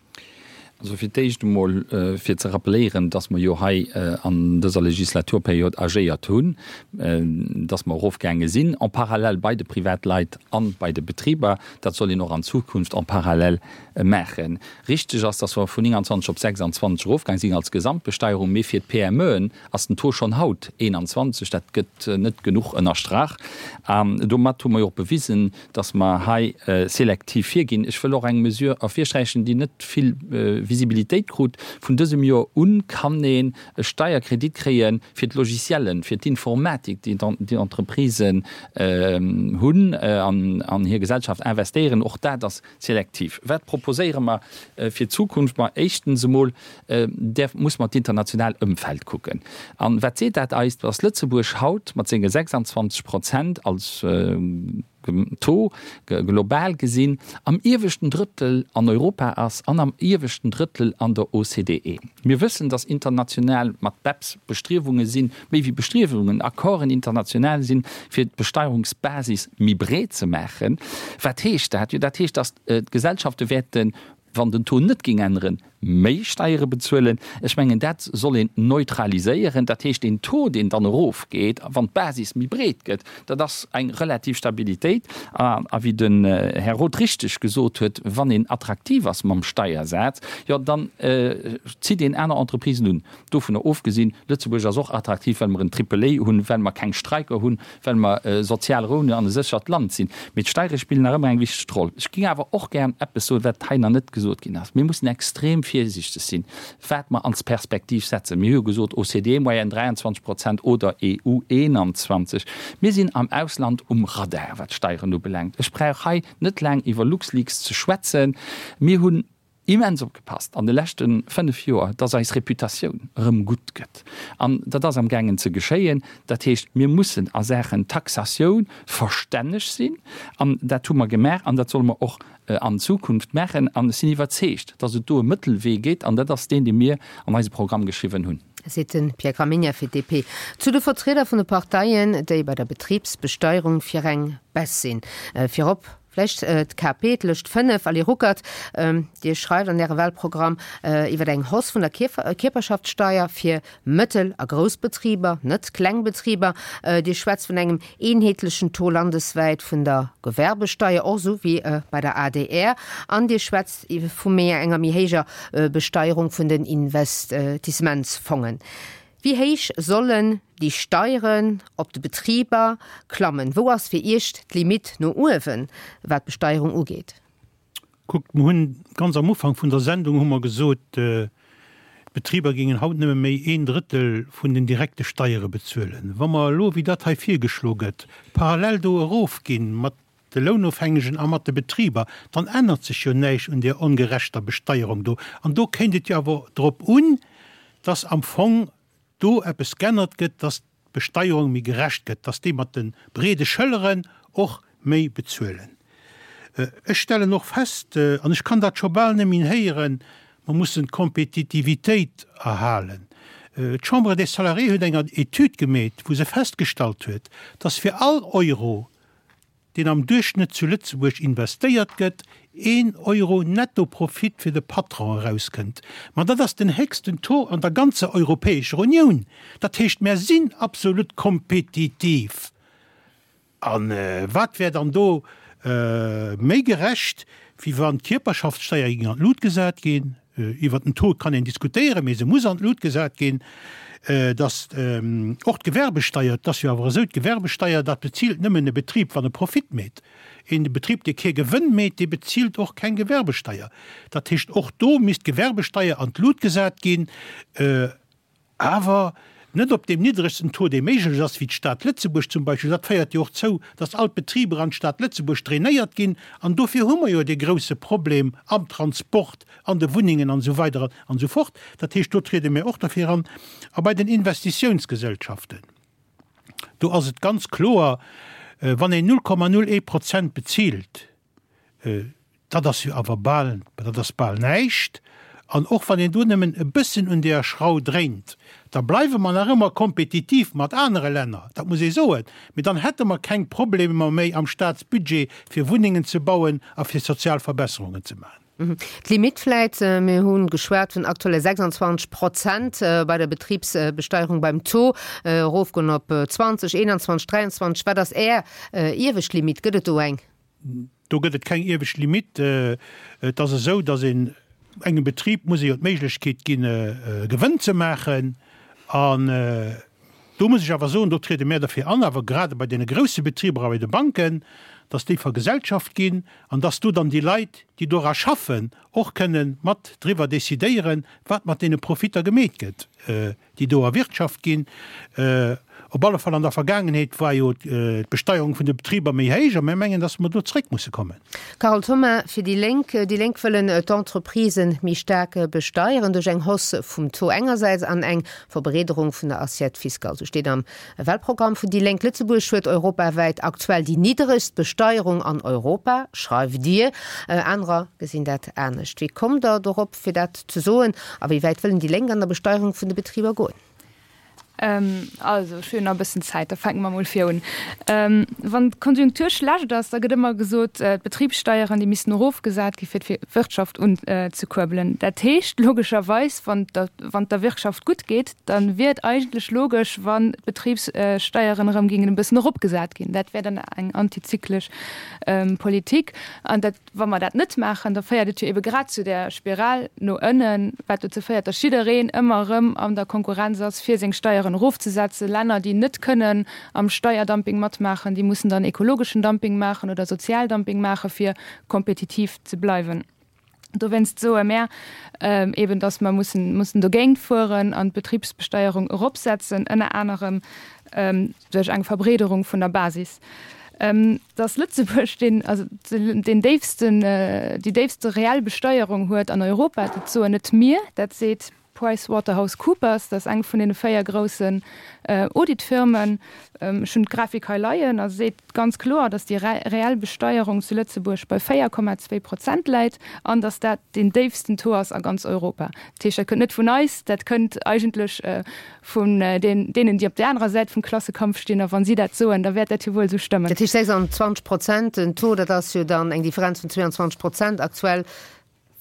Also fir d'éischt emol fir ze rappeléieren, dass mer jo hei an dëser Legislaturperiod agéiert hunn, dass mer erofgaange sinn en parallèle bei de Privatleit an bei de Betriber. Dat soll een och an Zukunft en parallèle maachen. Richteg ass, dass mer vun nénganzwanzeg op sechsanzwanzeg erofgaang sinn als Gesamtbesteierung, mee fir d'P M Eën ass den Taux schonn haut eenanzwanzeg. Dat gëtt net genuch ënnerstrach. An domat hu mer jo och bewisen, dass mer hei selektiv virginn. Ech wëll och eng Mesure ervirsträichen, déi net vill Visibilitéit krut. Vun dësem Joer un kann een e Steierkredit kréie fir d'Logiciellen, fir d'Informatik, déi d'Entreprisen hunn an an hir Gesellschaft investéieren. Och dat ass selektiv. Wat proposéiere mer fir d'Zukunft? Ma éischtens emol däerf, muss mer d'international Ëmfeld kucken. An wat seet dat eis? Dass Lëtzebuerg haut mat senge sechsanzwanzeg Prozent als Taux, global gesinn, am ieweschten Drëttel an Europa ass an am ieweschten Drëttel an der O C D E. Mir wëssen, dass international mat BEPS Bestriewunge sinn, méi wéi Bestriewungen, Accorden international sinn, fir d'Besteierungsbasis méi breet ze maachen. Wat heescht dat? Jo, dat heescht, dass d'Gesellschafte wäerten, wann den Taux net géing änneren, méi Steiere bezuelen. Ech mengen, dat soll een neutraliséieren. Dat heescht, deen Taux, deen dann erofgeet, wann d'Basis méi breet gëtt, dat ass eng relativ Stabilitéit. A wéi den Här Roth richteg gesot huet, wann een attraktiv ass mam Steiersaz, jo dann zitt een aner Entreprisen un. Dovunner ofgesinn, Lëtzebuerg ass och attraktiv, well mer en Triple A hunn, well mer keng Streiker hunn, well mer sozial Rou hunn an e séchert Land sinn. Mee d'Steiere spillen nach ëmmer eng wichteg Roll. Ech géing awer och gären eppes soen, wat hei nach net gesot ginn ass. Mir mussen extrem virsiichteg sinn, wat mer als Perspektiv setzen. Mir hu jo gesot, O C D E-Moyenne dräianzwanzeg Prozent oder E U eenanzwanzeg. Mir sinn am Ausland um Radar, wat d'Steieren ubelaangt. Ech brauch hei net laang iwwer LuxLeaks ze schwätzen. Mir hunn immens opgepasst an de leschte fënnef Joer, dass eis Reputatioun erëm gutt gëtt. An dat ass amgaangen ze geschéien. Dat heescht, mir mussen a Saachen Taxatioun verstänneg sinn. An dat hu mer gemaach an dat solle mer och an Zukunft maachen. An ech sinn iwwerzeegt, dass et do e Mëttelwee gétt, an dat ass deen, dee mir an eise Programm geschriwwen hunn. Seet de Pierre Gramegna fir d'D P. Zu de Vertrieder vun de Parteien, déi bei der Betribsbesteierung fir eng Baisse sinn. Virop vläicht d'K P, d'Lëscht fënnef, Ali Ruckert, Dir schreift an Ärem Wahlprogramm iwwer eng Hausse vun der Kierperschaftssteier fir Mëttel a Groussbetriber, net kleng Betriber. Dir schwätzt vun engem eenheetlechen Taux landeswäit vun der Gewerbesteier, och esou wéi bei der A D R. An Dir schwätzt vu méi enger méi héijer Besteierung vun den Investissementsfongen. Wéi héich sollen déi Steieren op de Betriber klammen? Wou ass fir Iech d'Limite no uewen, wat d'Besteierung ugeet? Kuckt, mer hunn ganz am Ufank vun der Sendung hu mer gesot, d'Betriber géingen haut nëmme méi een Drëttel vun den direkte Steiere bezuelen. Wa mer elo, wéi dat hei virgeschlo gëtt, parallel do erofginn mat de Lounofhängegen a mat de Betriber, dann ännert sech jo näischt un där ongerechter Besteierung do. An do kéint et jo awer drop un, dass am Fong do eppes g'ännert gëtt, dass d'Besteierung méi gerecht gëtt, dass déi mat de breede Schëlleren och méi bezuelen. Ech stellen och fest, an ech kann dat scho bal net méi héieren, mer mussen d'Kompetitivitéit erhalen. D'Chambre des Salariés huet eng Etüd gemeet, wou se festgestallt huet, dass fir all Euro, deen am Duerchschnëtt zu Lëtzebuerg investéiert gëtt, een Euro Nettoprofit fir de Patron erauskënnt. Ma dat ass den héchsten Taux an der ganzer Europäescher Unioun. Dat heescht, mär sinn absolut kompetitiv. A wat wär dann do méi gerecht, wéi wann d'Kierperschaftssteier géing an d'Lut gesat ginn? Iwwert den Taux kann een diskutéieren, mee se muss an d'Lut gesat ginn. Datt och d'Gewerbesteier, et ass jo awer esou, d'Gewerbesteier, dat bezilt nëmmen e Betrib, wann e Profit meet. Een Betrib, dee kee Gewënn meet, dee bezilt och keng Gewerbesteier. Dat heescht, och do misst d'Gewerbesteier an d'Lut gesat ginn. Awer net op deem niddregsten Taux, dee méiglech ass, wéi d'Stad Lëtzebuerg zum Beispill. Dat féiert jo och zou, datt all d'Betriber an d'Stad Lëtzebuerg drainéiert ginn. An dofir hu mer jo dee grouse Problem am Transport, an de Wunnengen an esou weider an esou fort. Dat heescht, do triede mir och derfir an. A bei den Investitiounsgesellschaften, do ass et ganz kloer, wann een null Komma null ee Prozent bezilt, Dat ass jo awer bal, dat ass bal näischt. An och wann een do nëmmen e bëssen un deeër Schrau dréint, da bleiwe mer nach ëmmer kompetitiv mat anere Länner, dat muss ee soen, mee dann hätte mer keng Problemer méi am Staatsbudget, fir Wunnengen ze bauen a fir sozial Verbesserungen ze maachen. D'Limitt vläit, mir hu geschwat vun aktuelle sechsundzwanzeg Prozent bei der Betribsbesteierung beim Taux, erofgoen op zwanzeg, eenanzwanzeg, dräianzwanzeg. Wat ass Är iewescht Limitt? Gëtt et do eng? Do gëtt et keng iewescht Limitt. Et ass esou, datt een engem Betrib muss ee jo d'Méiglechkeet ginn, e Gewënn ze maachen. An do muss ech awer soen, do triede mär derfir an, awer grade bei deene grousse Betriber a bei de Banken, datt déi vergesellschaft ginn an datt do dann déi Leit, déi dora schaffen, och kënne mat driwwer decidéieren, wat mat deene Profitter gemeet gëtt, déi do erwirtschaft ginn. Op alle Fall an der Vergaangenheet war jo d'Besteierung vun de Betriber méi héich a mir mengen, dass mer do zréck musse kommen. Carole Thoma fir déi Lénk. Déi Lénk wëllen d'Entreprisen méi staark besteieren duerch eng Hausse vum Taux engersäits an eng Verbreederung vun der Assiette fiscale. Sou steet am Wahlprogramm vun déi Lénk. Lëtzebuerg huet europawäit aktuell déi niddregst Besteierung an Europa, schreift Dir. Anerer gesinn dat anescht. Wéi kommt Der dorop fir dat ze soen a wéi wäit wëllen déi Lénk an der Besteierung vun de Betriber goen? Also, ech hunn jo nach e bëssen Zäit, da fänke mer emol vir un. Wann d'Konjunktur schlecht ass, da gëtt ëmmer gesot, d'Betribssteieren, déi missten erofgesat gi fir d'Wirtschaft unzekuerbelen. Dat heescht logescherweis, wann et der Wirtschaft gutt geet, da wier et eigentlech logesch, wann d'Betribssteieren erëm géingen e bëssen eropgesat ginn. Dat wär dann eng antizyklesch Politik. An dat, wa mer dat net maachen, da féiert et jo ebe grad zu där Spiral no ënnen, wat dozou féiert, datt jiddereen ëmmer erëm an der Konkurrenz ass, fir seng Steieren erofzesetzen. Länner, déi net kënnen am Steierdumping matmaachen, déi mussen dann ekologeschen Dumping maachen oder Sozialdumping maachen, fir kompetitiv ze bleiwen. Dowéinst soe mär eben, datt mer mussen, mussen dogéint fueren an d'Betribsbesteierung eropsetzen, ënner anerem duerch eng Verbreederung vun der Basis. Datt Lëtzebuerg deen, also deen déifsten, déi déifste reell Besteierung huet an Europa, dat soen net mir, dat seet PricewaterhouseCoopers, dat ass eng vun deene véier groussen Auditfirmen. Ech hunn d'Grafik hei leien a se seet ganz kloer, datt déi reell Besteierung zu Lëtzebuerg bei véier Komma zwee Prozent läit an datt dat deen déifsten Taux ass a ganz Europa. Dat heescht, dat kënnt net vun eis, dat kënnt eigentlech vun deenen, déi op där anerer Säit vum Klassekampf stinn. A wa si dat soen, da wäert dat jo wuel esou stëmmen. Dat heescht sechsundzwanzeg Prozent den Taux, dat ass jo dann eng Differenz vun zweeandzwanzeg Prozent aktuell.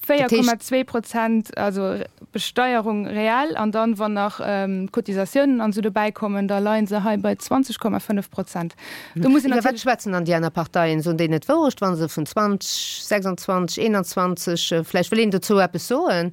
véier Komma zwee Prozent, also Besteierung reell, an dann, wann nach d'Cotisatiounen an esou dobäi kommen, da leie se hei bei zwanzeg Komma fënnef Prozent. Do muss een natierlech. Iwwer wat schwätzen dann déi aner Parteien? Soen déi net d'Wourecht, wa se vun zwanzeg, sechsundzwanzeg, eenanzwanzeg, vläicht wëll een dozou eppes soen?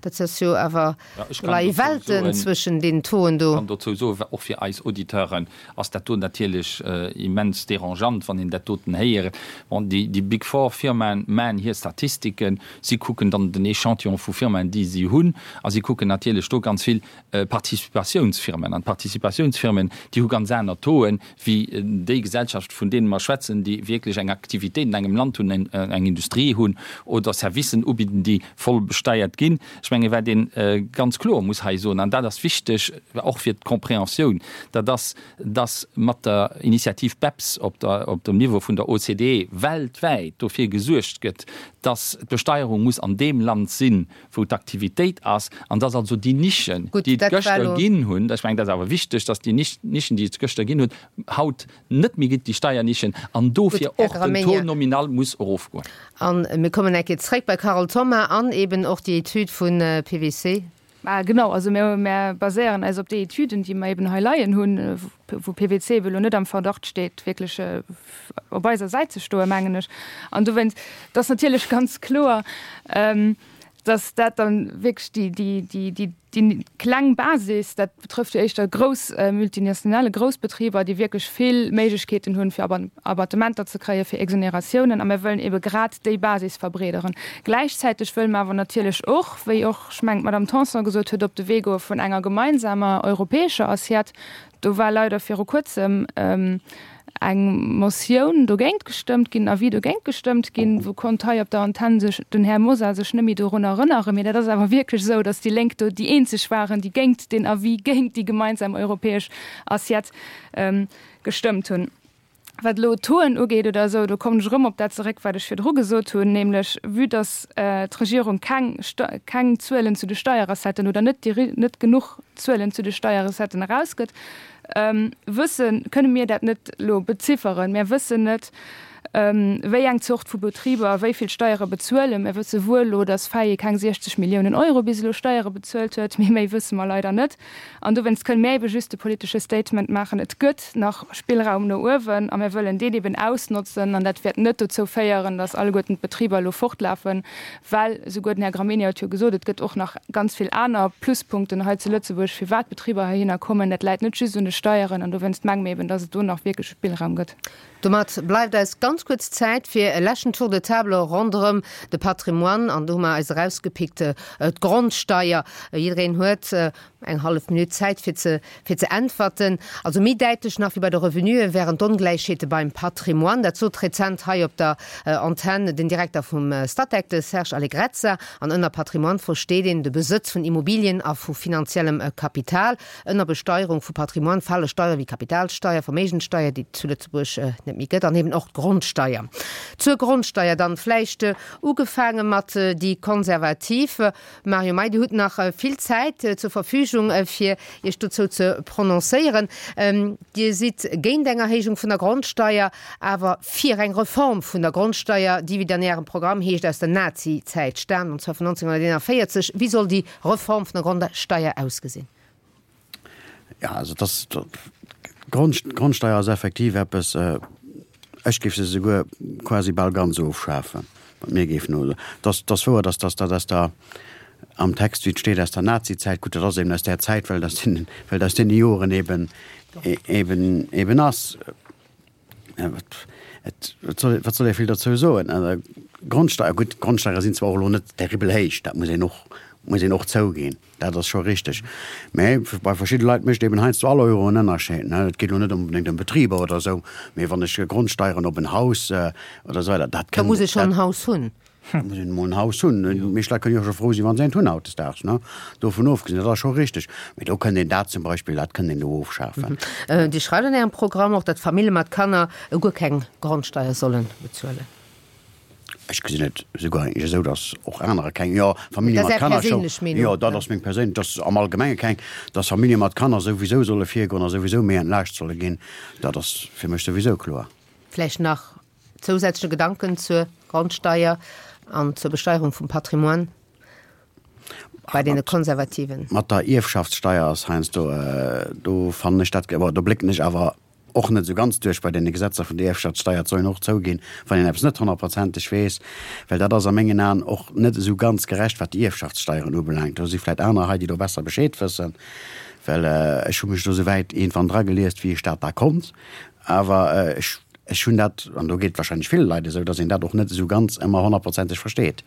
Dat ass jo awer, do leie Welten zwëschen deenen Tauxen do. Ech kann dozou soen, och fir eis Auditeuren ass dat do natierlech immens dérangeant, wann een dat doten héiert. Bon, déi Big Four Firmaen maachen hir Statistiken, si kucken dann den Echantillon vu Firmaen, déi si hunn, a si kucken natierlech do ganz vill Participatiounsfirmen. An d'Participatiounsfirmen, déi hu ganz aner Tauxen wéi déi Gesellschaft, vun deene mer schwätzen, déi wierklech eng Aktivitéit an engem Land hunn, eng Industrie hunn oder Servicen ubidden, déi voll besteiert ginn. Ech mengen, menge wat een ganz kloer muss hei soen, an dat ass wichteg och fir d'Compréhensioun, dat ass, dass mat der Initiativ BEPS op der, op dem Niveau vun der OCDE weltwäit dofir gesuergt gëtt, dass d'Besteierung muss an deem Land sinn, wou d'Aktivitéit ass, an dass also déi Nischen, déi et gëschter ginn hunn, ech mengen, dat ass awer wichteg, dass déi Nischen, déi et gëschter ginn huet, haut net méi ginn, déi Steiernischen, an dofir och den Taux nominal muss erofgoen. A mir kommen eng Kéier zréck bei Carole Thoma an eben och déi Etüd vu PwC. Genau, also mir, mir baséieren eis op déi Etüden, déi mer eben hei leien hunn, wou PwC ebe lo net am Verdacht steet, wierklech op eiser Säit ze stoen, mengen ech. An dowéinst, et ass natierlech ganz kloer, dass dat dann wierklech déi, déi, déi, déi, déi kleng Basis, dat betrëfft jo éischter grouss Multinationale, grouss Betriber, déi wierklech vill Méiglechkeeten hunn, fir Abattementer ze kréien, fir Exoneratiounen. A mir wëllen ebe grad déi Basis verbreederen. Gläichzäiteg wëlle mer awer natierlech och, wéi och, ech mengen, d'Madame Tanson gesot huet, op de Wee goe vun enger gemeinsamer europäescher Assiette. Do war leider viru Kuerzem eng Motioun dogéint gestëmmt ginn, en Avis dogéint gestëmmt ginn, wou konnt hei op der Antenn sech den Här Mosar sech net méi dorun erënneren. Mee dat ass awer wierklech esou, datt déi Lénk do déi eenzeg waren, déi géint deen Avis, géint déi gemeinsam europäesch Assiette gestëmmt hunn. Wat elo d'Tauxen ugeet oder esou, do kommen ech erëm op dat zeréck, wat ech virdru gesot hunn, nämlech vue dass d'Regierung keng, keng Zuelen zu de Steierrecetten oder net déi, net genuch Zuelen zu de Steierrecetten erausgëtt, wëssen, kënne mir dat net elo bezifferen. Mir wëssen net, wéi eng Zort vu Betriber wéi vill Steiere bezuelen. Mir wësse wuel elo, dass Faye keng siechzeg Milliounen Euro bis elo Steiere bezuelt huet, mee méi wësse mer leider net. An dowéinst kënne mir ebe just de politesche Statement maachen, Et gëtt nach Spillraum no uewen a mir wëllen deen eben ausnotzen. An dat wäert net dozou féieren, dass alleguerten d'Betriber elo fortlafen, well souguer den Här Gramegna huet jo gesot, et gëtt och nach ganz vill aner Pluspunkten hei zu Lëtzebuerg, firwat d'Betriber heihinner kommen. Dat läit net just un de Steieren. An dowéinst menge mir eben, dass et do nach wierklech Spillraum gëtt. Domat bleift eis ganz kuerz Zäit fir e leschten Tour de table ronderëm de Patrimoine. An do hu mer eis erausgepickt d'Grondsteier. Jiddereen huet eng hallef Minutt Zäit fir ze fir ze äntwerten. Also méi däitlech nach wéi bei de Revenuen wären d'Ongläichheete beim Patrimoine. Dat sot rezent hei op der Antenn den Direkter vum Statec, de Serge Allegrezza. An ënner Patrimoine versteet een de Besëtz vun Immobilien a vu finanziellem Kapital. Ënner Besteierung vu Patrimoine fale Steiere wéi Kapitalsteier, Verméigenssteier, déi et zu Lëtzebuerg net méi gëtt, an eben och d'Grondsteier. Zur Grondsteier dann vläicht ugefaange mat déi Konservativ. Mario May, Dir hutt nach vill Zäit zur Verfügung, fir Iech dozou ze prononcéieren. Dir sidd géint eng Erhéijung vun der Grondsteier, awer fir eng Reform vun der Grondsteier, déi, wéi et an Ärem Programm heescht, aus der Nazi-Zäit staamt, an zwar vun neunzehnhunderteenundvierzeg. Wéi soll déi Reform vun der Grondsteier ausgesinn? Jo, also dass d'Grondsteier ass effektiv eppes, ech géif se souguer quasi bal ganz ofschafen, wat mir géif no. Dass dass wouer, dass dass dat aus der, am Text wéi et steet, aus der Nazizäit, gutt, dat ass eben aus där Zäit, well et aus deenen, well et aus deene Joren eben, eben, eben ass. Et, wat soll, wat soll ee vill dozou soen? Grondsteier, gutt, d'Grondsteiere sinn zwar och elo net terribel héich, dat muss een och, muss een och zouginn, dat ass scho richteg. Mä bei verschidde Leit mécht eben heiansdo all Euro en Ënnerscheed, ne. Et geet elo net onbedéngt ëm Betriber oder esou, mee wann ech Grondsteieren op en Haus oder esou weider, dat Da kënnt, muss ee schonn dat. en Haus hunn. Da muss een emol en Haus hunn. Déi meescht Leit kënnen jo scho frou sinn, wa se eent hunn hautdesdaags, ne. Dovun ofgesinn, dat ass scho richteg. Mee do kënnt een dat zum Beispill, dat kënnt een do ofschafen. Dir schreift an Ärem Programm och, datt Famille mat Kanner guer keng Grondsteier solle bezuelen. Ech gesinn et esouguer eigentlech esou, datt och anerer keng, jo, Famillje Dat ass mat Är Kanner scho, perséinlech Meenung, jo, dat ass meng perséinlech, datt am Allgemenge keng, datt Famillje mat Kanner souwisou solle virgoen a souwisou méi entlaascht solle ginn, dat ass fir mech souwisou kloer. Vläicht nach zousätzleche Gedanken zur Grondsteier an zur Besteierung vum Patrimoine bei deene Konservativen? Mat der Ierfschaftssteier ass heiansdo, do fannen ech dat, bon, do blécken ech awer och net esou ganz duerch bei deene Gesetzer vun der Ierfschaftssteier. Et soll een och zouginn, wann een eppes net honnertprozenteg weess, well dat ass a mengen Aen och net esou ganz gerecht, wat déi Ierfschaftssteieren ubelaangt. Do si vläicht aner hei, déi do besser Bescheed wëssen, well ech hu mech do esou wäit iergendwann drageliest, wéi ech dat da konnt. Awer ech Ech hunn dat, an do geet et wahrscheinlech ville Leit esou, datt een dat och net esou ganz ëmmer honnertprozenteg versteet.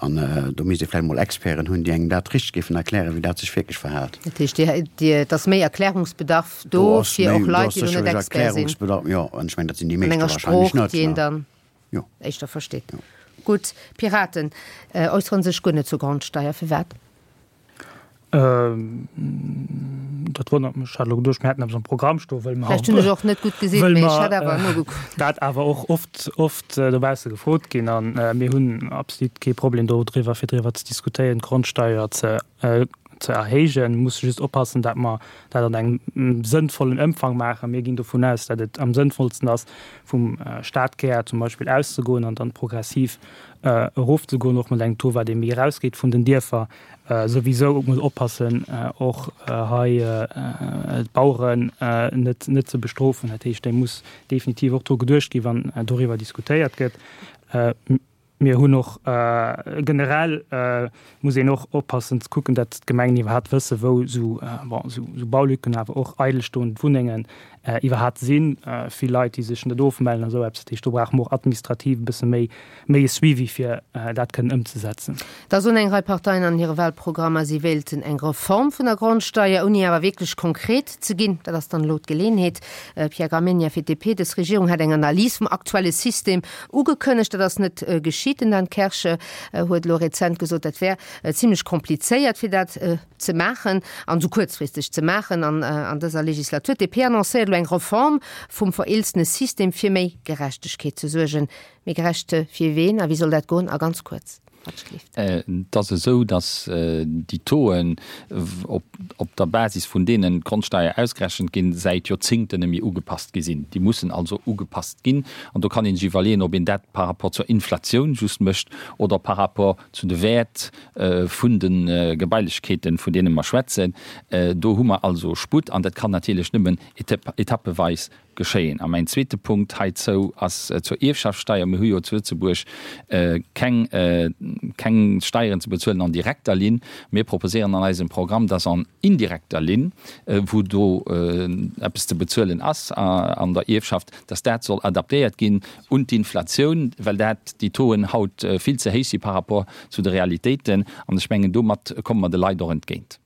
An do misst ee vläicht emol Experten hunn, déi engem dat richteg géifen erklären, wéi dat sech wierklech verhält. Dat heescht, Dir, Dir, et ass méi Erklärungsbedarf do Do ass fir méi, och do Leit, ass déi elo net sécherlech Expert sinn. Erklärungsbedarf, jo, an ech mengen, dat sinn déi An meeschte enger wahrscheinlech Sprooch, net, déi een ne? dann Jo. éischter versteet. Jo. Gutt, d'Piraten äussere sech guer net zur Grondsteier. Firwat? Dat wonnert mech. Ech hat elo geduecht, mir hätten eppes am Programm stoen, wëll mer, Vläicht hunn ech och net gutt gesinn, wëll mee ech mer hat awer nogekuckt. dat awer och oft, oft dobausse gefrot ginn. A mir hunn absolut kee Problem dodriwwer, fir driwwer ze diskutéieren, d'Grondsteier ze, ze erhéijen. Mir musse just oppassen, dat mer dat an engem sënnvollen Ëmfang maachen. Mir ginn dovun aus, dat et am sënnvollsten ass, vum Stadkär zum Beispill auszegoen an dann progressiv erofzegoen, och mat engem Taux, wat ee méi erausgeet vun den Dierfer. Souwisou muss oppassen, och hei d'Baueren net, net ze bestrofen. Dat heescht, do muss definitiv och dru geduecht ginn, wann doriwwer diskutéiert gëtt. Mir hunn och generell muss een och oppassen ze kucken, datt d'Gemengen iwwerhaapt wëssen, wou esou, bon, esou Baulücken, awer och eidelstoend Wunnengen iwwerhaapt sinn. Vill Leit, déi sech net ofmellen a sou eppes. Dat heescht, do brauche mer och administrativ e bësse méi, méi e Suivi, fir dat kënnen ëmzesetzen. Da soen eng Rei Parteien an hire Wahlprogrammer, si wéilten eng Reform vun der Grondsteier, ouni awer wierklech konkret ze ginn. Dat ass dann elo d'Geleeënheet. Pierre Gramegna fir d'DP, Dës Regierung hat eng Analys vum aktuelle System ugekënnegt. Dat ass net geschitt. Den Dan Kersch huet elo rezent gesot, dat wär zimlech komplizéiert, fir dat ze maachen an esou kuerzfristeg ze maachen an an dëser Legislatur. D'DP annoncéiert elo eng Reform vum vereelzene System, fir méi Gerechtegkeet ze suergen. Méi gerecht fir ween a wéi soll dat goen? A ganz kuerz, wat schléift. Et ass esou, datt déi Tauxen, op der Basis vun deenen d'Grondsteier ausgerechent ginn, säit Joerzéngten net méi ugepasst gi sinn. Déi mussen also ugepasst ginn. An do kann ee sech iwwerleeën, ob een dat par rapport zur Inflatioun just mécht oder par rapport zu de Wäert vun de Gebailechkeeten, vun deene mer schwätzen. Do hu mer also Sputt an dat kann natierlech nëmmen etappeweis geschéien. A mäin zweete Punkt heizou ass zur Ierfschaftssteier. Mir hu jo zu Lëtzebuerg keng, keng Steieren ze bezuelen an direkter Linn. Mir proposéieren an eisem Programm, dass an indirekter Linn, wou do eppes ze bezuelen ass an der Ierfschaft, dass dat soll adaptéiert ginn un d'Inflatioun, well dat, déi Tauxen haut vill ze héich si par rapport zu de Realitéiten. An ech mengen, domat komme mer de Leit och entgéint.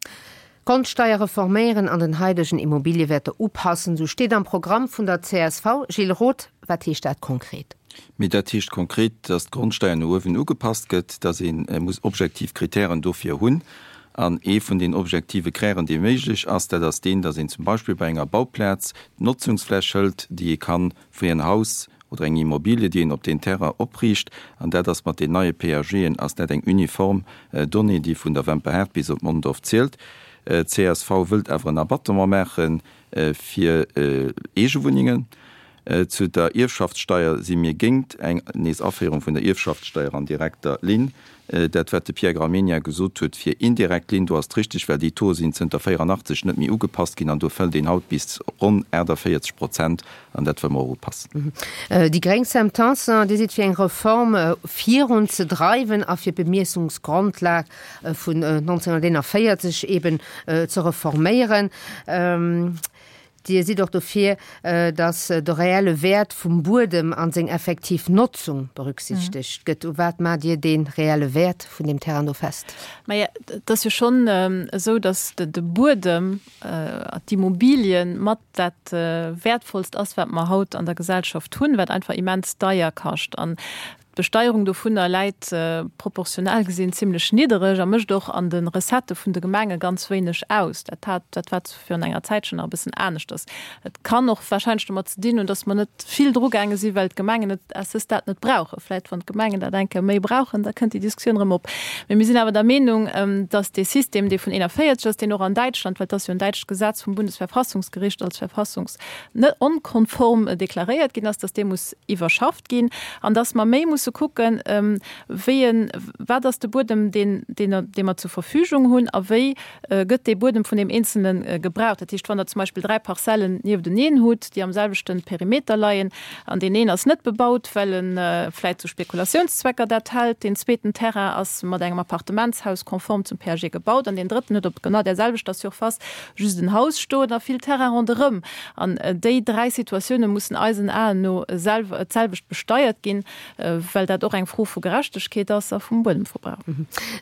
D'Grondsteier reforméieren an den haidegen Immobiliewäerter upassen, sou steet am Programm vun der csv. Gilles Roth, wat heescht dat konkret? Mee dat heescht konkret, dass d'Grondsteier no uewen ugepasst gëtt, dass ee muss objektiv Kritären dofir hunn. An ee vun den objektive Krären, dee méiglech ass, dat ass deen, dass een zum Beispill bei enger Bauplaz d'Notzungsfläch hëlt, déi ee kann fir en Haus oder eng Immobilie, déi een op deen Terrain opriicht. An dat ass mat den neie PAGen ass dat eng uniform Donnée, déi vun der Wemperhaart bis op Mondorf zielt. Csv wëllt awer en Abattement maache fir Eegewunnengen. Zu der Ierfschaftssteier si mir géingt eng nees Aféierung vun der Ierfschaftssteier an direkter Linn. Dat wat de Pierre Gramegna gesot huet fir indirekt Linn, do ass et richteg, well déi Tauxe sinn zënter véierannachtzeg net méi ugepasst ginn an do fëllt een haut bis ronn aachtavéierzeg Prozent an dat wëlle mer och upassen. Déi gréng, Sam Tanson, Dir sidd fir eng Reform virun ze dreiwen a fir d'Bemiessungsgrondlag vun nonzénhunnerteenavéierzeg eben ze reforméieren. Dir sidd och dofir, datt de reelle Wäert vum Buedem an seng effektiv Notzung berücksichtegt gëtt. U wat maacht Dir dee reelle Wäert vun deem Terrain do fest? Maja, et ass jo schonn esou, datt de Buedem, d'Immobilien mat dat Wäertvollst ass, wat mer haut an der Gesellschaft hunn, wat einfach immens deier kascht. An d'Besteierung dovunner läit proportional gesinn zimlech niddereg a mécht och an de Recettë vun de Gemenge ganz wéineg aus. Dat hat, dat war virun enger Zäitchen nach e bëssen aneschters. Et kann och warscheinlech domat ze dinn hunn, datt mer net vill drugaange sinn, well d'Gemengen et à ce stade net brauchen. Vläicht wann d'Gemengen dat eng Kéier méi brauchen, da kënnt déi Diskussioun erëm op. Mee mir sinn awer der Meenung, datt dee System, dee vun eenanvéierzeg ass, deen och an Däitschland, well et ass jo en däitscht Gesetz, vum Bundesverfassungsgericht als verfassungsonkonform deklaréiert ginn ass, datt dee muss iwwerschafft ginn an datt mer méi musse kucken, wéi en, wat ass de Buedem, deen, deen, dee mer zur Verfügung hunn a wéi gëtt dee Buedem vun deem Eenzelne gebraucht. Dat heescht, wann Der zum Beispill dräi Parzellen niefteneen hutt, déi am selwechte Perimeter leien, an deen een ass net bebaut, well e vläicht zu Spekulationszwecker dat hält, deen zweeten Terrain ass mat engem Appartementshaus konform zum P A G gebaut an deen drëtten huet op genau där selwechter Surface just en Haus stoen a vill Terrain ronderëm. An déi dräi Situatioune mussen eisen Aen no d'selwecht besteiert ginn, well dat och eng Fro vu Gerechtegkeet ass a vum Buedemverbrauch.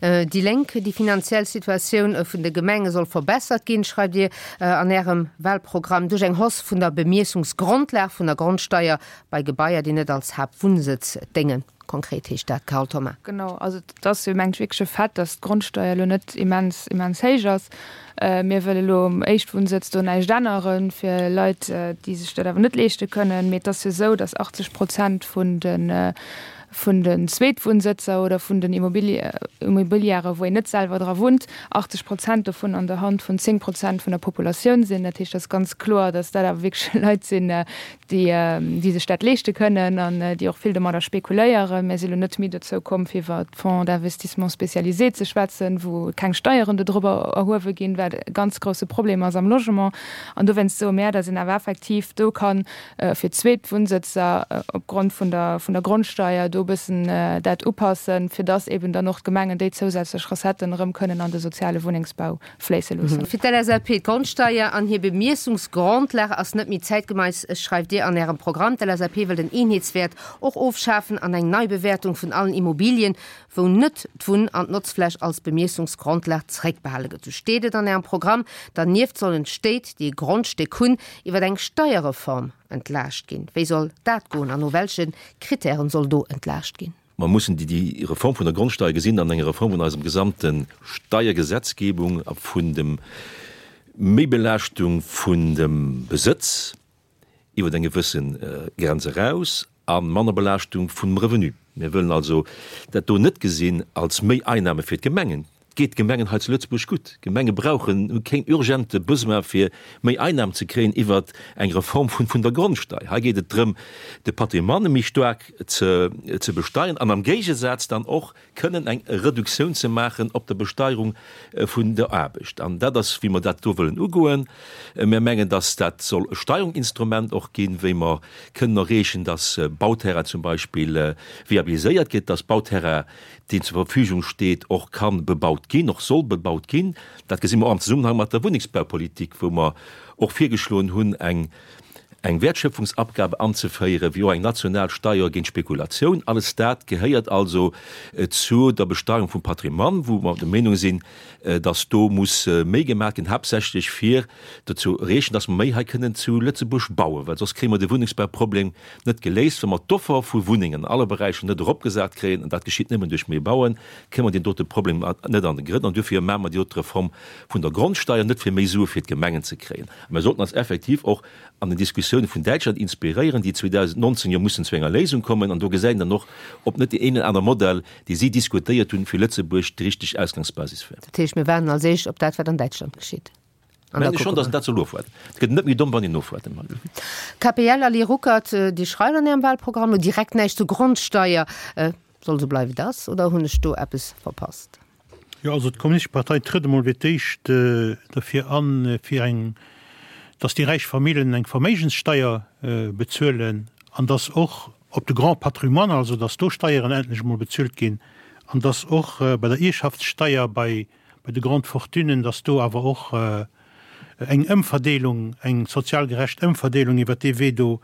Déi Lénk, Déi finanziell Situatioun vun de Gemenge soll verbessert ginn, schreift Dir an Ärem Wahlprogramm, duerch eng Hausse vun der Bemiessungsgrondlag vun der Grondsteier bei Gebaier, déi net als Haaptwunnsëtz déngen. Konkret heescht dat, Carole Thoma. Genau, also et ass jo mengt wierklech e Fait, datt d'Grondsteuer elo net immens, immens héich ass. Mir wëlle elo um Éischtwunnsëtz do näischt änneren fir Leit, déi sech dat awer net leeschte kënnen. Mee et ass jo esou, datt achtzeg Prozent vun de vun den Zweetwunnsëtzer oder vun den Immobiliere, wou een net selwer dra wunnt, achtzeg Prozent dovun an der Hand vun zéng Prozent vun der Populatioun sinn. Dat heescht, et ass ganz kloer, datt dat awer wierklech Leit sinn, déi, déi sech dat leeschte kënnen an déi och vill domadder spekuléieren. Mir si lo net méi dozou komm, fir iwwer d'Fonds d'investissement spécialisés ze schwätzen, wou keng Steieren dodrobber erhuewe ginn, wat e ganz grouse Problem ass am Logement. An dowéinst soe mär, datt een awer effektiv do kann fir Zweetwunnsëtzer opgrond vun der, vun der Grondsteier do e bëssen dat upassen, fir datt eben dann och d'Gemengen déi zousätzlech Recetten erëm kënnen an de soziale Wunnengsbau fléisse loossen. Fir d'LSAP, D'Grondsteier an hir Bemiessungsgrondlag ass net méi zäitgemeiss, schreift Dir an Ärem Programm. D'LSAP wëll den Eenheetswäert och ofschafen an eng Neibewäertung vun allen Immobilien, wou net d'Wunn an d'Notzfläch als Bemiessungsgrondlag zeréckbehale gëtt. Sou steet et an Ärem Programm. Dernieft sollen d'Stéit, déi e Grondstéck hunn, iwwer eng Steierreform entlaascht ginn. Wéi soll dat goen an no welche Kritären soll do entlaascht ginn? Mer mussen déi Reform vun der Grondsteier gesinn an enger Reform vun eisem gesamte Steiergesetzgebung a vun dem Méibelaaschtung vun dem Besëtz iwwer eng gewësse Grenz eraus a manner Belaaschtung vum Revenu. Mir wëllen also dat do net gesinn als méi Einnahme fir d'Gemengen. Et geet d'Gemengen hei zu Lëtzebuerg gutt. D'Gemenge brauchen, hu keen urgente Besoin fir méi Einnahmen ze kréien iwwert eng Reform vun vun der Grondsteier. Hei geet et drëm, de Patrimoine méi staark ze ze besteieren an am Géigesaz dann och kënnen eng Reduktioun ze maachen op der Besteierung vun der Aarbecht. An dat ass, wéi mer dat do wëllen ugoen. Mir mengen, dass dat soll e Steierungsinstrument och ginn, wéi mer kënnen erreechen, dass Bauterrain zum Beispill viabiliséiert gëtt, dass Bauterrain, deen zur Verfügung steet, och ka bebaut ginn, och soll bebaut ginn. Dat gesi mer och am Zesummenhang mat der Wunnengsbaupolitik, wou mer och virgeschloen hunn, eng eng Wertschöpfungsabgabe anzeféieren, wéi och eng national Steuer géint Spekulatioun. Alles dat gehéiert also zu der Besteuerung vum Patrimoine, wou mer der Meenung sinn, dass do muss méi gemaach ginn, haaptsächlech fir dozou erreechen, dass mer méi hei kënnen zu Lëtzebuerg bauen, well soss kréie mer de Wunnengsbauproblem net geléist, wa mer d'Offer vu Wunnengen an alle Beräicher net eropgesat kréien, an dat geschitt nëmmen duerch méi Bauen, kréie mer deen dote Problem net an de Grënn. An duerfir maache mer déi dote Reform vun der Grondsteuer, net fir méi Sue fir d'Gemengen ze kréien. A mer sollten eis effektiv och an den Diskussioune vun Däitschland inspiréieren, déi zweedausendnonzéng jo mussen zu enger Léisung kommen. An do gesäit een dann och, ob net deen een oder aner Modell, dee si diskutéiert hunn, fir Lëtzebuerg déi richteg Ausgangsbasis wär. Dat heescht, mir waarden als éischt op dat, wat an Däitschland geschitt. An da Mengen kucke schon, dass mer. een dat soll ofwaarden. Et gëtt net méi domm, wann een ofwaart. K P L, Ali Ruckert, Dir schreift an Ärem Wahlprogramm lo direkt näischt zur Grondsteier. Soll esou bleiwe wéi et ass, oder hunn ech do eppes verpasst? Jo, also d'Kommunistesch Partei trëtt emol fir d'éischt derfir an, fir eng, dass déi räich Famillen eng Verméigenssteier bezuelen an dass och op de Grand patrimoine, also dass do Steieren endlech emol bezuelt ginn an dass och bei der Ierschaftssteier bei bei de Grandes Fortunen, dass do awer och eng Ëmverdeelung, eng sozial gerecht Ëmverdeelung iwwert dee Wee do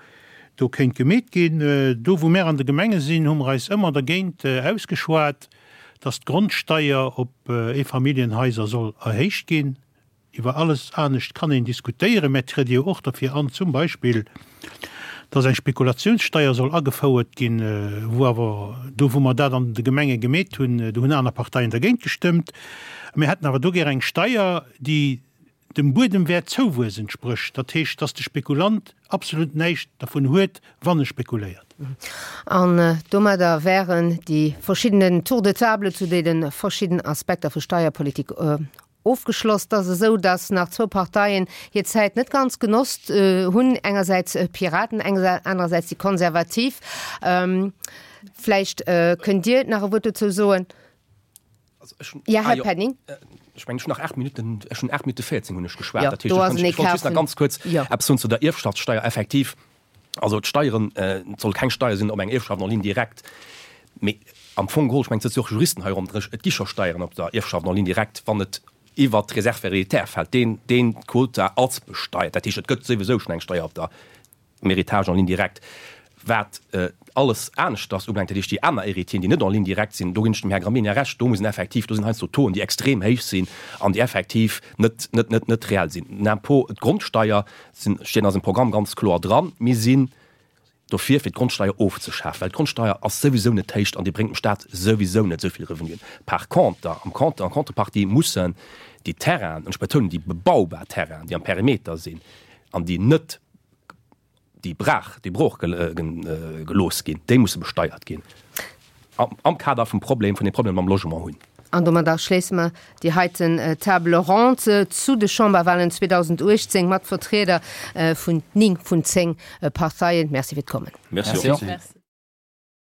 do kéint gemeet ginn. Do wou mär an de Gemenge sinn, hu mer eis ëmmer dergéint ausgeschwat, dass d'Grondsteier op Eefamilljenhaiser soll erhéicht ginn. Iwwer alles anescht kann een diskutéieren, mä et triede jo och derfir an, zum Beispill, dass eng Spekulationssteier soll agefouert ginn, wou awer do, wou mer dat an de Gemenge gemeet hunn, do hunn aner Parteien dergéint gestëmmt. Mir hätten awer do gär eng Steier, déi dem Buedemwäertzouwuess entsprécht, dat heescht, dass de Spekulant absolut näischt dervun huet, wann e spekuléiert. An domadder wären déi verschiddenen Tours de table zu deene verschiddenen Aspekter vu Steierpolitik ofgeschloss. Et ass esou, datt nach zwou Parteien hir Zäit net ganz genosst hunn, engersäits d'Piraten, anerersäits déi Konservativ. Vläicht kënnt Dir nach e Wuert dozou soen. Jo, Här Penning. Ech mengen, ech hunn nach aacht Minutten, ech hunn aacht Minutte véierzéng hunn ech geschwat. Jo, Dat heescht, do ech ass kann, en ech wollt Ecart just nach vun, ganz kuerz jo. eppes soen zu der Ierfschaftssteier. Effektiv, also d'Steieren, et soll keng Steier sinn op eng Ierfschaft en ligne directe, mee am Fong geholl, ech mengen, et sëtze jo och Juristen hei ronderëm, et gi scho Steieren op der Ierfschaft en ligne directe, wann et iwwert d'Réserve héréditaire fält, deen, deen Quota ass besteiert. Dat heescht, et gëtt souwisou schonn eng Steier op der Héritage en ligne directe. Wat alles aneschters ubelaangt, dat heescht déi aner Héritieren, déi net en ligne directe sinn, do ginn ech dem Här Gramegna Recht, do muss een effektiv, do sinn heiansdo Tauxen, déi extrem héich sinn an déi effektiv net, net, net, net reell sinn. Den Impôt, d'Grondsteier sinn, stinn a eisem Programm ganz kloer dran. Mir sinn dofir fir d'Grondsteier ofzeschafen, well d'Grondsteier ass souwisou net héich an déi bréngt dem Staat souwisou net esou vill Revenuen. Par conter, am Conter, en contrepartie mussen déi Terrainen, an ech betounen déi bebaubar Terrainen, déi am Perimeter sinn an déi net, déi brach, déi brooch gelooss ginn, déi musse besteiert ginn am Kader vum Problem, vun deem Problem mam Logement hunn. An domadder schléisse mer déi heiten Table ronde zu de Chamberwahlen zweedausenduechtzéng mat Vertrieder vun ning vun zéng Parteien. Merci fir d'Kommen. Merci och.